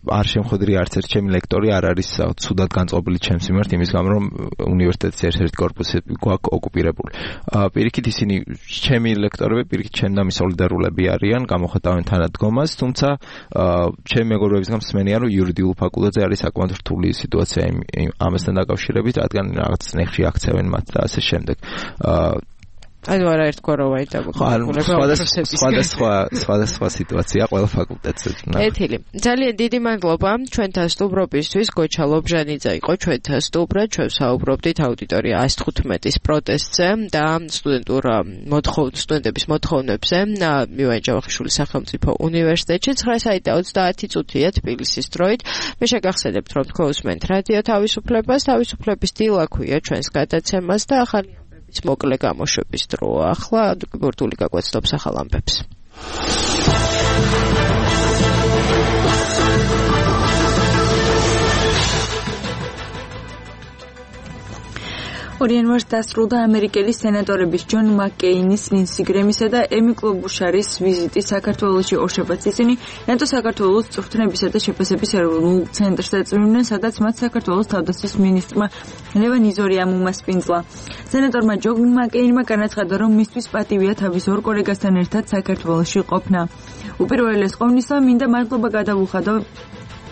არ შემხვედრი არც ერთ ჩემი ლექტორი არ არის ცუდად განწყობილი ჩემს მიმართ იმის გამო რომ უნივერსიტეტის ერთ-ერთი კორპუსი გვაქვს ოკუპირებული. პირიქით ისინი ჩემი ლექტორები პირიქით ჩემდამი სოლიდარულები არიან, გამოხატავენ თანადგომას, თუმცა ჩემი მეგობრებისგან მსმენია რომ იურიდიულ ფაკულტეტზე არის საკმაოდ რთული სიტუაცია ამასთან დაკავშირებით, რადგან რაღაც წნეხში აქცევენ მათ და ასე შემდეგ. ანუ არაერთგვარ რომ სხვადასხვა სიტუაცია ყველა ფაკულტეტზე. ეთილი. ძალიან დიდი მადლობა ჩვენთან სტუმრობისთვის. გოჩა ლობჟანიძე იყო ჩვენთან სტუმრად. ჩვენ საუბრობდით აუდიტორია 115-ის პროტესტზე და სტუდენტების მოთხოვნებზე მივან ჯავახიშვილის სახელმწიფო უნივერსიტეტში 9:30 წუთია თბილისის დროით. მე შეგახსენებთ რომ თქვენ უსმენთ რადიო თავისუფლებას, თავისუფლების დილა ქვია ჩვენს გადაცემას და ახალი მოკლე გამოშვების დროა. ახლა გურდული გაგვეცდობს ახალ ამბებს. იანვარს დასრულდა ამერიკელი სენატორების ჯონ მაკკეინის, ლინსი გრემისა და ემი კლობუშარის ვიზიტი საქართველოში. ორშაბათს ისინი ნატო საქართველოს წვრთნებისა და შეფასების ეროვნულ ცენტრს ეწვივნენ, სადაც მათ საქართველოს თავდაცვის მინისტრმა ლევან იზორიამ უმასპინძლა. სენატორმა ჯონ მაკკეინმა განაცხადა, რომ მისთვის პატივია თავის ორ კოლეგასთან ერთად საქართველოში ყოფნა. უპირველეს ყოვლისა მინდა მადლობა გადავუხადო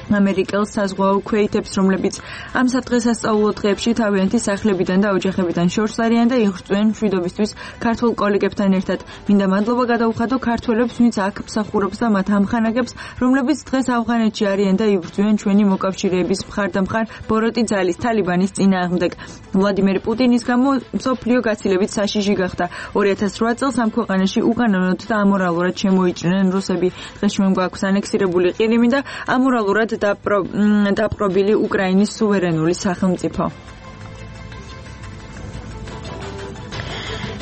ამერიკელ საზღვაო ქვეითებს, რომლებიც ამ სადღესასწაულო დღეებში თავიანთი სახლებიდან და ოჯახებიდან შორს არიან და იღრწვიან მშვიდობისთვის ქართულ კოლეგებთან ერთად. მინდა მადლობა გადავუხადო ქართველებს, ვინც აქ მსახურობს და მათ ამხანაგებს, რომლებიც დღეს ავღანეთში არიან და იბრძვიან ჩვენი მოკავშირეების მხარდამხარ ბოროტი ძალის თალიბანის წინააღმდეგ. ვლადიმერ პუტინის გამო მსოფლიო გაცილებით საშიში გახდა. 2008 წელს ამ ქვეყანაში უკანონოდ და ამორალურად შემოიჭრნენ რუსები. დღეს ჩვენ გვაქვს ანექსირებული ყირიმი და ამორალურად დაპყრობილი უკრაინის სუვერენული სახელმწიფო.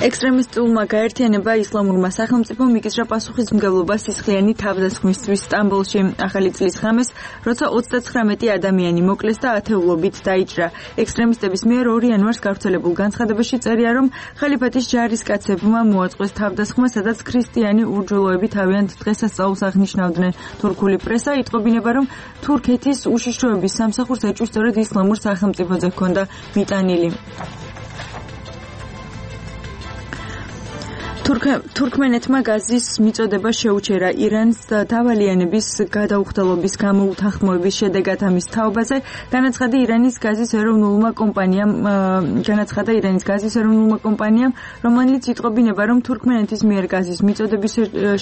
ექსტრემისტულმა გაერთიანება ისლამურმა სახელმწიფომ მიკისრა პასუხისმგებლობა სისხლიანი თავდასხმისთვის სტამბოლში ახალი წლის ღამეს, როცა 39 ადამიანი მოკლეს და ათეულობით დაიჭრა. ექსტრემისტების მიერ 2 იანვარს გავრცელებულ განცხადებაში წერია, რომ ხალიფატის ჯარისკაცებმა მოაწყვეს თავდასხმა, სადაც ქრისტიანი ურჯულოები თავიანთ დღესასწაულს აღნიშნავდნენ. თურქული პრესა იტყობინება, რომ თურქეთის უშიშროების სამსახურს ეჭვი სწორედ ისლამურ სახელმწიფოზე ჰქონდა მიტანილი. თურქმენეთმა გაზის მიწოდება შეუჩერა irans დავალიანების გადაუხდელობის გამო უთანხმოების შედეგად ამის თაობაზე განაცხადა ირანის გაზის ეროვნულმა კომპანიამ, რომელიც იტყობინება, რომ თურქმენეთის მიერ გაზის მიწოდების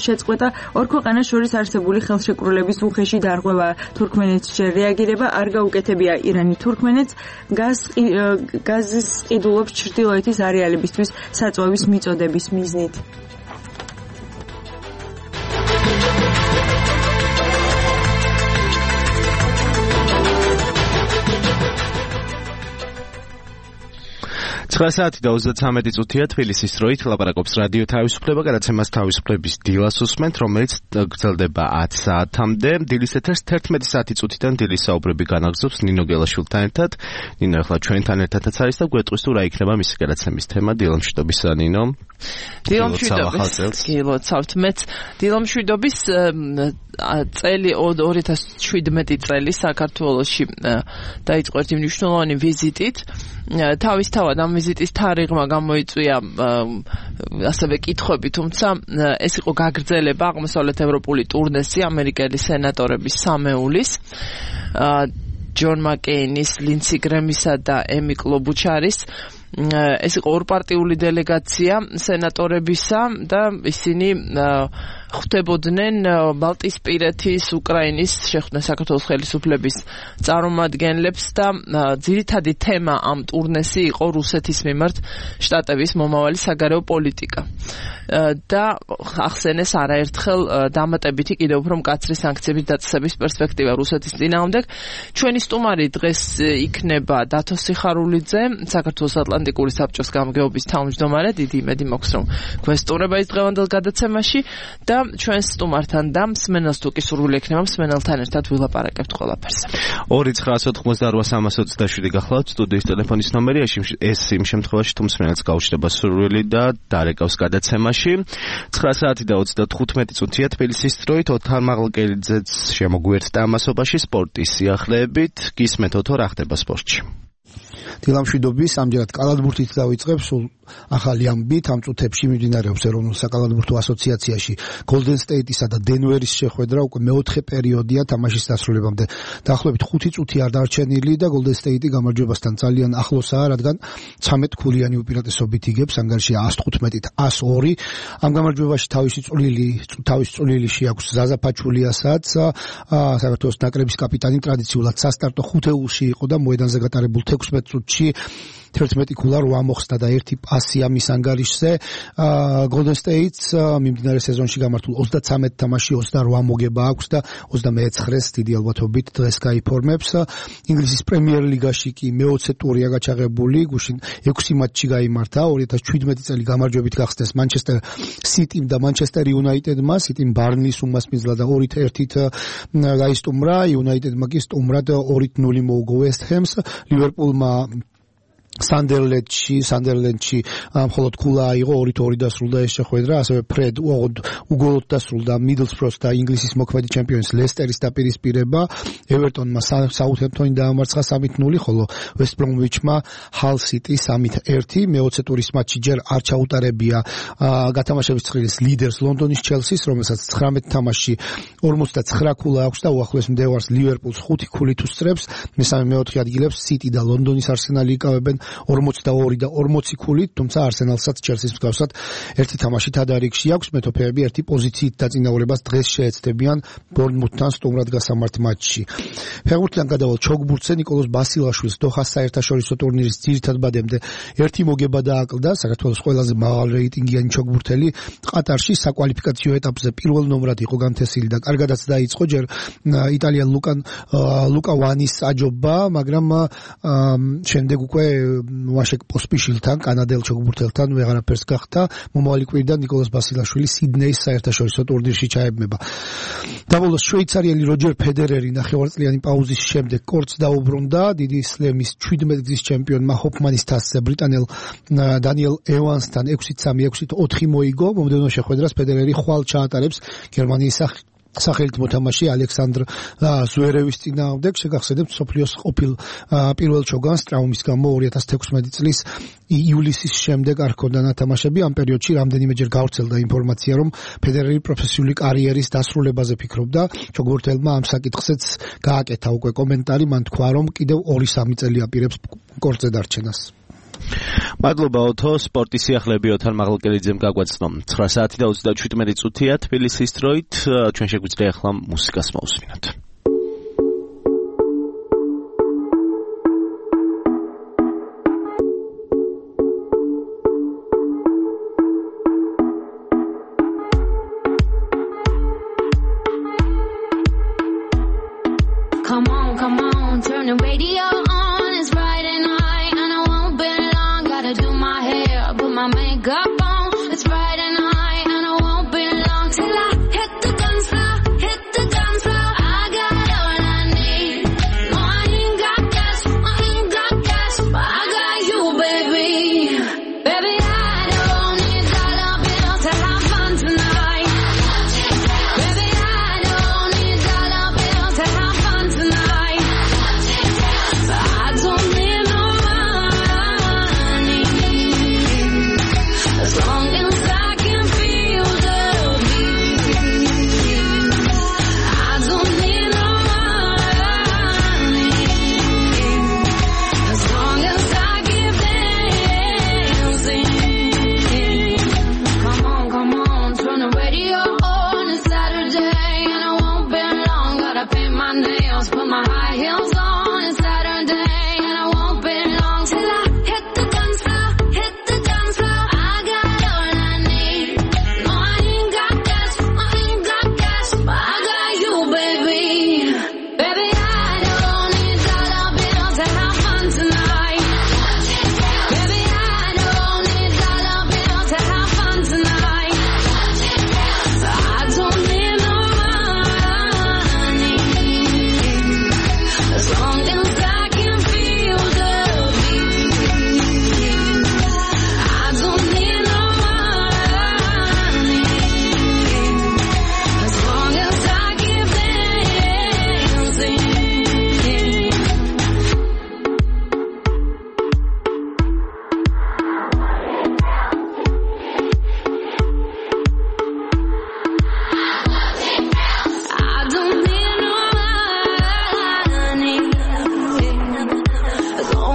შეწყვეტა ორ ქვეყანას შორის არსებული ხელშეკრულების უხეში დარღვევაა. თურქმენეთს რეაგირება არ გაუკეთებია ირანი თურქმენეთს გაზის ყიდულობს ჩრდილოეთის არეალებისთვის საწვავის მიწოდების მიზნით. 9:33 წუთია თბილისის დროით ლაპარაკობს რადიო თავისუფლება, გადაცემას თავისუფლების დილას უსმენთ, რომელიც გრძელდება 10 საათამდე. დილის ეთერს 11 საათი წუთიდან დილის საუბრები განაგრძობს ნინო გელაშვილთან ერთად. ნინო ახლა ჩვენთან ერთადაც არის და გვეტყვის თუ რა იქნება მისი გადაცემის თემა. დილამშვიდობისა ნინო. დილამშვიდობის. გილოცავთ მეც. დილამშვიდობის წელი 2017 წელი საქართველოში დაიწყო ერთი მნიშვნელოვანი ვიზიტით. თავისთავად ამ ვიზიტის თარიღმა გამოიწვია ასევე კითხვები, თუმცა ეს იყო გაგრძელება აღმოსავლეთ ევროპული ტურნესი ამერიკელი სენატორების სამეულის ჯონ მაკეინის, ლინდსი გრემისა და ემი კლობუჩარის ეს იყო ორპარტიული დელეგაცია სენატორებისა და ისინი ხვდებოდნენ ბალტიისპირეთის, უკრაინის, შეხვდნენ საქართველოს ხელისუფლების წარმომადგენლებს და ძირითადი თემა ამ ტურნესი იყო რუსეთის მიმართ შტატების მომავალი საგარეო პოლიტიკა. და ახსენეს არაერთხელ დამატებითი კიდევ უფრო მკაცრი სანქციების დაწესების პერსპექტივა რუსეთის წინააღმდეგ. ჩვენი სტუმარი დღეს იქნება დათო სიხარულიძე, საქართველოს ატლანტიკური საბჭოს გამგეობის თავმჯდომარე. დიდი იმედი მაქვს, რომ გვესტუმრება ის დღევანდელ გადაცემაში და ჩვენს სტუმართან და მსმენელს თუ კი სურვილი ექნება მსმენელთან ერთად ვილაპარაკებთ ყველაფერს. 2988327 გახლავთ სტუდიის ტელეფონის ნომერი, ეს იმ შემთხვევაში თუ მსმენელს გაუჩნდება სურვილი და დარეკავს გადაცემაში. 9:35 წუთია თბილისის დროით. ოთარ მაღლკელიძეც შემოგვიერთდა ამასობაში სპორტის სიახლეებით. გისმენთ ოთო, რა ხდება სპორტში? დილამშვიდობის, ამჯერად კალათბურთით დავიწყებ, სულ ახალი ამბით ამ წუთებში მიმდინარეობს ეროვნულ საკალათბურთო ასოციაციაში Golden State-ისა და Denver-ის შეხვედრა, უკვე მეოთხე პერიოდია თამაშის დასრულებამდე. დაახლოებით 5 წუთი არ დარჩენილი და Golden State-ი გამარჯვებასთან ძალიან ახლოსაა, რადგან 13 ქულიანი უპირატესობით იგებს ანგარიში 115-102. ამ გამარჯვებაში თავისი წვლილი შეაქვს ზაზა ფაჩულიასაც, საქართველოს ნაკრების კაპიტანი, ტრადიციულად სასტარტო ხუთეულში იყო და მოედანზე გატარებულ 16 წუთში 11 ქულა 8 მოხსნა და 1 პასი ამის ანგარიშზე. Golden State-ს მიმდინარე სეზონში გამართულ 33 თამაში 28 მოგება აქვს და 29-ს დიდი ალბათობით დღეს გაიფორმებს. ინგლისის პრემიერ ლიგაში კი მე-20 ტურია გაჩაღებული, გუშინ 6 მატჩი გაიმართა. 2017 წელი გამარჯვებით გახსნეს Manchester City-მ და Manchester United-მა. City-მ Barnley-ს უმასპინძლა და 2-1 გაისტუმრა. United-მა კი სტუმრად 2-0 მოუგო West Ham-ს. Liverpool-მა Sunderland-ში მხოლოდ ქულა აიღო 2-2 დასრულდა ეს შეხვედრა, ასევე ფრედ უგოლოდ დასრულდა Middlesbrough და ინგლისის მოქმედი ჩემპიონის ლესტერის დაპირისპირება. Everton-მა Southampton-ი დაამარცხა 3-0, ხოლო West Bromwich-მა Hull City 3-1. მე-20 ტურის მატჩი ჯერ არ ჩაუტარებია გათამაშების ცხრილის ლიდერს ლონდონის Chelsea-ს, რომელსაც 19 თამაშში 49 ქულა აქვს და უახლოეს მდევარს Liverpool-ს 5 ქულით უსწრებს. მესამე-მეოთხე ადგილებს City და ლონდონის Arsenal-ი იკავებენ 42 და 40 ქულით, თუმცა Arsenal-საც Chelsea-ს მსგავსად ერთი თამაშით ადარიგში აქვს. მეტოქეები ერთი პოზიციით დაწინაურებას დღეს შეეცდებიან Bournemouth-თან სტუმრად გასამართ მატჩში. ფეხბურთიდან გადავალ ჩოგბურთზე ნიკოლოზ ბასილაშვილს დოჰას საერთაშორისო ტურნირის ძირითად ბადემდე ერთი მოგება დააკლდა. საქართველოს ყველაზე მაღალ რეიტინგიანი ჩოგბურთელი ყატარში საკვალიფიკაციო ეტაპზე პირველ ნომრად იყო განთესილი და კარგადაც დაიწყო ჯერ იტალიან ლუკა ვანის აჯობა, მაგრამ შემდეგ უკვე ვაშეკ პოსპიშილთან, კანადელ ჩოგბურთელთან ვეღარაფერს გახდა. მომავალი კვირიდან ნიკოლოზ ბასილაშვილი სიდნეის საერთაშორისო ტურნირში ჩაებმება. დაბოლოს შვეიცარიელი როჯერ ფედერერი ნახევარწლიანი პაუზის შემდეგ კორტს დაუბრუნდა. დიდი სლემის 17 გზის ჩემპიონმა ჰოფმანის თასზე ბრიტანელ დანიელ ევანსთან 6-3, 6-4 მოიგო. მომდევნო შეხვედრას ფედერერი ხვალ ჩაატარებს გერმანიის სახელით მოთამაშე ალექსანდრ ზვერევის წინააღმდეგ. შეგახსენებთ, სოფლიოს ყოფილ პირველ ჩოგანს ტრავმის გამო 2016 წლის ივლისის შემდეგ არ ჰქონდა ნათამაშები. ამ პერიოდში რამდენიმეჯერ გავრცელდა ინფორმაცია, რომ ფედერერი პროფესიული კარიერის დასრულებაზე ფიქრობდა. ჩოგბურთელმა ამ საკითხზეც გააკეთა უკვე კომენტარი, მან თქვა, რომ კიდევ 2-3 წელი აპირებს კორტზე დარჩენას. მადლობა ოთო, სპორტის სიახლეები ოთარ მაღლკელიძემ გაგვაცნო. 9:27 წუთია თბილისის დროით. ჩვენ შეგვიძლია ახლა მუსიკას მოვუსმინოთ. Come on, turn the radio on. It's Friday night and I won't be long. Gotta do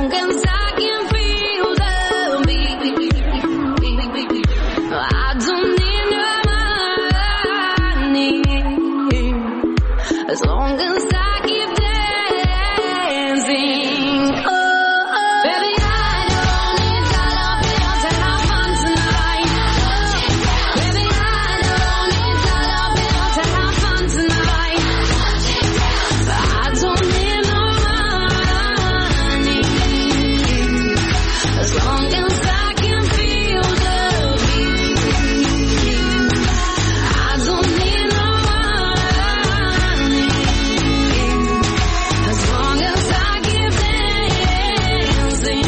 long as I can feel the beat. I don't need no money as long as I keep dancing. Oh, baby, I don't need dollar bills to have fun tonight. Baby, I don't need dollar bills to have fun tonight. I don't need no money as long as I can feel the beat. I don't need no money as long as I keep dancing.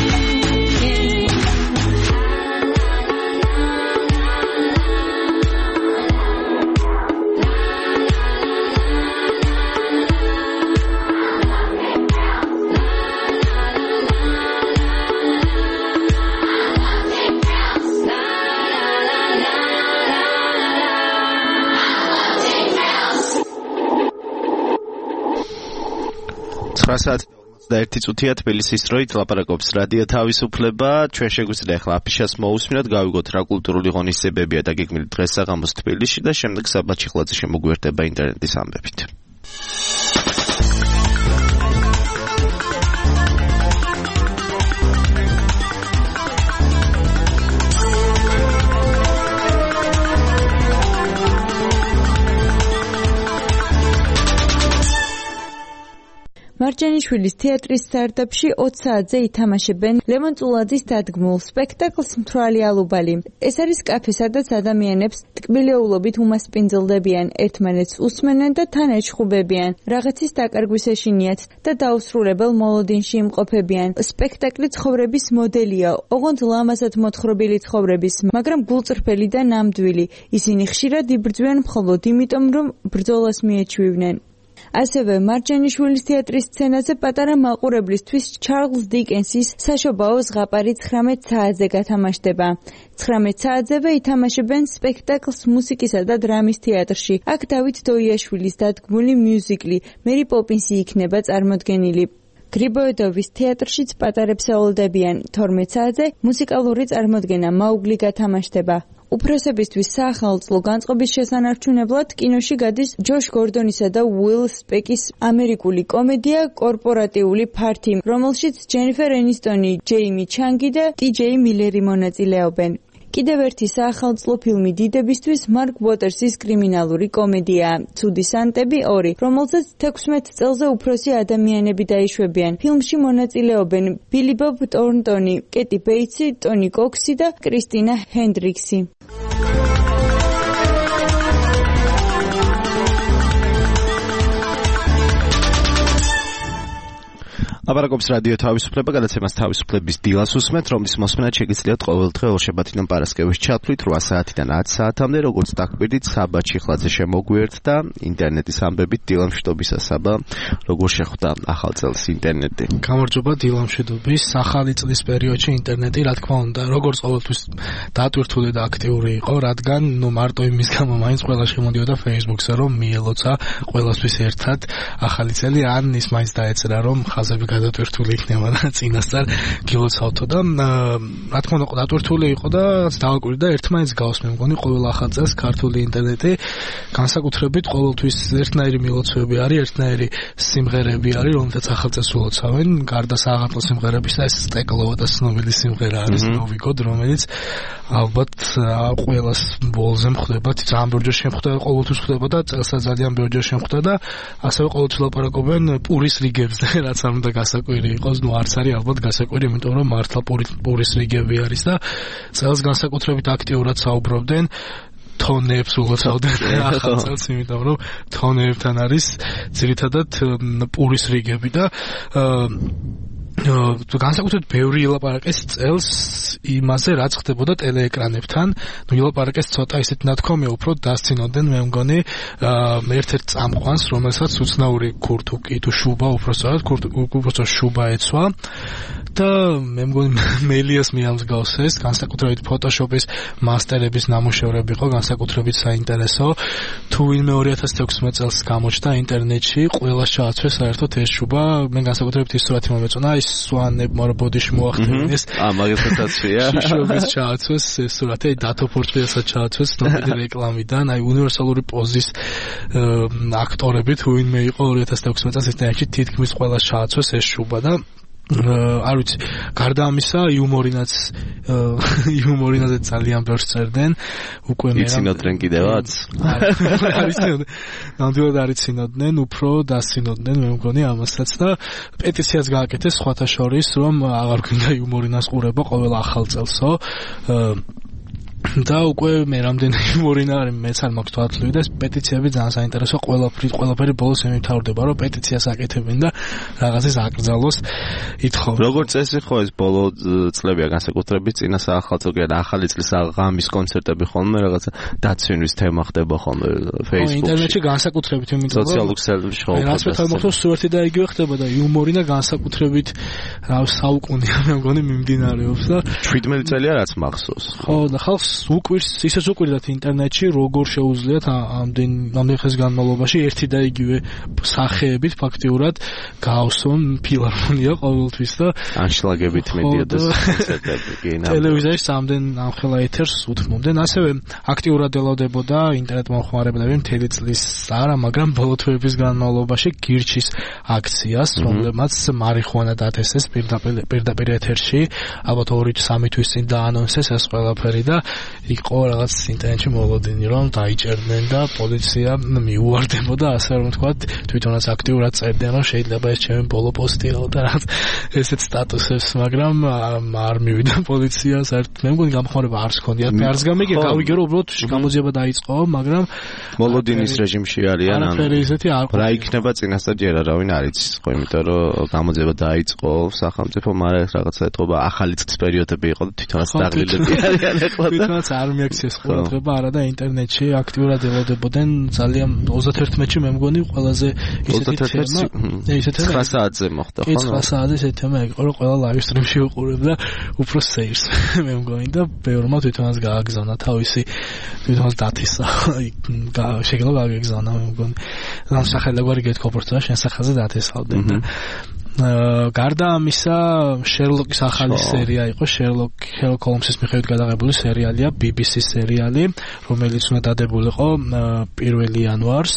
და 1 წუთია თბილისის დროით ლაპარაკობს რადიო თავისუფლება. ჩვენ შეგვიძლია ახლა აფიშას მოусმინოთ, გავიგოთ რა კულტურული ღონისძიებებია დაგეგმილი დღესაღამოს თბილისში და შემდეგ საბა ჩიხლაძე შემოგვიერთდება ინტერნეტის ამბებით. მარჯანიშვილის თეატრის სარდაფში 20 საათზე ითამაშებენ ლევან წულაძის დადგმულ სპექტაკლს მთვრალი ალუბალი. ეს არის კაფე, სადაც ადამიანებს ტკბილეულობით უმასპინძლდებიან, ერთმანეთს უსმენენ და თან ეჩხუბებიან, რაღაცის დაკარგვის ეშინიათ და დაუსრულებელ მოლოდინში იმყოფებიან. სპექტაკლი ცხოვრების მოდელია, ოღონდ ლამაზად მოთხრობილი ცხოვრების, მაგრამ გულწრფელი და ნამდვილი. ისინი ხშირად იბრძვიან მხოლოდ იმიტომ, რომ ბრძოლას მიეჩვივნენ. ასევე მარჯანიშვილის თეატრის სცენაზე პატარა მაყურებლისთვის ჩარლზ დიკენსის საშობაო ზღაპარი 19 საათზე გათამაშდება. 19 საათზევე ითამაშებენ სპექტაკლს მუსიკისა და დრამის თეატრში. აქ დავით დოიაშვილის დადგმული მიუზიკლი მერი პოპინსი იქნება წარმოდგენილი. გრიბოედოვის თეატრშიც პატარებს ეოლდებიან. 12 საათზე მუსიკალური წარმოდგენა მაუგლი გათამაშდება. უფროსებისთვის საახალწლო განწყობის შესანარჩუნებლად კინოში გადის ჯოშ გორდონისა და უილ სპეკის ამერიკული კომედია კორპორატიული ფართი, რომელშიც ჯენიფერ ენისტონი, ჯეიმი ჩანგი და ტიჯეი მილერი მონაწილეობენ. კიდევ ერთი საახალწლო ფილმი დიდებისთვის მარკ უოტერსის კრიმინალური კომედია ცუდი სანტები 2, რომელზეც 16 წელზე უფროსი ადამიანები დაიშვებიან. ფილმში მონაწილეობენ ბილი ბობ ტორნტონი, კეტი ბეიტსი, ტონი კოქსი და კრისტინა ჰენდრიქსი. აბარაკობს რადიო თავისუფლება, გადაცემას თავისუფლების დილას უსმენთ, რომლის მოსმენად შეგიძლიათ ყოველდღე ორშაბათიდან პარასკევის ჩათვლით 8 საათიდან 10 საათამდე, როგორც დაგვირდით, საბა ჩიხლაძე შემოგვიერთდა ინტერნეტის ამბებით. დილამშვიდობისა საბა, როგორ შეხვდა ახალ წელს ინტერნეტი? გამარჯობა, დილამშვიდობის. ახალი წლის პერიოდში ინტერნეტი, რა თქმა უნდა, როგორც ყოველთვის დატვირთული და აქტიური იყო, რადგან მარტო იმის გამო მაინც ყველა შემოდიოდა Facebook-ზე, რომ მიელოცა ყველასთვის ერთად ახალი წელი, ან ის მაინც დაეწერა, რომ ხაზები გადატვირთული იქნება და წინასწარ გილოცავთო და რა თქმა უნდა დატვირთული იყო და დავაკვირდა ერთმანეთს გავს მე მგონი ყოველ ახალ წელს ქართული ინტერნეტი განსაკუთრებით ყოველთვის ერთნაირი მილოცვები არის, ერთნაირი სიმღერები არის, რომელთაც ახალ წელს ულოცავენ, გარდა სააღამო სიმღერებისა, ეს სტეკლოვა და ცნობილი სიმღერა არის ნოვიგოდ, რომელიც ალბათ ყველას ბოლზე მხდება, ძალიან ბევრჯერ შემხვდა, ყოველთვის ხდება და წელსაც ძალიან ბევრჯერ შემხვდა და ასევე ყოველთვის ლაპარაკობენ პურის რიგებზე, რაც არ უნდა გასაკვირი იყოს, ნუ არც არის ალბათ გასაკვირი, იმიტომ რომ მართლა პურის რიგები არის და წელს განსაკუთრებით აქტიურად საუბრობდნენ თონებს ულოცავდნენ ახალ წელს, იმიტომ რომ თონებთან არის ძირითადად პურის რიგები და განსაკუთრებით ბევრი ილაპარაკეს წელს იმაზე, რაც ხდებოდა ტელეეკრანებთან. ნუ ილაპარაკეს ცოტა ისეთ ნათქვამია, უფრო დასცინოდნენ, მე მგონი, ერთ-ერთ წამყვანს, რომელსაც უცნაური ქურთუკი თუ შუბა, უბრალოდ შუბა ეცვა და მე მგონი მელიას მიამსგავს ეს, განსაკუთრებით ფოტოშოპის მასტერების ნამუშევრები იყო, განსაკუთრებით საინტერესო. თუ ვინმე 2016 წელს გამოჩნდა ინტერნეტში, ყველას ჩააცვეს საერთოდ ეს შუბა, მე განსაკუთრებით ის სურათი მომეწონა, ის სვანებმა რა ბოდიში მოახდინეს. მაგეთაცია. შიშობის ჩააცვეს სურათი დათო პორტფელიასაც ჩააცვეს ნობელი რეკლამიდან, აი უნივერსალური პოზის აქტორებით ვინმე იყო 2016 წელს ესეთი თითქმის ყველა ჩააცვეს ეს შუბა და არ ვიცი, გარდა ამისა, იუმორინაზე ძალიან ბევრს წერდნენ, უკვე მე იცინოდნენ კიდევაც? არ იცინოდნენ. ნამდვილად არ იცინოდნენ, უფრო დასინოდნენ, მე მგონი ამასაც და პეტიციაც გააკეთეს სხვათა შორის, რომ აღარ გვინდა იუმორინას ყურება ყოველ ახალ წელსო. და უკვე მე რამდენი იმორინა არის მეც არ მაქვს თვალთვლი და ეს პეტიციები ძალიან საინტერესო ყველაფერი ბოლოს ემთავრდება რომ პეტიციას აკეთებენ და რაღაცას აკრძალოს ითხოვენ. როგორც წესი ხო ეს ბოლო წლებია განსაკუთრებით წინა სახელმწიფო და ახალი წლის ღამის კონცერტები ხოლმე რაღაცა დაცვინის თემა ხდება ხოლმე Facebook-ში. ინტერნეტში განსაკუთრებით იმიტომ რომ სოციალურ ქსელებში ხო. რაც მე თვითონ სუერთი და იგივე ხდება და იუმორინა განსაკუთრებით რა საუკუნეა მე მგონი მიმდინარეობს და 17 წელია რაც მახსოვს. ხო და ხალხს ისიც უკვირდათ ინტერნეტში როგორ შეუძლიათ ამდენ ხნის განმავლობაში ერთი და იგივე სახეებით ფაქტიურად გაავსონ ფილარმონია ყოველთვის და ანშლაგებით მედიადეს კონცერტები ტელევიზიაში სამდენ ამხელა ეთერს უთმობდნენ ასევე აქტიურად ელოდებოდა ინტერნეტ მომხმარებლები მთელი წლის არა მაგრამ ბოლო თვეების განმავლობაში გირჩის აქციას რომლებმაც მარიხუანა დათესეს პირდაპირ ეთერში ალბათ 2-3 თვის წინ დაანონსეს ეს ყველაფერი და იყო რაღაც ინტერნეტში მოლოდინი რომ დაიჭერდნენ და პოლიცია მიუვარდებოდა ასე რომ თქვა თვითონაც აქტიურად წერდნენ რომ შეიძლება ეს ჩემი ბოლო პოსტიაო და რაღაც ესეთ სტატუსებს მაგრამ არ მივიდა პოლიცია საერთოდ მე მგონი გამხმარება არც ჰქონდათ მე არც გამიგე გავიგე რომ უბრალოდ გამოძიება დაიწყო მაგრამ მოლოდინის რეჟიმში არიან რა იქნება წინასწარ ჯერ არავინ არ იცის ხო იმიტომ რომ გამოძიება დაიწყო სახელმწიფო მაგრამ რაღაცა ეთყობა ახალი წლის პერიოდები იყო და თვითონაც დაღლილები არიან ეხლა თვითონაც არ მიაქციეს ყურადღება არა და ინტერნეტში აქტიურად ელოდებოდნენ ძალიან 31-ში მე მგონი ყველაზე ისეთი 9 საათზე მოხდა ხო 9 საათზე ესეთი თემა იყო რომ ყველა ლაივ სტრიმში უყურებდა უფრო სეირს მე მგონი და ბევრმა თვითონაც გააგზავნა თავისი თვითონაც დათისა შეიძლება გააგზავნა მე მგონი რა სახელგვარი გეთქოპორტა შენ სახელზე დათესავდნენ და გარდა ამისა შერლოკის ახალი სერია იყო შერლოკ ჰოლმსის მიხედვით გადაღებული სერიალია BBC-ის სერიალი რომელიც უნდა დადებულიყო 1 იანვარს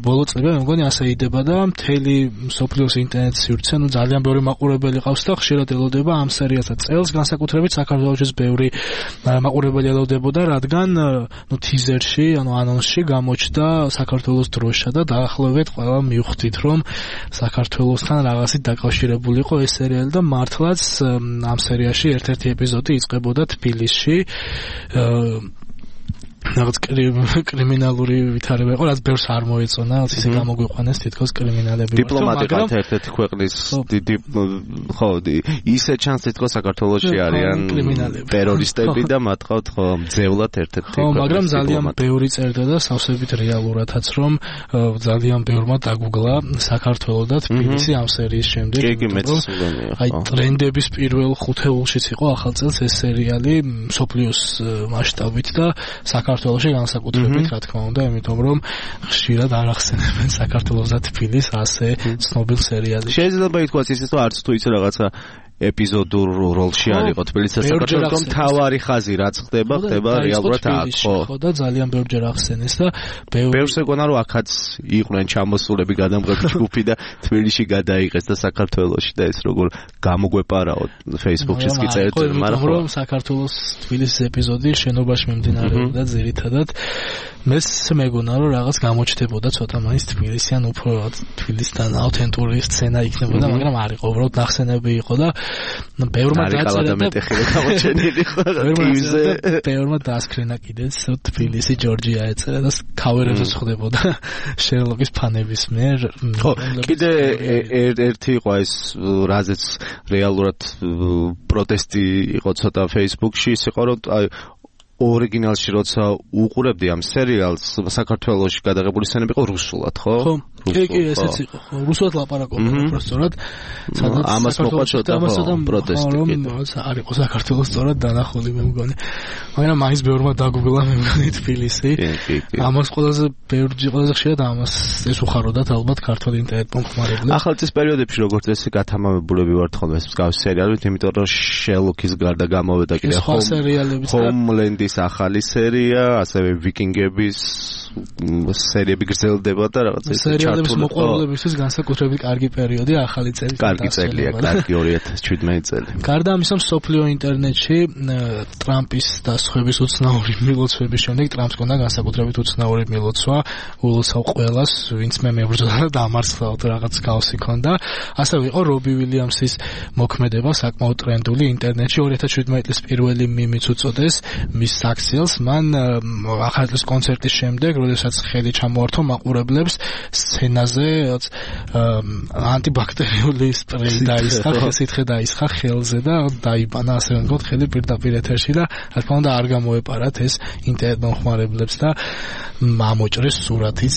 ბოლო წლები მე მგონი ასე იდება და მთელი მსოფლიოს ინტერნეტ სივრცე ძალიან ბევრი მაყურებელი ყავს და ხშირად ელოდება ამ სერიალსაც წელს განსაკუთრებით საქართველოშიც ბევრი მაყურებელი ელოდებოდა რადგან თიზერში ანონსში გამოჩნდა საქართველოს დროშა და დაახლოებით ყველა მივხვდით რომ საქართველოსთან რაღაც დაკავშირებული იყო ეს სერიალი და მართლაც ამ სერიაში ერთ-ერთი ეპიზოდი იწყებოდა თბილისში რაღაც კრიმინალური ვითარება იყო, რაც ბევრს არ მოეწონა, ისე გამოგვიყვანეს თითქოს კრიმინალები. დიპლომატიკად ერთ-ერთი ქვეყნის დიდი ხო, ისე ჩანს თითქოს საქართველოში არიან ტერორისტები და მათ ყავთ ხო მძევლად ერთ-ერთი. ხო, მაგრამ ძალიან ბევრი წერდა და სავსებით რეალურადაც რომ ძალიან ბევრმა დაგუგლა საქართველოს და თბილისი ამ სერიის შემდეგ. კი, მეც სულენია. აი ტრენდების პირველ ხუთეულშიც იყო ახალ წელს ეს სერიალი მსოფლიოს მასშტაბით და საქართველოში განსაკუთრებით რა თქმა უნდა, იმიტომ რომ ხშირად არ ახსენებენ საქართველოს და თბილისს ასე ცნობილ სერიალებში. შეიძლება ითქვას ისე რომ არც თუ ისე რაღაცა ეპიზოდურ როლში არ იყო თბილისის საქართველოს მთავარი ხაზი რაც ხდება რეალურად აქ ხო და ძალიან ბევრჯერ ახსენეს და ბევრს ეგონა რომ აქაც იყვნენ ჩამოსულები გადამღები ჯგუფი და თბილისში გადაიღეს და საქართველოში და ეს როგორ გამოგვეპარაო Facebook-შიც კი წერდნენ მაგრამ რომ საქართველოს თბილისის ეპიზოდი შენობაში მიმდინარეობდა ძირითადად მეს მეგონა რომ რაღაც გამოჩნდებოდა ცოტა მაინც თბილისიან უფრო თბილისთან აუთენტური სცენა იქნებოდა მაგრამ არ იყო უბრალოდ ნახსენები იყო და ბევრმა დაწერა და მეტეხილი გამოჩენილი ხო ბევრმა დაასკრინა კიდეც თბილისი ჯორჯია ეწერა და ქავერებზე ხდებოდა შერლოკის ფანების მიერ ხო კიდე ერთი იყო ეს რაზეც რეალურად პროტესტი იყო ცოტა Facebook-ში ის იყო რომ ორიგინალში როცა უყურებდი ამ სერიალს საქართველოში გადაღებული სცენები იყო რუსულად ხო? კი, ესეც იყო. რუსულად ლაპარაკობდა უბრალოდ. სადაც ამას მოყვაწოდა პროტესტი. არ იყო საქართველოს სწორად დანახული მე მგონი. მაგრამ მაინც ბევრმა დაგუგლა მე მგონი თბილისი. ამას ყველაზე ხშირად ამას ეს უხაროდათ ალბათ ქართული ინტერნეტ მომხმარებლებს. ახალწლის პერიოდებში როგორც ესე გათამამებულები ვართ ხოლმე ეს მსგავსი სერიალებით, იმიტომ რომ შელოკის გარდა გამოვედა კიდე ჰომლენდის ახალი სერია, ასევე ვიკინგების სერიები გრძელდება და რაღაცა ისე ჩართული. სერიალების მოყვარულებისთვის განსაკუთრებით კარგი პერიოდი ახალი წელი. კარგი წელია, კარგი 2017 წელი. გარდა ამისა, სოფლიო ინტერნეტში ტრამპის დასხების უცნაური მილოცვების შემდეგ ტრამპს ჰქონდა განსაკუთრებით უცნაური მილოცვა ულოცავ ყველას, ვინც მე მებრძოდა და დამარცხდა თუ რაღაც გავსი ჰქონდა. ასევე იყო რობი ვილიამსის მოქმედება საკმაოდ ტრენდული ინტერნეტში 2017 წლის პირველი მიმიც უწოდეს მის საქციელს. მან ახალი წლის კონცერტის შემდეგ, როდესაც ხელი ჩამოართვა მაყურებლებს, სცენაზე ანტიბაქტერიული სპრეი დაისხა, სითხე დაისხა ხელზე და დაიბანა ასე ვთქვათ ხელი პირდაპირ ეთერში და რა თქმა უნდა არ გამოეპარათ ეს ინტერნეტ მომხმარებლებს და ამოჭრეს სურათიც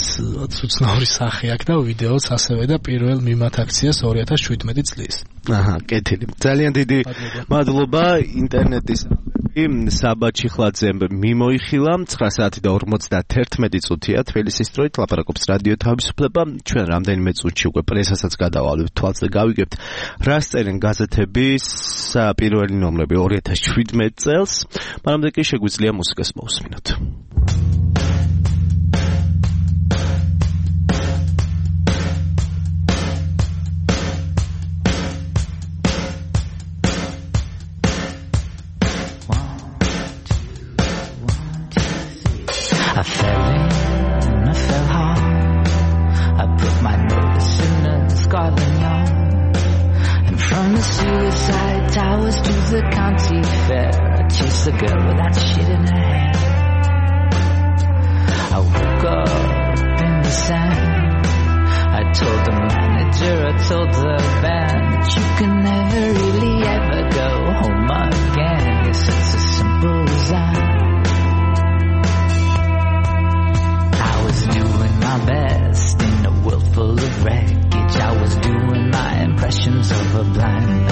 უცნაური სახე აქვს და ვიდეოც ასევე და პირველ მიმართ აქციას 2017 წლის. კეთილი. ძალიან დიდი მადლობა ინტერნეტის საბა ჩიხლაძემ მიმოიხილა 9 საათი და 51 წუთია თბილისის დროით ლაპარაკობს რადიო თავისუფლება. ჩვენ რამდენიმე წუთში უკვე პრესასაც გადავალებთ თვალს და გავიგებთ რას წერენ გაზეთების პირველი ნომრები 2017 წელს. მანამდე კი შეგვიძლია მუსიკას მოусმინოთ. I fell in and I fell hard. I put my notice in the Scotland Yard. And from the suicide towers to the county fair, I chased the girl with that shit in her hair. I woke up in the sand. I told the manager, I told the band that you can never really ever go home again. Yes, it's as simple as that. I was doing my best in a world full of wreckage. I was doing my impressions of a blind man.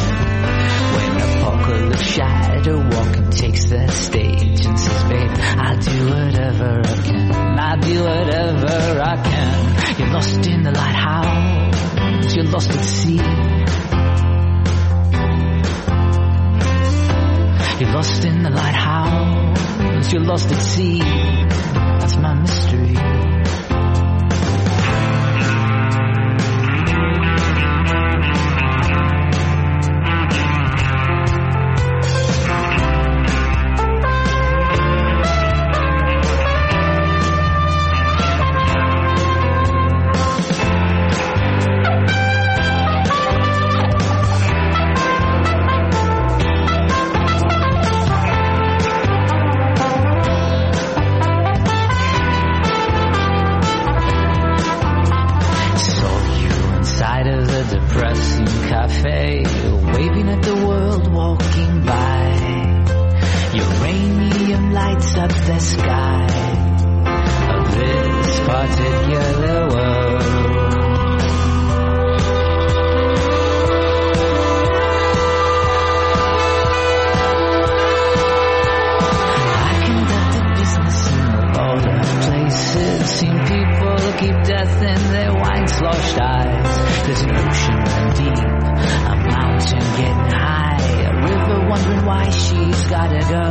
When apocalypse shadow walking takes the stage and says, babe, I'll do whatever I can. I'll do whatever I can. You're lost in the lighthouse. You're lost at sea. You're lost in the lighthouse. You're lost at sea. That's my mystery. Waving at the world walking by. Uranium lights up the sky of this particular world. I conducted business in a lot of places. Seen people keep death in their wine-sloshed eyes. There's an ocean run deep, a mountain getting high, a river wondering why she's gotta go.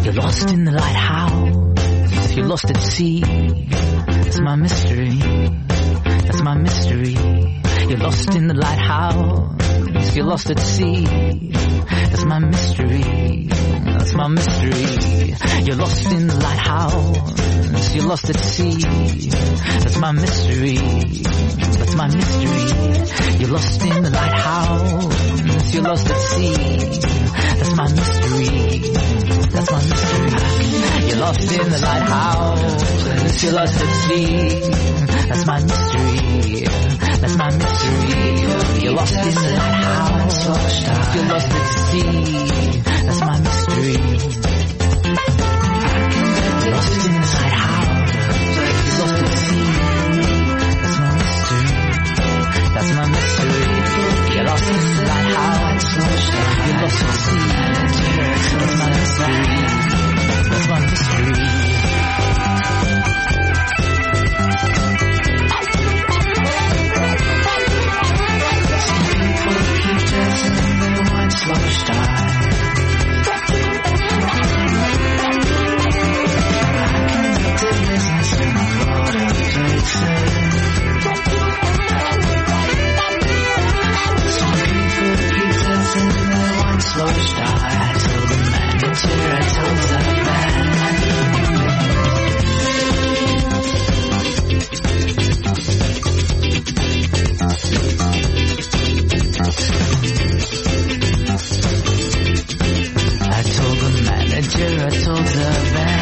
You're lost in the lighthouse, you're lost at sea. That's my mystery. That's my mystery. You're lost in the lighthouse. You're lost at sea. That's my mystery. That's my mystery. You're lost in the lighthouse. You're lost at sea. That's my mystery. That's my mystery. You're lost in the lighthouse. You're lost at sea. That's my mystery. That's my mystery. You're lost in the lighthouse. You're lost at sea. That's my mystery. That's my mystery. You're lost in the lighthouse. You're lost at sea. That's my mystery. You're lost in the lighthouse. You're lost at sea. That's my mystery. That's my mystery. You're lost in the lighthouse. You're lost at sea. That's my mystery. That's my mystery. Slow style. I conducted business in a lot of places. Some people pizzas in the one slow style. I told the manager, I told the man. I told the manager, I told the man.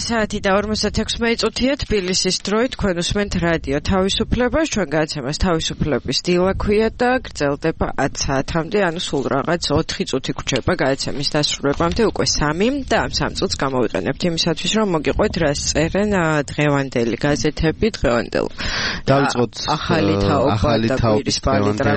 საათი და 56 წუთია თბილისის დროით თქვენ უსმენთ რადიო თავისუფლებას ჩვენ გადაცემას თავისუფლების დილა ქვია და გრძელდება 10 საათამდე ანუ სულ რაღაც 4 წუთი გვჭირდება გადაცემის დასრულებამდე უკვე 3 და ამ 3 წუთს გამოვიყენებთ იმისათვის რომ მოგიყვეთ რას წერენ დღევანდელი გაზეთები დღევანდელ დავიწყოთ ახალი თაობის პალიტრა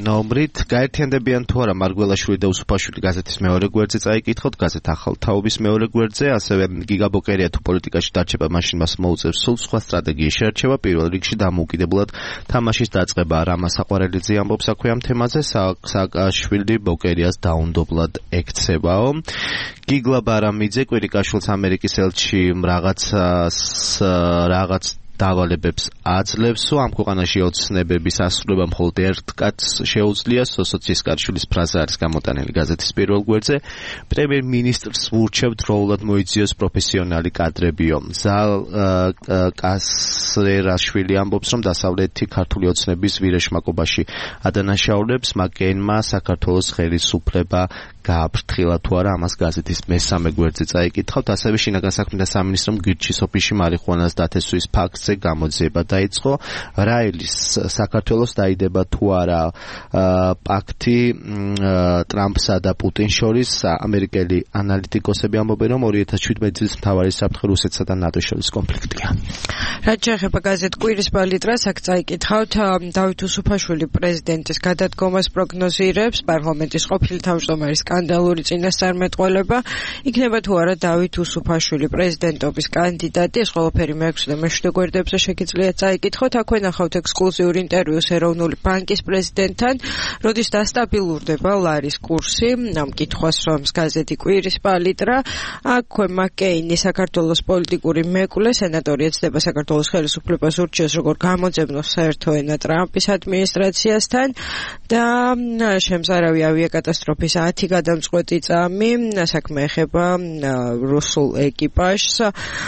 ნომრით გაერთიანდებიან თუ არა მარგველაშვილი და უსუფაშვილი გაზეთის მეორე გვერდზე წაიკითხოთ გაზეთ ახალ თაობის მეორე გვერდზე ასევე გიგაბოკერია თუ პოლიტიკაში დარჩება მაშინ მას მოუწევს სულ სხვა სტრატეგიის შერჩევა პირველ რიგში დამოუკიდებლად თამაშის დაწყება რამა საყვარელიძე ამბობს აქვე ამ თემაზე სააკაშვილი ბოკერიას დაუნდობლად ექცევაო გიგლა ბარამიძე კვირიკაშვილს ამერიკის ელჩი რაღაც დავალებებს აძლევს, ამ ქვეყანაში ოცნებების ასრულება მხოლოდ ერთ კაცს შეუძლია, სოციალისტის კარშვილის ფრაზა არის გამოტანილი გაზეთის პირველ გვერდზე. პრემიერ-მინისტრს ვურჩევთ დროულად მოიძიოს პროფესიონალი კადრებიო. ზალ კასრერაშვილი ამბობს, რომ დასავლეთი ქართული ოცნების ვირეშმაკობაში ადანაშაულებს მაკეინმა საქართველოს ხელისუფლება გააფრთხილა თუ არა ამას გაზეთის მესამე გვერდზე წაიკითხავთ. ასევე შინაგან საქმეთა სამინისტრომ გირჩის ოფისში მარიხუანას დათესვის ფაქტზე გამოძიება დაიწყო. რაელის საქართველოს დაიდება თუ არა პაქტი ტრამპსა და პუტინს შორის. ამერიკელი ანალიტიკოსები ამბობენ, რომ 2017 წლის მთავარი საფრთხე რუსეთსა და ნატოს შორის კონფლიქტია. რაც შეეხება გაზეთ კვირის პალიტრას, აქ წაიკითხავთ დავით უსუფაშვილი პრეზიდენტის გადადგომას პროგნოზირებს, პარლამენტის ყოფილი თავმჯდომარის სკანდალური წინასწარმეტყველება. იქნება თუ არა დავით უსუფაშვილი პრეზიდენტობის კანდიდატი, ეს ყველაფერი მე-6 და მე-7 გვერდებზე შეგიძლიათ წაიკითხოთ. აქვე ნახავთ ექსკლუზიურ ინტერვიუს ეროვნული ბანკის პრეზიდენტთან, როდის დასტაბილურდება ლარის კურსი. ამ კითხვას რომს გაზეთი კვირის პალიტრა. აქვე მაკეინი საქართველოს პოლიტიკური მეკვლე, სენატორი ეცდება საქართველოს ხელისუფლებას ურჩიოს როგორ გამოძებნოს საერთო ენა ტრამპის ადმინისტრაციასთან და შემზარავი ავიაკატასტროფის 10 გადამწყვეტი წამი საქმე ეხება რუსულ ეკიპაჟს,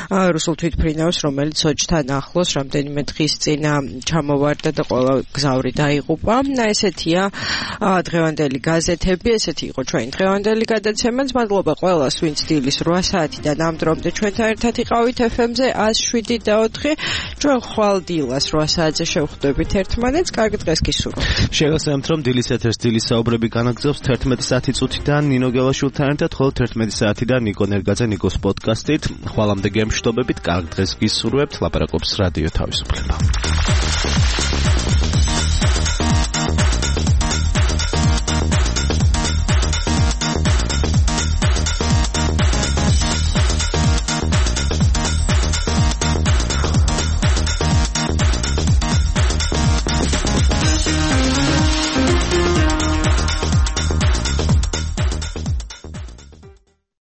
რუსულ თვითმფრინავს, რომელიც სოჭთან ახლოს რამდენიმე დღის წინ ჩამოვარდა და ყველა გზავრი დაიღუპა. ესეთია დღევანდელი გაზეთები, ესეთი იყო ჩვენი დღევანდელი გადაცემაც. მადლობა ყველას, ვინც დილის 8 საათიდან ამ დრომდე ჩვენთან ერთად იყავით FM-ზე 107.4. ჩვენ ხვალ დილას 8 საათზე შევხვდებით ერთმანეთს. კარგი დღეს გისურვებთ. შეგახსენებთ, რომ დილის ეთერს დილის საუბრები განაგრძობს 11 საათი წუთიდან ნინო გელაშვილთან ერთად, ხოლო 11 საათიდან ნიკო ნერგაძე ნიკოს პოდკასტით. ხვალამდე გემშვიდობებით, კარგ დღეს გისურვებთ. ლაპარაკობს რადიო თავისუფლება.